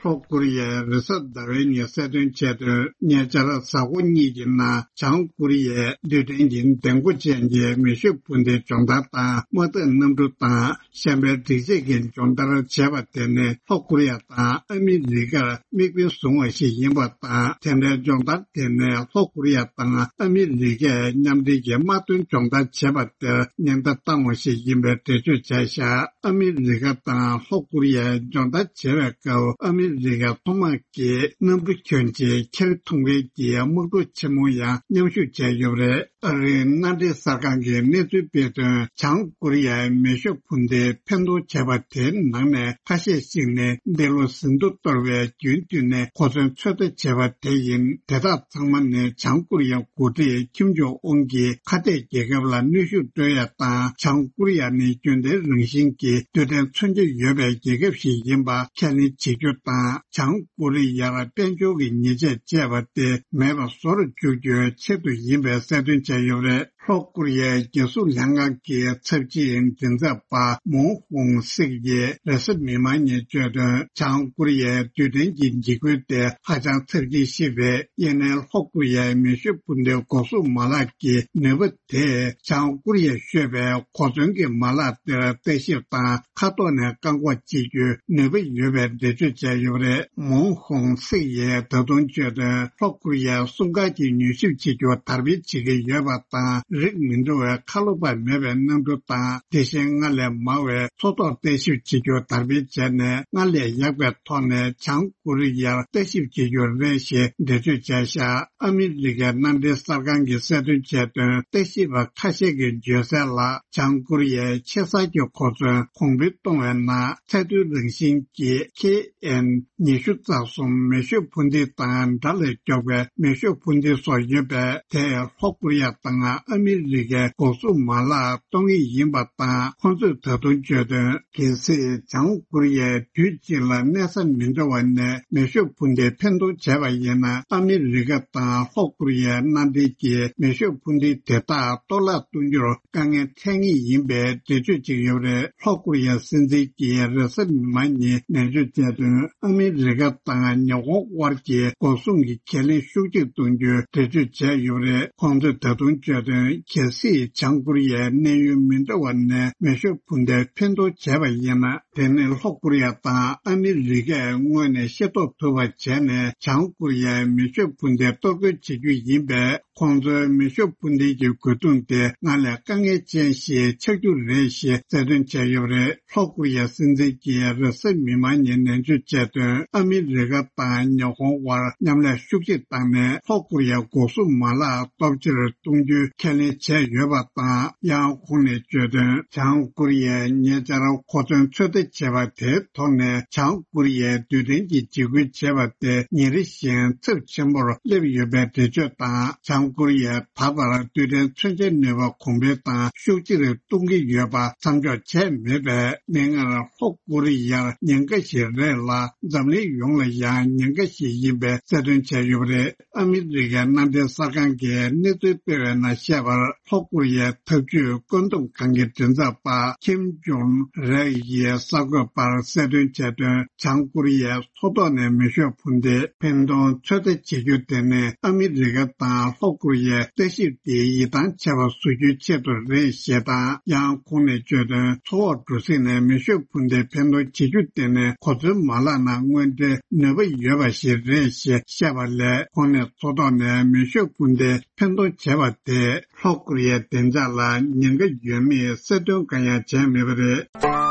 ལྷོ་ཀོ་རི་ཡས་རེས་གཟའ་ཟླ་བའི་ཉིན་གསལ་སྟོན་བྱས་དོན། ཉེ་ཆར་གཟའ་འཁོར་གཉིས་ཀྱི་ནང་བྱང་ཀོ་རི་ཡས་རྡུལ་ཕྲན་གྱི་ལྡིང་སྐོར་ཅན་གྱི་མེ་ཤུགས་འཕུར་མདེལ་སྦྱོང་བརྡར་དང་དམག་འཐབ་གནམ་གྲུ་དང་། གཞན་པའི་སྒྲིག་ཆས་ཀྱི་སྦྱོང་བརྡར་བྱས་པ་དེ་ནི་ལྷོ་ཀོ་རི་ཡ་དང་ཨ་མི་རི་ཀར་དམིགས་འབེན་བཟུང་བ་ཞིག་ཡིན་པ་དང་། དེ་འདྲའི་སྦྱོང་བརྡར་དེ་ནི་ལྷོ་ཀོ་རི་ཡ་དང་ཨ་མི་རི་ཀས་མཉམ་འབྲེལ་གྱིས་དམག་དོན་སྦྱོང་བརྡར་བྱས་པ་དེར་ཉེན་བརྡ་བཏང་བ་ཞིག་ཡིན་པའི་འགྲེལ་བརྗོད་བྱས་བཞག་ཨ་མི་རི་ཀ་དང་ལྷོ་ཀོ་རི་ཡས་སྦྱོང་བརྡར་བྱས་པའི་སྐབས། ཨ་མི་རི་ཀ་མཐོ་དམག་གིས་གནམ་གྲུ་གྱོན་ཆས་འཁྱེར་ཐོན་མཁན་གྱི་དམག་གྲུ་ཆེན་མོ་ཡང་མཉམ་ཞུགས་བྱས་ཡོད་པ་རེད། ཨ་རིའི་མནའ་འབྲེལ་གསར་ཁང་གིས་གནས་ཚུལ་སྤེལ་དོན། བྱང་ཀོ་རི་ཡའི་མེ་ཤུགས་འཕུར་མདེལ་འཕེན་གཏོང་བྱས་པ་དེའི་ནང་ནས་ཁ་ཤས་ཤིག་ནི་འདི་ལོ་ཟིན་ཐོ་གཏོར་བའི་རྒྱུན་མཐུད་ནས་གོ་མཚོན་ཚོད་ལྟ་བྱས་པ་དེ་ཡིན། དེ་དག་ཚང་མ་ནི་བྱང་ཀོ་རི་ཡའི་འགོ་ཁྲིད་ཁིམ་ཇོང་ཨུན་གྱིས་ཁ་གཏད་རྒྱལ་ཁབ་ལ་གནོན་ཤུགས་སྤྲོད་ཡ་དང་། བྱང་ཀོ་རི་ཡ་ནི་རྒྱུན་ལྡན་རང་བཞིན་གྱི་རྡུལ་ཕྲན་མཚོན་ཆ་ཡོད་པའི་རྒྱལ་ཁབ་ཞིག་ཡིན་པ་ཁས་ལེན་བྱེད་རྒྱུ་དང་། བྱང་ཀོ་རི་ཡར་དཔལ་འབྱོར་གྱི་ཉེས་ཆད་བཅད་པ་དེ་མེད་པ་བཟོ་རུ་འཇུག་རྒྱུའི་ཆེད་དུ་ཡིན་པའི་གསལ་སྟོན་བྱས་ཡོད་པ་རེད། ལྷོ་ཀོ་རི་ཡའི་རྒྱལ་སྲུང་ལྷན་ཁང་གི་ཚབ་ཆེའི་མགྲིན་ཚབ་པ་མོང་ཧུང་སིག་གིས་རེས་གཟའ་མིག་དམར་ཉིན་བརྗོད་དོན། བྱང་ཀོ་རི་ཡའི་རྡུལ་ཕྲན་གྱི་འཇིགས་སྐུལ་དེ་ཧ་ཅང་ཚབས་ཆེན་ཞིག་རེད། ཡིན་ནའི་ལྷོ་ཀོ་རི་ཡའི་མེ་ཤུགས་འཕུར་མདེལ་འགོག་སྲུང་མ་ལག་གི་ནུས་པ་དེས་བྱང་ཀོ་རི་ཡས་ཤོད་པའི་གོ་མཚོན་གྱི་མ་ལག་དེར་ལྟ་ཞིབ་དང་མཁའ་ཐོག་ནས་བཀག་འགོག་བྱེད་རྒྱུའི་ནུས་པ་ཡོད་པའི་འགྲེལ་བརྗོད་བྱས་ཡོད་པ་རེད། མོང་ཧོང་སིག་ཡིས་ད་དུང་བརྗོད་དོན། ལྷོ་ཀོ་རི་ཡས་སྲུང་སྐར་གྱི་མྱུལ་ཞིབ་བྱེད་རྒྱུ་དར་སྤེལ་བྱེད་ཀྱི་ཡོད་པ་དང་། རིགས་མི་འདྲ་བའི་ཁ་ལོ་པ་མེད་པའི་གནམ་གྲུ་དང་། དེ་བཞིན་སྔར་ལས་མང་བའི་མཚོ་ཐོག་ལྟ་ཞིབ་བྱེད་རྒྱུ་དར་སྤེལ་བྱས་ནས། སྔར་ལས་ཡག་པའི་ཐོག་ནས་བྱང་ཀོ་རི་ཡར་ལྟ་ཞིབ་བྱེད་རྒྱུ་རེད་ཞེས་འགྲེལ་བརྗོད་བྱས་བཞག་ཨ་མི་རི་ཀའི་མནའ་འབྲེལ་གསར་ཁང་གིས་གསལ་སྟོན་བྱས་དོན། ལྟ་ཞིབ་པ་ཁ་ཤས་ཀྱིས་བརྗོད་གསལ་ལ། བྱང་ཀོ་རི་ཡའི་ཆེ་གསར་གྱི་གོ་མཚོན་གོང་འཕེལ་གཏོང་བའི་ནང་། ཚད་མཐོའི་རང་བཞིན་གྱི་ཁེ་ཨེན་ཉི་ཤུ་རྩ་གསུམ་མེ་ཤུགས་འཕུར་མདེལ་དང་དགྲ་ལས་མགྱོགས་པའི་མེ་ཤུགས་འཕུར་མདེལ་སོགས་ཡོད་པས། དེས་ལྷོ་ཀོ་རི་ཡ་དང་ཨ་མི་རི་ཀའི་འགོག་སྲུང་མ་ལག་གཏོང་ངེས་ཡིན་པ་དང་། ཁོང་ཚོས་ད་དུང་བརྗོད་དོན། གལ་སྲིད་བྱང་ཀོ་རི་ཡས་དུས་གཅིག་ལ་གནས་ས་མི་འདྲ་བ་ནས་མེ་ཤུགས་འཕུར་མདེལ་འཕེན་གཏོང་བྱས་པ་ཡིན་ན། ཨ་མི་རི་ཀ་དང་ལྷོ་ཀོ་རི་ཡའི་མནའ་འབྲེལ་གྱིས་མེ་ཤུགས་འཕུར་མདེལ་དེ་དག་གཏོར་བརླག་གཏོང་རྒྱུར་དཀའ་ངལ་འཕྲད་ངེས་ཡིན་པའི་འགྲེལ་བརྗོད་བྱེད་ཀྱི་ཡོད་པ་རེད། ལྷོ་ཀོ་རི་ཡའི་སྲིད་འཛིན་གྱིས་རེས་གཟའ་མིག་དམར་ཉིན་ནན་བརྗོད་བྱས་དོན། ཨ་མི་རི་ཀ་དང་ཉི་ཧོང་དབར་གྱི་འགོག་སྲུང་གི་ཁས་ལེན་ཤུགས་ཆེར་གཏོང་རྒྱུའི་འགྲེལ་བརྗོད་བྱས་ཡོད་པ་རེད། ཁོང་ཚོས་ད་དུང་བརྗོད་དོན། གལ་སྲིད་བྱང་ཀོ་རི་ཡས་གནས་ཡུལ་མི་འདྲ་བ་ནས་མེ་ཤུགས་འཕུར་མདེལ་འཕེན་གཏོང་བྱས་པ་ཡིན་ན། དེ་ནི་ལྷོ་ཀོ་རི་ཡ་དང་ཨ་མི་རི་ཀས་སྔོན་ནས་ཤེས་རྟོགས་ཐུབ་པ་བྱས་ནས། བྱང་ཀོ་རི་ཡའི་མེ་ཤུགས་འཕུར་མདེལ་གཏོར་རྒོལ་བྱེད་རྒྱུ་ཡིན་པས། ཁོང་ཚོའི་མེ་ཤུགས་འཕུར་མདེལ་གྱི་རྒོལ་རྡུང་དེ་སྔར་ལས་དཀའ་ངལ་ཅན་ཞིག་ཆགས་རྒྱུ་རེད་ཞེས་གསལ་སྟོན་བྱས་ཡོད་པ་རེད། ལྷོ་ཀོ་རི་ཡའི་སྲིད་འཛིན་གྱིས་རེས་གཟའ་མིག་དམར་ཉིན་ནན་བརྗོད་བྱས་དོན། ཨ་མི་རི་ཀ་དང་ཉི་ཧོང་དབར་མཉམ་ལས་ཤུགས་ཆེ་བཏང་ནས། ལྷོ་ཀོ་རི་ཡའི་འགོག་སྲུང་མ་ལག་སྟོབས་ཆེར་གཏོང་རྒྱུའི་ཁས་ལེན་བྱས་ཡོད་པ་དང་། ཡང་ཁོང་ནས་བརྗོད་དོན། བྱང་ཀོ་རི་ཡས་ཉེ་ཆར་གོ་མཚོན་ཚོད་ལྟ་བྱས་པ་དེའི་ཐོག་ནས། བྱང་ཀོ་རི་ཡས་རྡུལ་ཕྲན་གྱི་འཇིགས་སྐུལ་བྱས་པ་དེ་ཉིན་རེ་བཞིན་ཚབས་ཆེན་པོར་སླེབས་ཡོད་པའི་འགྲེལ་བརྗོད་དང་། བྱང་ཀོ་རི་ཡས་ད་བར་རྡུལ་ཕྲན་མཚོན་ཆའི་ནུས་པ་གོང་འཕེལ་དང་ཤུགས་ཆེ་རུ་གཏོང་གི་ཡོད་པ་མཚམས་འཇོག་བྱས་མེད་པས། མིག་སྔར་ལྷོ་ཀོ་རི་ཡར་ཉེན་ཁ་ཞིག་རེད་ལ། འཛམ་གླིང་ཡོངས་ལ་ཡང་ཉེན་ཁ་ཞིག་ཡིན་པའི་གསལ་སྟོན་བྱས་ཡོད་པ་རེད། ཨ་མི་རི་ཀའི་མནའ་འབྲེལ་གསར་ཁང་གིས་གནས་ཚུལ་སྤེལ་བའི་ནང་བཤད་པར། ལྷོ་ཀོ་རི་ཡའི་འཐབ་ཇུས་བཀོད་འདོམས་ཁང་གི་མགྲིན་ཚབ་པ་ཁིམ་ཇོང་རེ་ཡིས་གསར་འགོད་པར་གསལ་སྟོན་བྱས་དོན། བྱང་ཀོ་རི་ཡས་མཚོ་ཐོག་ནས་མེ་ཤུགས་འཕུར་མདེལ་འཕེན་གཏོང་ཚོད་ལྟ་བྱེད་རྒྱུ་དེ་ནི། ཨ་མི་རི་ཀ་དང་ལྷོ་ཀོ་རི་ཡའི་ལྟ་ཞིབ་དེ་ཡིད་ཐང་ཆད་པ་བཟོ་རྒྱུའི་ཆེད་དུ་རེད་ཞེས་དང་། ཡང་ཁོང་ནས་བརྗོད་དོན། མཚོ་འོག་གྲུ་གཟིངས་ནས་མེ་ཤུགས་འཕུར་མདེལ་འཕེན་གཏོང་བྱེད་རྒྱུ་དེ་ནི་གོ་མཚོན་མ་ལག་ནང་དངོས་འབྲེལ་ནུས་པ་ཡོད་པ་ཞིག་རེད་ཞེས་བཤད་པ་ལས། ཁོང་ནས་མཚོ་ཐོག་ནས་མེ་ཤུགས་འཕུར་མདེལ་འཕེན་གཏོང་བྱས་པ་དེས་ལྷོ་ཀོ་རི་ཡའི་བདེ་འཇགས་ལ་ཉེན་ཁ་ཡོད་མེད་གསལ་སྟོན་གང་ཡང་བྱས་མེད་པ་རེད།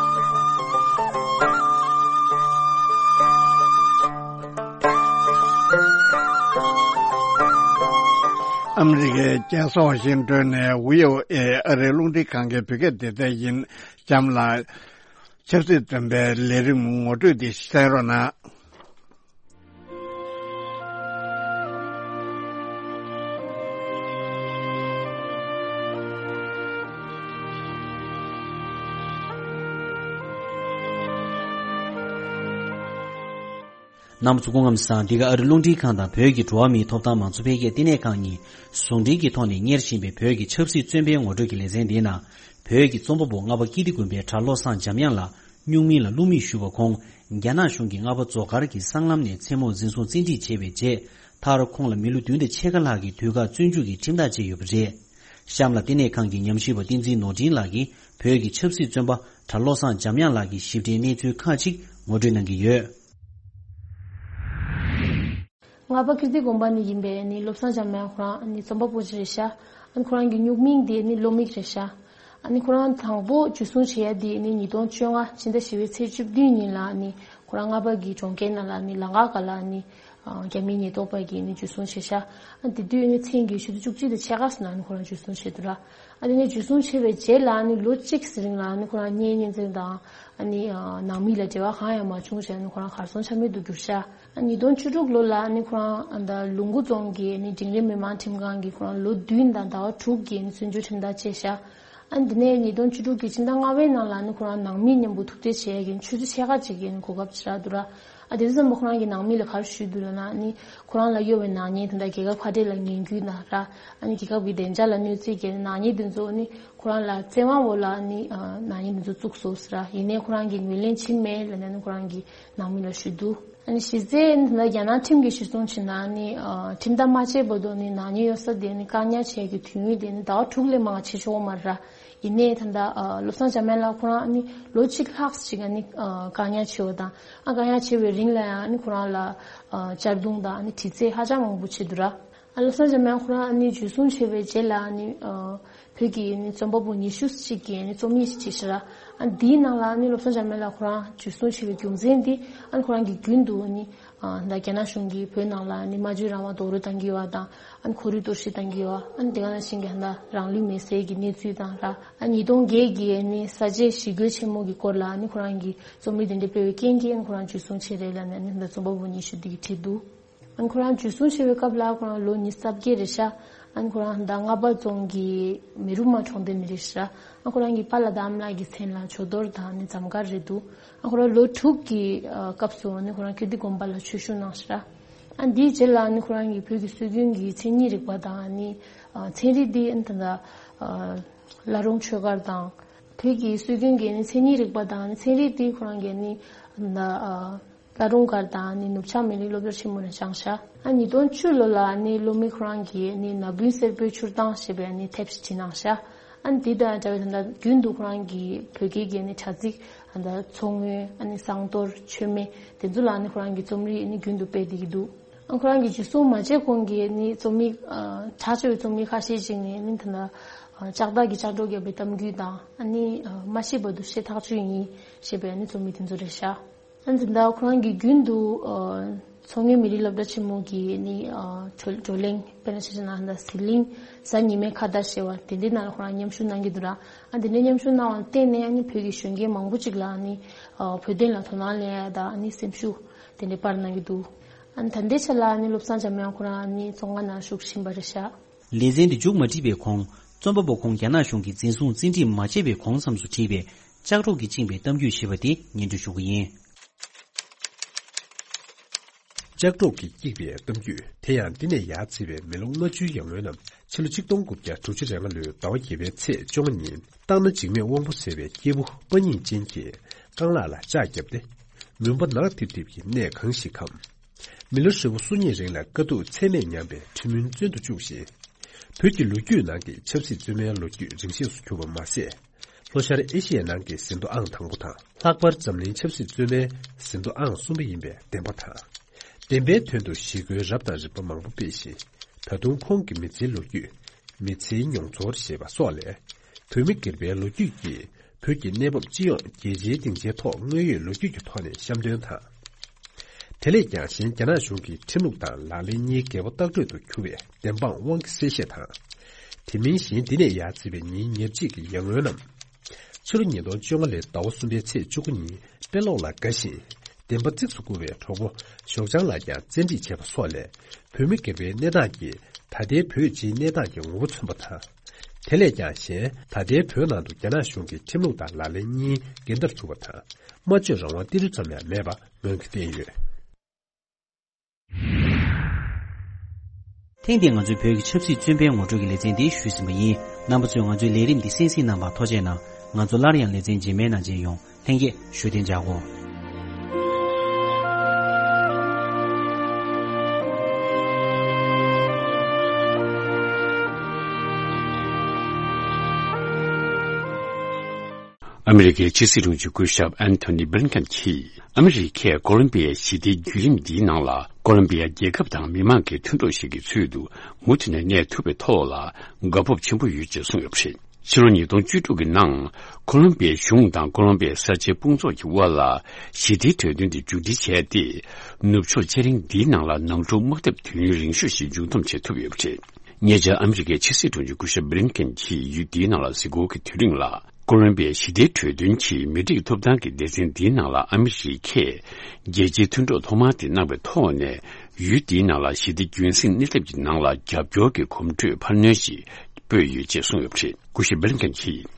ཨ་མི་རི་ཀའི་རྒྱལ་ས་ཝ་ཤིང་ཏོན་ནས་བྷི་ཨོ་ཨེ་ཨ་རིའི་རླུང་འཕྲིན་ཁང་གི་བོད་སྐད་སྡེ་ཚན་ཡིན། གཤམ་ལ། ཆབ་སྲིད་བཙོན་པའི་ལས་རིམ་ངོ་སྤྲོད་དེ་གསན་རོགས་གནང་། རྣམ་པ་ཚོ་སྐུ་ཁམས་བཟང་། འདི་ག་ཨ་རི་རླུང་འཕྲིན་ཁང་དང་བོད་ཀྱི་འགྲོ་བ་མིའི་ཐོབ་ཐང་མང་གཙོ་འཕེལ་རྒྱས་བསྟི་གནས་ཁང་གཉིས་ཟུང་འབྲེལ་གྱི་ཐོག་ནས་གཉེར་བཞིན་པའི་བོད་ཀྱི་ཆབ་སྲིད་བཙོན་པའི་ངོ་སྤྲོད་ཀྱི་ལེ་ཚན་འདིའི་ནང་། བོད་ཀྱི་རྩོམ་པ་པོ་རྔ་པ་ཀིརྟི་དགོན་པའི་གྲྭ་བློ་བཟང་འཇམ་དབྱངས་ལགས་སྨྱུག་མིང་ལ་ཀླུ་མིག་ཞུ་བ་ཁོང་རྒྱ་ནག་གཞུང་གིས་རྔ་པ་མཛོ་མཁར་གྱི་སྲང་ལམ་ནས་མཚན་མོར་འཛིན་བཟུང་བཙན་ཁྲིད་བྱས་པའི་རྗེས། མཐར་ཁོང་ལ་མི་ལོ་བདུན་དང་ཕྱེད་ཀ་ལྷག་གི་དུས་བཀག་བཙོན་འཇུག་གི་ཁྲིམས་ཐག་བཅད་ཡོད་པ་རེད། གཤམ་ལ་བསྟི་གནས་ཁང་གི་ཉམས་ཞིབ་པ་བསྟན་འཛིན་ནོར་འཕྲིན་ལགས་ཀྱིས་བོད་ཀྱི་ཆབ་སྲིད་བཙོན་པ་གྲྭ་བློ་བཟང་འཇམ་དབྱངས་ལགས་ཀྱི་ཞིབ་ཕྲའི་གནས་ཚུལ་ཁག་ཅིག་ངོ་སྤྲོད་གནང་གི་ཡོད། རྔ་པ་ཀིརྟི་དགོན་པ་ནས་ཡིན་པའི་ནི་བློ་བཟང་འཇམ་དབྱངས་ཁོ་རང་ནི་རྩོམ་པ་པོ་ཅིག་རེད་ཤག་ཨ་ནི་ཁོ་རང་གི་སྨྱུག་མིང་དེ་ནི་ཀླུ་མིག་རེད་ཤག་ཨ་ནི་ཁོ་རང་དང་པོ་འཇུ་བཟུང་བྱེད་ཡ་དེ་ནི་ཉིས་སྟོང་བཅོ་ལྔ་ཕྱི་ཟླ་བཞི་པའི་ཚེས་བཅུ་བདུན་ཉིན་ལ་ནི་ཁོ་རང་རྔ་པ་གི་གྲོང་ཁྱེར་ནང་ལ་ནི་ལམ་ཁ་སྒང་ལ་ནི་རྒྱ་མིའི་ཉེན་རྟོག་པ་གིས་ནི་འཇུ་བཟུང་བྱས་ཤག་ཨ་དེ་དུས་ནི་མཚན་གྱི་ཆུ་ཚོད་བཅུ་གཅིག་དང་ཕྱེད་ཀ་ཙམ་ལ་ནི་ཁོ་རང་འཇུ་བཟུང་བྱས་འདུག་ར། ཨ་དེ་ནས་འཇུ་བཟུང་བྱས་པའི་རྗེས་ལ་ནི་ལོ་གཅིག་གི་རིང་ལ་ནི་ཁོ་རང་གཉེན་ཉེ་ཚན་དང་ཨ་ནི་ནང་མི་ལ་འབྲེལ་བ་གང་ཡང་མ་བྱུང་བྱས་ནི་ཁོ་རང་གར་སོང་ཆ་མེད་དུ་གྱུར་ཤག་ཨ་ཉིས་སྟོང་བཅུ་དྲུག་ལོ་ལ་ནི་ཁོ་རང་ཨ་ད་ལུང་མགོ་རྫོང་གི་ནི་འབྲིང་རིམ་མི་དམངས་ཁྲིམས་ཁང་གིས་ཁོ་རང་ལོ་བདུན་དང་ཟླ་བ་དྲུག་གི་ནི་བཙོན་འཇུག་ཁྲིམས་ཐག་བཅད་ཤག་ཨ་འདི་ནས་ཉིས་སྟོང་བཅུ་དྲུག་གི་ཕྱི་ཟླ་ལྔ་པའི་ནང་ལ་ནི་ཁོ་རང་ནང་མི་མཉམ་པོ་ཐུག་འཕྲད་བྱེད་ཡ་གི་ཆུ་ཚོད་ཕྱེད་ཀ་ཅིག་གི་ནི་གོ་སྐབས་ཅིག་རག་འདུག་ར། ཨ་དེ་ཚོ་ཚང་མ་ཁོ་རང་གི་ནང་མི་ལ་ག་རེ་ཞུས་འདུག་ལབ་ན་ནི་ཁོ་རང་ལ་གཡོ་བའི་ནག་ཉེས་དེ་འདྲ་རྒྱལ་ཁབ་ཁ་བྲལ་ལ་ངན་སྐུལ་དང་ར། ཨ་ནི་རྒྱལ་ཁབ་ཀྱི་བདེ་འཇགས་ལ་གནོད་འཚེ་བྱེད་ནག་ཉེས་དེ་ཚོ་ནི་ཁོ་རང་ལ་བཙན་དབང་འོག་ལ་ནི་ནག་ཉེས་དེ་ཚོ་བཙུགས་སོང་ཟེར་ར། ཡིན་ནའི་ཁོ་རང་གིས་ངོས་ལེན་བྱེད་མེད་ལབ་ནས་ནི་ཁོ་རང་གི་ནང་མི་ལ་ཞུས་འདུག་ཨ་ནི་གཞི་རྩའི་ནི་ད་རྒྱ་ནག་ཁྲིམས་ཀྱི་གཞིར་བཟུང་བྱས་ན་ནི་ཁྲིམས་ཐག་མ་བཅད་བར་དུ་ནི་ནག་ཉེས་ཡོད་ས་དེ་ནི་བཀག་ཉར་བྱེད་ཀྱི་དུས་ཡུན་དེ་ནི་ཟླ་བ་དྲུག་ལས་མང་བ་བྱེད་ཆོག་གི་མ་རེད་ར། ཡིན་ནའི་ད་ལྟ་བློ་བཟང་འཇམ་དབྱངས་ལགས་ཁོ་རང་ནི་ལོ་གཅིག་ལྷག་ཅིག་ནི་བཀག་ཉར་བྱས་པ་དང་། ཨ་བཀག་ཉར་བྱས་པའི་རིང་ལ་ཡང་ནི་ཁོ་རང་ལ་གཅར་རྡུང་དང་ནི་དྲི་རྩད་ཧ་ཅང་མང་པོ་བྱས་འདུག་ར། ཨ་བློ་བཟང་འཇམ་དབྱངས་ཁོ་རང་ནི་འཇུ་བཟུང་བྱས་པའི་རྗེས་ལ་ནི་བོད་ཀྱི་ནི་རྩོམ་པ་པོ་ཉི་ཤུ་ཅིག་གིས་ནི་རྩོམ་ཡིག་ཅིག་བྲིས་ཤག་ར། ཨ་འདིའི་ནང་ལ་ནི་བློ་བཟང་འཇམ་དབྱངས་ལགས་ཁོ་རང་འཇུ་བཟུང་བྱས་པའི་རྒྱུ་མཚན་འདི་ཨ་ནི་ཁོ་རང་གིས་རྒྱུན་དུ་ནི་ད་རྒྱ་ནག་གཞུང་གིས་བོད་ནང་ལ་ནི་སྨྲ་བརྗོད་རང་དབང་རྡོག་རོལ་བཏང་གི་ཡོད་པ་དང་། ཨ་ནི་ཁོར་ཡུག་གཏོར་བཤིག་བཏང་གི་ཡོད་པ། ཨ་ནི་དེ་ག་ནང་བཞིན་གྱི་ད་རང་ལུས་མེར་སྲེག་གི་གནས་ཚུལ་དང་ར། ཨ་ཉིས་སྟོང་བརྒྱད་ཀྱི་ནི་ས་བྱེས་ཞི་རྒོལ་ཆེན་མོ་གི་སྐོར་ལ་ནི་ཁོ་རང་གིས་རྩོམ་ཡིག་དེ་འདྲ་སྤེལ་བའི་རྐྱེན་གྱིས་ཁོ་རང་འཇུ་བཟུང་བྱས་རེད་ལབ་ནས་ནི་ད་རྩོམ་པ་པོ་ཉི་ཤུ་འདི་གིས་བྲིས་འདུག་ཨ་ནི་ཁོ་རང་འཇུ་བཟུང་བྱས་པའི་སྐབས་ལ་ཁོ་རང་ལོ་ཉི་ཤུ་རྩ་བརྒྱད་རེད་ཤག་ཨ་ནི་ཁོ་རང་ད་རྔ་པ་རྫོང་གི་མེ་རུ་མ་གྲོང་སྡེ་ནས་རེད་ཤག་ཨ་ཁོ་རང་གི་པཱ་ལགས་དང་ཨ་མ་ལགས་ཀྱི་མཚན་ལ་ཇོ་རྡོར་དང་ནི་ཛམ་དཀར་རེད་འདུག་ཨ་ཁོ་རང་ལོ་དྲུག་གི་སྐབས་སུ་ནི་ཁོ་རང་ཀིརྟི་དགོན་པ་ལ་ཆོས་ཞུགས་གནང་ཤག་ཨ་འདིའི་རྗེས་ལ་ནི་ཁོ་རང་གིས་བོད་ཀྱི་སྲོལ་རྒྱུན་གྱི་མཚན་ཉིད་རིག་པ་དང་ནི་ཚན་རིག་འདི་ད་ལྟ་བླ་རུང་ཆོས་སྒར་དང་། བོད་ཀྱི་སྲོལ་རྒྱུན་གྱི་ནི་མཚན་ཉིད་རིག་པ་དང་ནི་ཚན་རིག་འདི་ཁོ་རང་གིས་ནི་ད་བླ་རུང་སྒར་དང་ནི་ནུབ་བྱང་མི་རིགས་སློབ་གྲྭ་ཆེན་མོ་ནས་སྦྱངས་ཤག་ཨ་ཉིས་སྟོང་བཅུ་ལོ་ལ་ནི་སློབ་མས་ཁོ་རང་གིས་ནི་ན་བུན་སེར་པོའི་མཆུར་བཏང་ཞེས་པའི་ནི་དེབ་ཞིག་བྲིས་གནང་ཤག་ཨ་ནི་འདི་དང་འདྲ་བའི་ད་ལྟ་རྒྱུན་དུ་ཁོ་རང་གིས་བོད་སྐད་ཀྱི་ནི་དྲ་ཚིགས་ད་ལྟ་མཚོ་སྔོན་ཨ་ནི་བསང་གཏོར་མཆོད་མེ་དེ་ཚོ་ལ་ནི་ཁོ་རང་གི་རྩོམ་རིག་ནི་རྒྱུན་དུ་སྤེལ་བསྡད་ཀྱི་འདུག་ཨ་ཁོ་རང་གིས་འཇུ་བཟུང་མ་བྱས་གོང་གི་ནི་རྩོམ་ཡིག་ཨ་གྲགས་ཆེ་བའི་རྩོམ་ཡིག་ཁ་ཤས་ཤིག་ནི་ནི་ད་ལྟ་ཨ་ལྕགས་ཐག་གིས་ལྕགས་སྒྲོག་བརྒྱབ་པའི་གཏམ་རྒྱུད་དང་ཨ་ནི་ཨ་མ་ཤི་བར་དུ་ཤེས་ཐག་ཆོད་ཡིན་ཞེས་པའི་ནི་རྩོམ་ཡིག་དེ་ཚོ་རེད་ཤག་ཨ་ནི་ད་ལྟ་ཁོ་རང་གིས་རྒྱུན་དུ་ཨ་མཚོ་སྔོན་མི་རིགས་སློབ་གྲྭ་ཆེན་མོ་གི་ནི་ཨ་བགྲོ་བགྲོ་གླེང་དཔེར་ན་ཆ་བཞག་ན་ད་ཟི་ལིང་གཟའ་ཉི་མའི་ཁ་བརྡ་ཞེས་པ་དེ་འདྲའི་ནང་ལ་ཁོ་རང་མཉམ་ཞུགས་གནང་གི་འདུག་ར། ཨ་དེ་འདྲའི་མཉམ་ཞུགས་གནང་བ་བརྟེན་ནས་ཨ་ནི་བོད་ཀྱི་གཞོན་སྐྱེས་མང་པོ་ཅིག་ལ་ཨ་ནི་ཨ་བོད་དོན་ལ་དོ་སྣང་སླེབས་ཡ་དང་ཨ་ནི་སེམས་ཤུགས་དེ་འདྲའི་སྤར་གནང་གི་འདུག་ཨ་ནི་ད་ལྟའི་ཆ་ལ་ནི་བློ་བཟང་འཇམ་དབྱངས་ཁོ་རང་ནི་བཙོན་ཁང་ནང་བཞུགས་བཞིན་པ་རེད་ཤག་ལེ་ཚན་འདི་མཇུག་མ་སྒྲིལ་བའི་གོང་། རྩོམ་པ་པོ་ཁོང་རྒྱ་ནག་གཞུང་གིས་འཛིན་བཟུང་བཙན་ཁྲིད་མ་བྱས་པའི་གོང་མཚམས་སུ་བྲིས་པའི་ལྕགས་སྒྲོག་གིས་བཅིངས་པའི་གཏམ་རྒྱུད་ཞེས་པ་འདི་སྙན་སྒྲོན་ཞུ་གི་ཡིན། ལྕགས་སྒྲོག་གིས་བཀྱིགས་པའི་གཏམ་རྒྱུད་དེ་ཡང་འདི་ནས་ཡར་བརྩིས་པའི་མི་ལོ་ལྔ་བཅུའི་ཡར་སྔོན་ནམ་ཕྱི་ལོ་ཆིག་སྟོང་དགུ་བརྒྱ་དྲུག་ཅུ་རེ་ལྔ་ལོའི་ཟླ་བ་བརྒྱད་པའི་ཚེས་བཅོ་ལྔ་ཉིན་སྟག་སྣ་འཇིགས་མེད་དབང་པོ་ཟེར་བའི་སྐྱེས་བུ་པ་སྙིང་ཅན་གྱིས་རྐང་ལག་ལ་ལྕགས་བརྒྱབ་སྟེ། མུན་པ་ནག་ཐིབ་ཐིབ་ཀྱི་གནས་གང་ཞིག་གམ། མི་ལོ་ཧྲིལ་པོ་སོ་གཉིས་རིང་ལ་དཀའ་སྡུག་ཚད་མེད་མྱངས་པའི་ཁྲིམས་མུན་བཙོན་དུ་བཅུག་ཞིང་། བོད་ཀྱི་ལོ་རྒྱུས་ནང་གི་ཆབ་སྲིད་བཙོན་མའི་ལོ་རྒྱུས་རིང་ཤོས་སུ་གྱུར་པ་མ་ཟད། ལྷོ་ཤར་ཨེ་ཤི་ཡའི་ནང་གི་ཟིན་ཐོ་ཨང་དང་པོ་དང་། ལྷག་པར་འཛམ་གླིང་ཆབ་སྲིད་བཙོན་མའི་ཟིན་ཐོ་ཨང་གསུམ་པ་ཡིན་པའི་བདེན་པ་དང་། བདེན་པའི་དོན་དུ་ཞི་རྒོལ་རབ་དང་རིམ་པ་མང་པོ་སྤེལ་ཞིང་། ད་དུང་ཁོང་གི་མི་ཚེའི་ལོ་རྒྱུས། མི་ཚེའི་མྱོང་ཚོར་ཞེས་པ་སོགས་ལས། བོད་མི་སྒེར་པའི་ལོ་རྒྱུས་ཀྱིས་བོད་ཀྱི་གནས་བབ་སྤྱི་ཡོངས་རྒྱལ་སྤྱིའི་སྡིངས་ཆའི་ཐོག་དངོས་ཡོད་ལོ་རྒྱུས་ཀྱི་ཐོག་ནས་བཤམས་སྟོན་དང་། དེ་ལས་ཀྱང་གཞན་རྒྱ་ནག་གཞུང་གི་ཁྲིམས་ལུགས་དང་ལག་ལེན་གཉིས་འགལ་པོ་ལྟག་སྤྲོད་དུ་གྱུར་བའི་བདེན་དཔང་དབང་གིས་གསལ་བཤད་དང་། དེ་མིན་གཞན་འདི་ནས་ཡར་བརྩིས་པའི་ཉིན་ཉེར་གཅིག་གི་ཡར་སྔོན་ནམ། ཕྱི་ལོ་ཉིས་སྟོང་བཅོ་ལྔ་ལོའི་ཟླ་བ་གསུམ་པའི་ཚེས་བཅུ་དགུ་ཉིན་དཔེ་ཀློག་ལ་དགའ་ཞིང་བདེན་པ་གཙིགས་སུ་བཀུར་བའི་གྲོགས་པོ་ཞོགས་ལྗང་ལགས་ཀྱང་བཙན་ཁྲིད་བྱས་པ་སོགས་ལས། བོད་མི་སྒེར་པའི་གནས་སྟངས་ཀྱིས་ད་ལྟའི་བོད་སྤྱིའི་གནས་སྟངས་ཀྱི་ངོ་བོ་མཚོན་པ་དང་། དེ་ལས་ཀྱང་གཞན་ད་ལྟའི་བོད་ནང་དུ་རྒྱ་ནག་གཞུང་གི་ཁྲིམས་ལུགས་དང་ལག་ལེན་གཉིས་འགལ་ཟླར་གྱུར་པ་དང་། སྨྲ་བརྗོད་རང་དབང་ཏིལ་རུ་ཙམ་ཡང་མེད་པ་ངོས་ཀྱིས་བསྟན་ཡོད། ཐེངས་འདིའི་ང་ཚོའི་བོད་ཀྱི་ཆབ་སྲིད་བཙོན་པའི་ངོ་སྤྲོད་ཀྱི་ལེ་ཚན་འདི་ཞུས་ཟིན་པ་ཡིན། རྣམ་པ་ཚོས་ང་ཚོའི་ལས་རིམ་འདི་གསན་གཟིགས་གནང་བར་ཐུགས་རྗེ་གནང་། ང་ཚོ་སླར་ཡང་ལེ་ཚན་རྗེས་མའི་ནང་མཇལ་ཡོང་། ལྷན་རྒྱས་བཞུགས་གདན་འཇགས་སྒོ། ཨ་མི་རི་ཀའི་ཕྱི་སྲིད་དྲུང་ཆེ་སྐུ་ཞབས་ཨན་ཐོ་ནི་བྷི་ལིན་ཀན་གྱིས། ཨ་མི་རི་ཀས་ཀོ་ལོམ་བི་ཡའི་ཞི་བདེའི་བརྒྱུད་རིམ་འདིའི་ནང་ལ། ཀོ་ལོམ་བི་ཡ་རྒྱལ་ཁབ་དང་མི་མང་གི་མཐུན་གྲོགས་ཤིག་གི་ཚུལ་དུ་མུ་མཐུད་ནས་གནས་ཐུབ་པའི་ཐོག་ལ་དགའ་སྤོབས་ཆེན་པོ་ཡོད་ཅེས་གསུངས་ཡོད་པ་རེད། ཕྱི་ལོ་ཉིས་སྟོང་བཅུ་དྲུག་གི་ནང་། ཀོ་ལོམ་བི་ཡའི་གཞུང་དང་ཀོ་ལོམ་བི་ཡའི་གསར་བརྗེའི་དཔུང་ཚོགས་ཀྱི་དབར་ལ་ཞི་བདེའི་གྲོས་མཐུན་དེ་མཇུག་སྒྲིལ་བྱས་ཏེ། ནུབ་ཕྱོགས་ཚན་རིག་འདིའི་ནང་ལ་ནང་འཁྲུག་དམག་འཐབ་དུས་ཡུན་རིང་ཤོས་ཤིག་མཇུག་བསྡོམས་བྱེད་ཐུབ་ཡོད་པ་རེད། ཉེ་ཆར་ཨ་མི་རི་ཀའི་ཕྱི་སྲིད་དྲུང་ཆེ་སྐུ་ཞབས་བྷི་ལིན་ཀན་གྱིས་ཡུལ་འདིའི་ནང་ལ་གཟིགས་སྐོར་གྱི་དུས་རིང་ལ། ཀོ་ལོམ་བི་ཡའི་ཞི་བདེའི་གྲོས་མཐུན་གྱི་མི་རིགས་ཐོབ་ཐང་གི་སྡེ་ཚན་འདིའི་ནང་ལ་ཨ་མི་རི་ཀས་རྒྱལ་སྤྱིའི་མཐུན་གྲོགས་ཐོག་མ་དེ་གནང་བའི་ཐོག་ནས། ཡུལ་འདིའི་ནང་ལ་ཞི་བདེ་རྒྱུན་སྲིང་གནས་ཐབས་ཀྱི་ནང་ལ་རྒྱབ་སྐྱོར་གྱི་གོམ་བགྲོད་འཕར་སྣོན་ཞིག་སྤོས་ཡོད་ཅེས་གསུངས་ཡོད་པ་རེད། སྐུ་ཞབས་བྷི་ལིན་ཀན་གྱིས།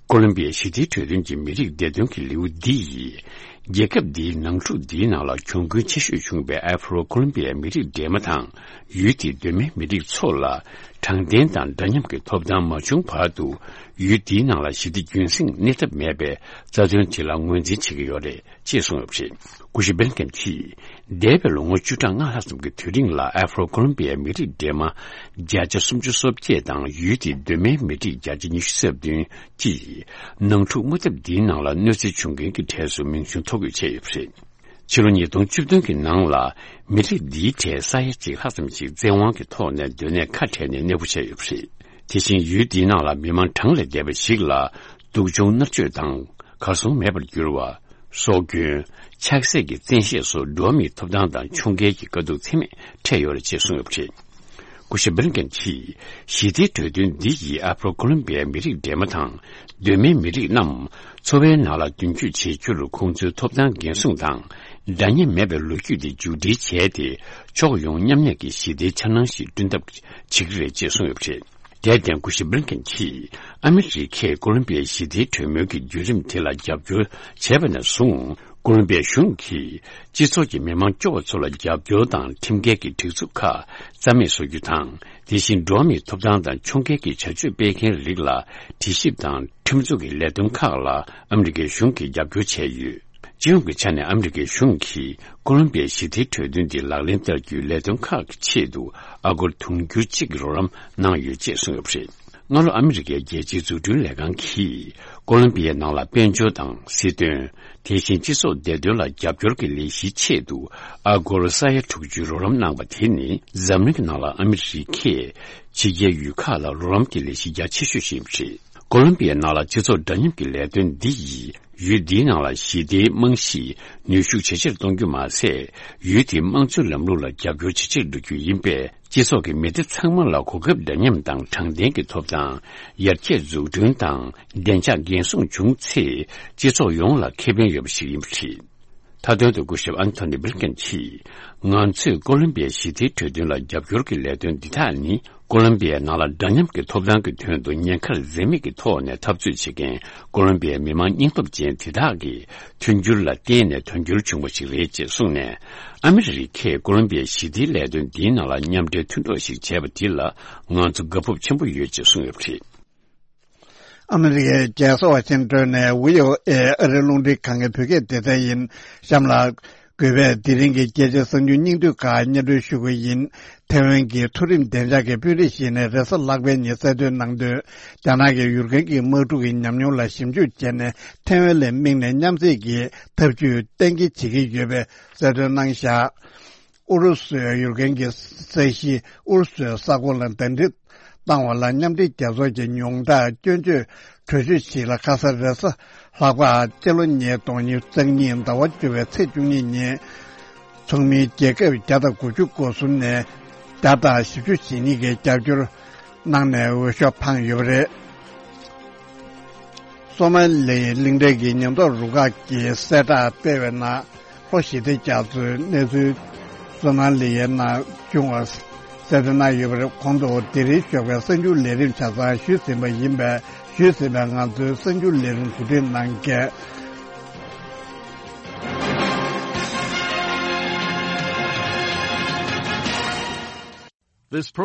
ཀོ་ལོམ་བི་ཡའི་ཞི་བདེའི་གྲོས་མཐུན་གྱི་མི་རིགས་བདེ་དོན་གྱི་ལེའུ་འདི་ཡིས། རྒྱལ་ཁབ་འདིའི་ནང་འཁྲུག་འདིའི་ནང་ལ་གྱོང་གུན་ཆེ་ཤོས་བྱུང་བའི་ཨ་ཕོ་རོ་ཀོ་ལོམ་བི་ཡའི་མི་རིགས་འདྲེས་མ་དང་། ཡུལ་དེའི་གདོད་མའི་མི་རིགས་ཚོ་ལ། དྲང་བདེན་དང་འདྲ་མཉམ་གྱི་ཐོབ་ཐང་མ་བྱུང་བར་དུ། ཡུལ་འདིའི་ནང་ལ་ཞི་བདེ་རྒྱུན་སྲིང་གནས་ཐབས་མེད་པའི་རྩ་དོན་དེ་ལ་ངོས་འཛིན་བྱེད་ཀྱི་ཡོད་རེད། ཅེས་གསུངས་ཡོད་པ་རེད། སྐུ་ཞབས་བྷི་ལིན་ཀན་གྱིས། འདས་པའི་ལོ་ངོ་བཅུ་ཕྲག་ལྔ་ལྷག་ཙམ་གྱི་དུས་རིང་ལ་ཨ་ཕོ་རོ་ཀོ་ལོམ་བི་ཡའི་མི་རིགས་འདྲེས་མ་བརྒྱ་ཆ་སུམ་ཅུ་སོ་བརྒྱད་དང་ཡུལ་དེའི་གདོད་མའི་མི་རིགས་བརྒྱ་ཆ་ཉི་ཤུ་རྩ་བདུན་གྱིས་ནང་འཁྲུག་དམག་འཐབ་འདིའི་ནང་ལ་གནོད་འཚེ་བྱུང་མཁན་གྱི་གྲས་སུ་མིང་གཞུང་ཐོ་འགོད་བྱས་ཡོད་པ་རེད། ཕྱི་ལོ་ཉིས་སྟོང་བཅུ་བདུན་གྱི་ནང་ལ་མི་རིགས་འདིའི་གྲས་ས་ཡ་གཅིག་ལྷག་ཙམ་ཞིག་བཙན་དབང་གི་ཐོག་ནས་སྡོད་གནས་ཁ་བྲལ་ནས་གནས་སྤོ་བྱས་ཡོད་པ་རེད། དེ་བཞིན་ཡུལ་འདིའི་ནང་ལ་མི་མང་གྲངས་ལས་འདས་པ་ཞིག་ལ་སྡུག་སྦྱོང་མནར་གཅོད་དང་གར་སོང་མེད་པར་གྱུར་བ། སྲོག་སྐྱོན། ཆགས་སྲེད་ཀྱི་བཙན་ཤེད་སོགས་འགྲོ་བ་མིའི་ཐོབ་ཐང་དང་ཕྱོགས་འགལ་གྱི་དཀའ་སྡུག་ཚད་མེད་འཕྲད་ཡོད་རེད་ཅེས་གསུངས་ཡོད་པ་རེད། སྐུ་ཞབས་བྷི་ལིན་ཀན་གྱིས་ཞི་བདེའི་གྲོས་མཐུན་འདི་ཡིས་ཨ་ཕོ་རོ་ཀོ་ལོམ་བི་ཡའི་མི་རིགས་འདྲེས་མ་དང་གདོད་མའི་མི་རིགས་རྣམས་འཚོ་བའི་ནང་ལ་མདུན་སྐྱོད་བྱེད་རྒྱུར་ཁོང་ཚོའི་ཐོབ་ཐང་འགན་སྲུང་དང་འདྲ་མཉམ་མེད་པའི་ལོ་རྒྱུས་དེ་མཇུག་སྒྲིལ་བྱས་ཏེ་ཕྱོགས་ཡོངས་མཉམ་གནས་ཀྱི་ཞི་བདེའི་འཆར་སྣང་ཞིག་བསྐྲུན་ཐབས་བྱེད་ཀྱི་རེད་ཅེས་གསུངས་ཡོད་པ་རེད། དེར་བརྟེན་སྐུ་ཞབས་བྷི་ལིན་ཀན་གྱིས་ཨ་མི་རི་ཀས་ཀོ་ལོམ་བི་ཡའི་ཞི་བདེའི་གྲོས་མོལ་གྱི་བརྒྱུད་རིམ་དེ་ལ་རྒྱབ་སྐྱོར་བྱས་པ་ནས་བཟུང་། ཀོ་ལོམ་བི་ཡའི་གཞུང་གིས་སྤྱི་ཚོགས་ཀྱི་མི་མང་སྐྱོ་བ་ཚོ་ལ་རྒྱབ་སྐྱོར་དང་ཁྲིམས་འགལ་གྱི་སྒྲིག་འཛུགས་ཁག་རྩ་མེད་བཟོ་རྒྱུ་དང་། དེ་བཞིན་འགྲོ་བ་མིའི་ཐོབ་ཐང་དང་ཕྱོགས་འགལ་གྱི་བྱ་སྤྱོད་སྤེལ་མཁན་རིགས་ལ་དྲི་ཞིབ་དང་ཁྲིམས་འཛུགས་ཀྱི་ལས་དོན་ཁག་ལ་ཨ་མི་རི་ཀའི་གཞུང་གིས་རྒྱབ་སྐྱོར་བྱས་ཡོད། སྤྱི་ཡོངས་ཀྱི་ཆ་ནས་ཨ་མི་རི་ཀའི་གཞུང་གིས་ཀོ་ལོམ་བི་ཡའི་ཞི་བདེའི་གྲོས་མཐུན་འདི་ལག་ལེན་བསྟར་རྒྱུའི་ལས་དོན་ཁག་གི་ཆེད་དུ་ཨ་སྒོར་དུང་ཕྱུར་གཅིག་གི་རོགས་རམ་གནང་ཡོད་ཅེས་གསུངས་ཡོད་པ་རེད། སྔ་ལོ་ཨ་མི་རི་ཀའི་རྒྱལ་སྤྱིའི་འཛུགས་སྐྲུན་ལས་ཁང་གིས་ཀོ་ལོམ་བི་ཡའི་ནང་ལ་དཔལ་འབྱོར་དང་སྲིད་དོན། དེ་བཞིན་སྤྱི་ཚོགས་བདེ་དོན་ལ་རྒྱབ་སྐྱོར་གྱི་ལས་གཞིའི་ཆེད་དུ་ཨ་སྒོར་ས་ཡ་དྲུག་ཅུའི་རོགས་རམ་གནང་བ་དེ་ནི་འཛམ་གླིང་གི་ནང་ལ་ཨ་མི་རི་ཀས་ཕྱི་རྒྱལ་ཡུལ་ཁག་ལ་རོགས་རམ་གྱི་ལས་གཞི་རྒྱ་ཆེ་ཤོས་ཤིག་ཡིན་པ་རེད། ཀོ་ལོམ་བི་ཡའི་ནང་ལ་སྤྱི་ཚོགས་འདྲ་མཉམ་གྱི་ལས་དོན་འདི་ཡིས་ཡུལ་འདིའི་ནང་ལ་ཞི་བདེའི་རྨང་གཞི་ནུས་ཤུགས་ཇེ་ཆེར་གཏོང་རྒྱུ་མ་ཟད། ཡུལ་དེའི་དམངས་གཙོའི་ལམ་ལུགས་ལ་རྒྱབ་སྐྱོར་ཇེ་ཆེར་འགྲོ་རྒྱུ་ཡིན་པས། སྤྱི་ཚོགས་ཀྱི་མི་སྡེ་ཚང་མ་ལ་གོ་སྐབས་འདྲ་མཉམ་དང་དྲང་བདེན་གྱི་ཐོབ་ཐང་། ཡར་རྒྱས་འཛུགས་སྐྲུན་དང་བདེ་འཇགས་འགན་སྲུང་བྱུང་ཚེ། སྤྱི་ཚོགས་ཡོངས་ལ་ཁེ་ཕན་ཡོད་པ་ཞིག་ཡིན་པ་རེད། མཐའ་དོན་དུ་སྐུ་ཞབས་ཨན་ཐོ་ནི་བྷི་ལིན་ཀན་གྱིས། ང་ཚོས་ཀོ་ལོམ་བི་ཡའི་ཞི་བདེའི་གྲོས་མཐུན་ལ་རྒྱབ་སྐྱོར་གྱི་ལས་དོན་འདི་དག་ནི། ཀོ་ལོམ་བི་ཡའི་ནང་ལ་འདྲ་མཉམ་གྱི་ཐོབ་ཐང་གི་དོན་དུ་ཉེན་ཁར་འཛེམ་མེད་ཀྱི་ཐོག་ནས་འཐབ་རྩོད་བྱེད་མཁན་ཀོ་ལོམ་བི་ཡའི་མི་མང་སྙིང་སྟོབས་ཅན་དེ་དག་གི་མཐུན་འགྱུར་ལ་བརྟེན་ནས་དོན་འགྱུར་བྱུང་བ་ཞིག་རེད་ཅེས་གསུངས་ནས། ཨ་མི་རི་ཀས་ཀོ་ལོམ་བི་ཡའི་ཞི་བདེའི་ལས་དོན་འདིའི་ནང་ལ་མཉམ་འབྲེལ་མཐུན་གྲོགས་ཤིག་བྱས་པ་འདི་ལ་ང་ཚོ་དགའ་སྤོབས་ཆེན་པོ་ཡོད་ཅེས་གསུངས་ཡོད་པ་རེད། ཨ་མི་རི་ཀའི་རྒྱལ་ས་ཝ་ཤིང་ཏོན་ནས་ཝི་ཨོ་ཨེ་ཨ་རིའི་རླུང་འཕྲིན་ཁང་གི་བོད་སྐད་སྡེ་ཚན་ཡིན། གཤམ་ལ་གུས་པས་དེ་རིང་གི་རྒྱལ་སྤྱིའི་གསར་འགྱུར་སྙིང་བསྡུས་ཁག་སྙན་སྒྲོན་ཞུ་གི་ཡིན། ཐེ་ཝན་གྱི་མཐོ་རིམ་བདེ་འཇགས་ཀྱི་དཔོན་རིགས་ཤིག་ནས་རེས་གཟའ་ལྷག་པའི་ཉིན་གསལ་སྟོན་གནང་དོན། རྒྱ་ནག་གི་ཡུལ་དཀོན་གྱི་དམག་འཁྲུག་གི་ཉམས་མྱོང་ལ་ཞིབ་འཇུག་བྱས་ནས་ཐེ་ཝན་ལ་དམིགས་ནས་མཉམ་བསྲེས་ཀྱི་ཐབས་ཇུས་གཏན་འཁེལ་བྱེད་ཀྱི་ཡོད་པའི་གསལ་སྟོན་གནང་བཞག་ཨུ་རུ་སུའི་ཡུལ་དཀོན་གྱི་ས་གཞི་ཨུ་རུ་སུའི་ས་ཁོངས་ལ་ཟླ་སྒྲིལ་བཏང་བ་ལ་མཉམ་འབྲེལ་རྒྱལ་ཚོགས་ཀྱི་ཉུང་མཐའ་སྐྱོན་བརྗོད་གྲོས་ཆོད་ཞིག་ལ་ཁ་ས་རེས་གཟའ་ལྷག་པ་སྤྱི་ལོ་ཉིས་སྟོང་ཉི་ཤུ་རྩ་གཉིས་ཟླ་བ་བཅུ་པའི་ཚེས་བཅུ་གཉིས་ཉིན་ཚོགས་མིའི་རྒྱལ་ཁབ་བརྒྱ་དང་དགུ་བཅུ་གོ་གསུམ་ནས་བརྒྱ་དང་བཞི་བཅུ་ཞེ་གཉིས་ཀྱིས་རྒྱབ་སྐྱོར་གནང་ནས་འོས་ཤོག་འཕངས་ཡོད་པ་རེད། སོ་མ་ལི་ཡའི་གླིང་ཕྲན་གྱི་ཉེན་རྟོག་རུ་ཁག་གིས་གསལ་བསྒྲགས་སྤེལ་བའི་ནང་། ལྷོ་ཞི་བདེ་རྒྱ་མཚོའི་གནས་ཚུལ། སོ་མ་ལི་ཡའི་ནང་བྱུང་བ་གསལ་བསྒྲགས་གནང་ཡོད་པ་རེད། གོང་དུ་དེ་རིང་ཞོགས་པའི་གསར་འགྱུར་ལས་རིམ་ཆ་ཚང་ཞུས་ཟིན་པ་ཡིན་པས། ཞུས་ཟིན་པའི་ང་ཚོའི་གསར་འགྱུར་ལས་རིམ་གོ་སྒྲིག་གནང་མཁན། This program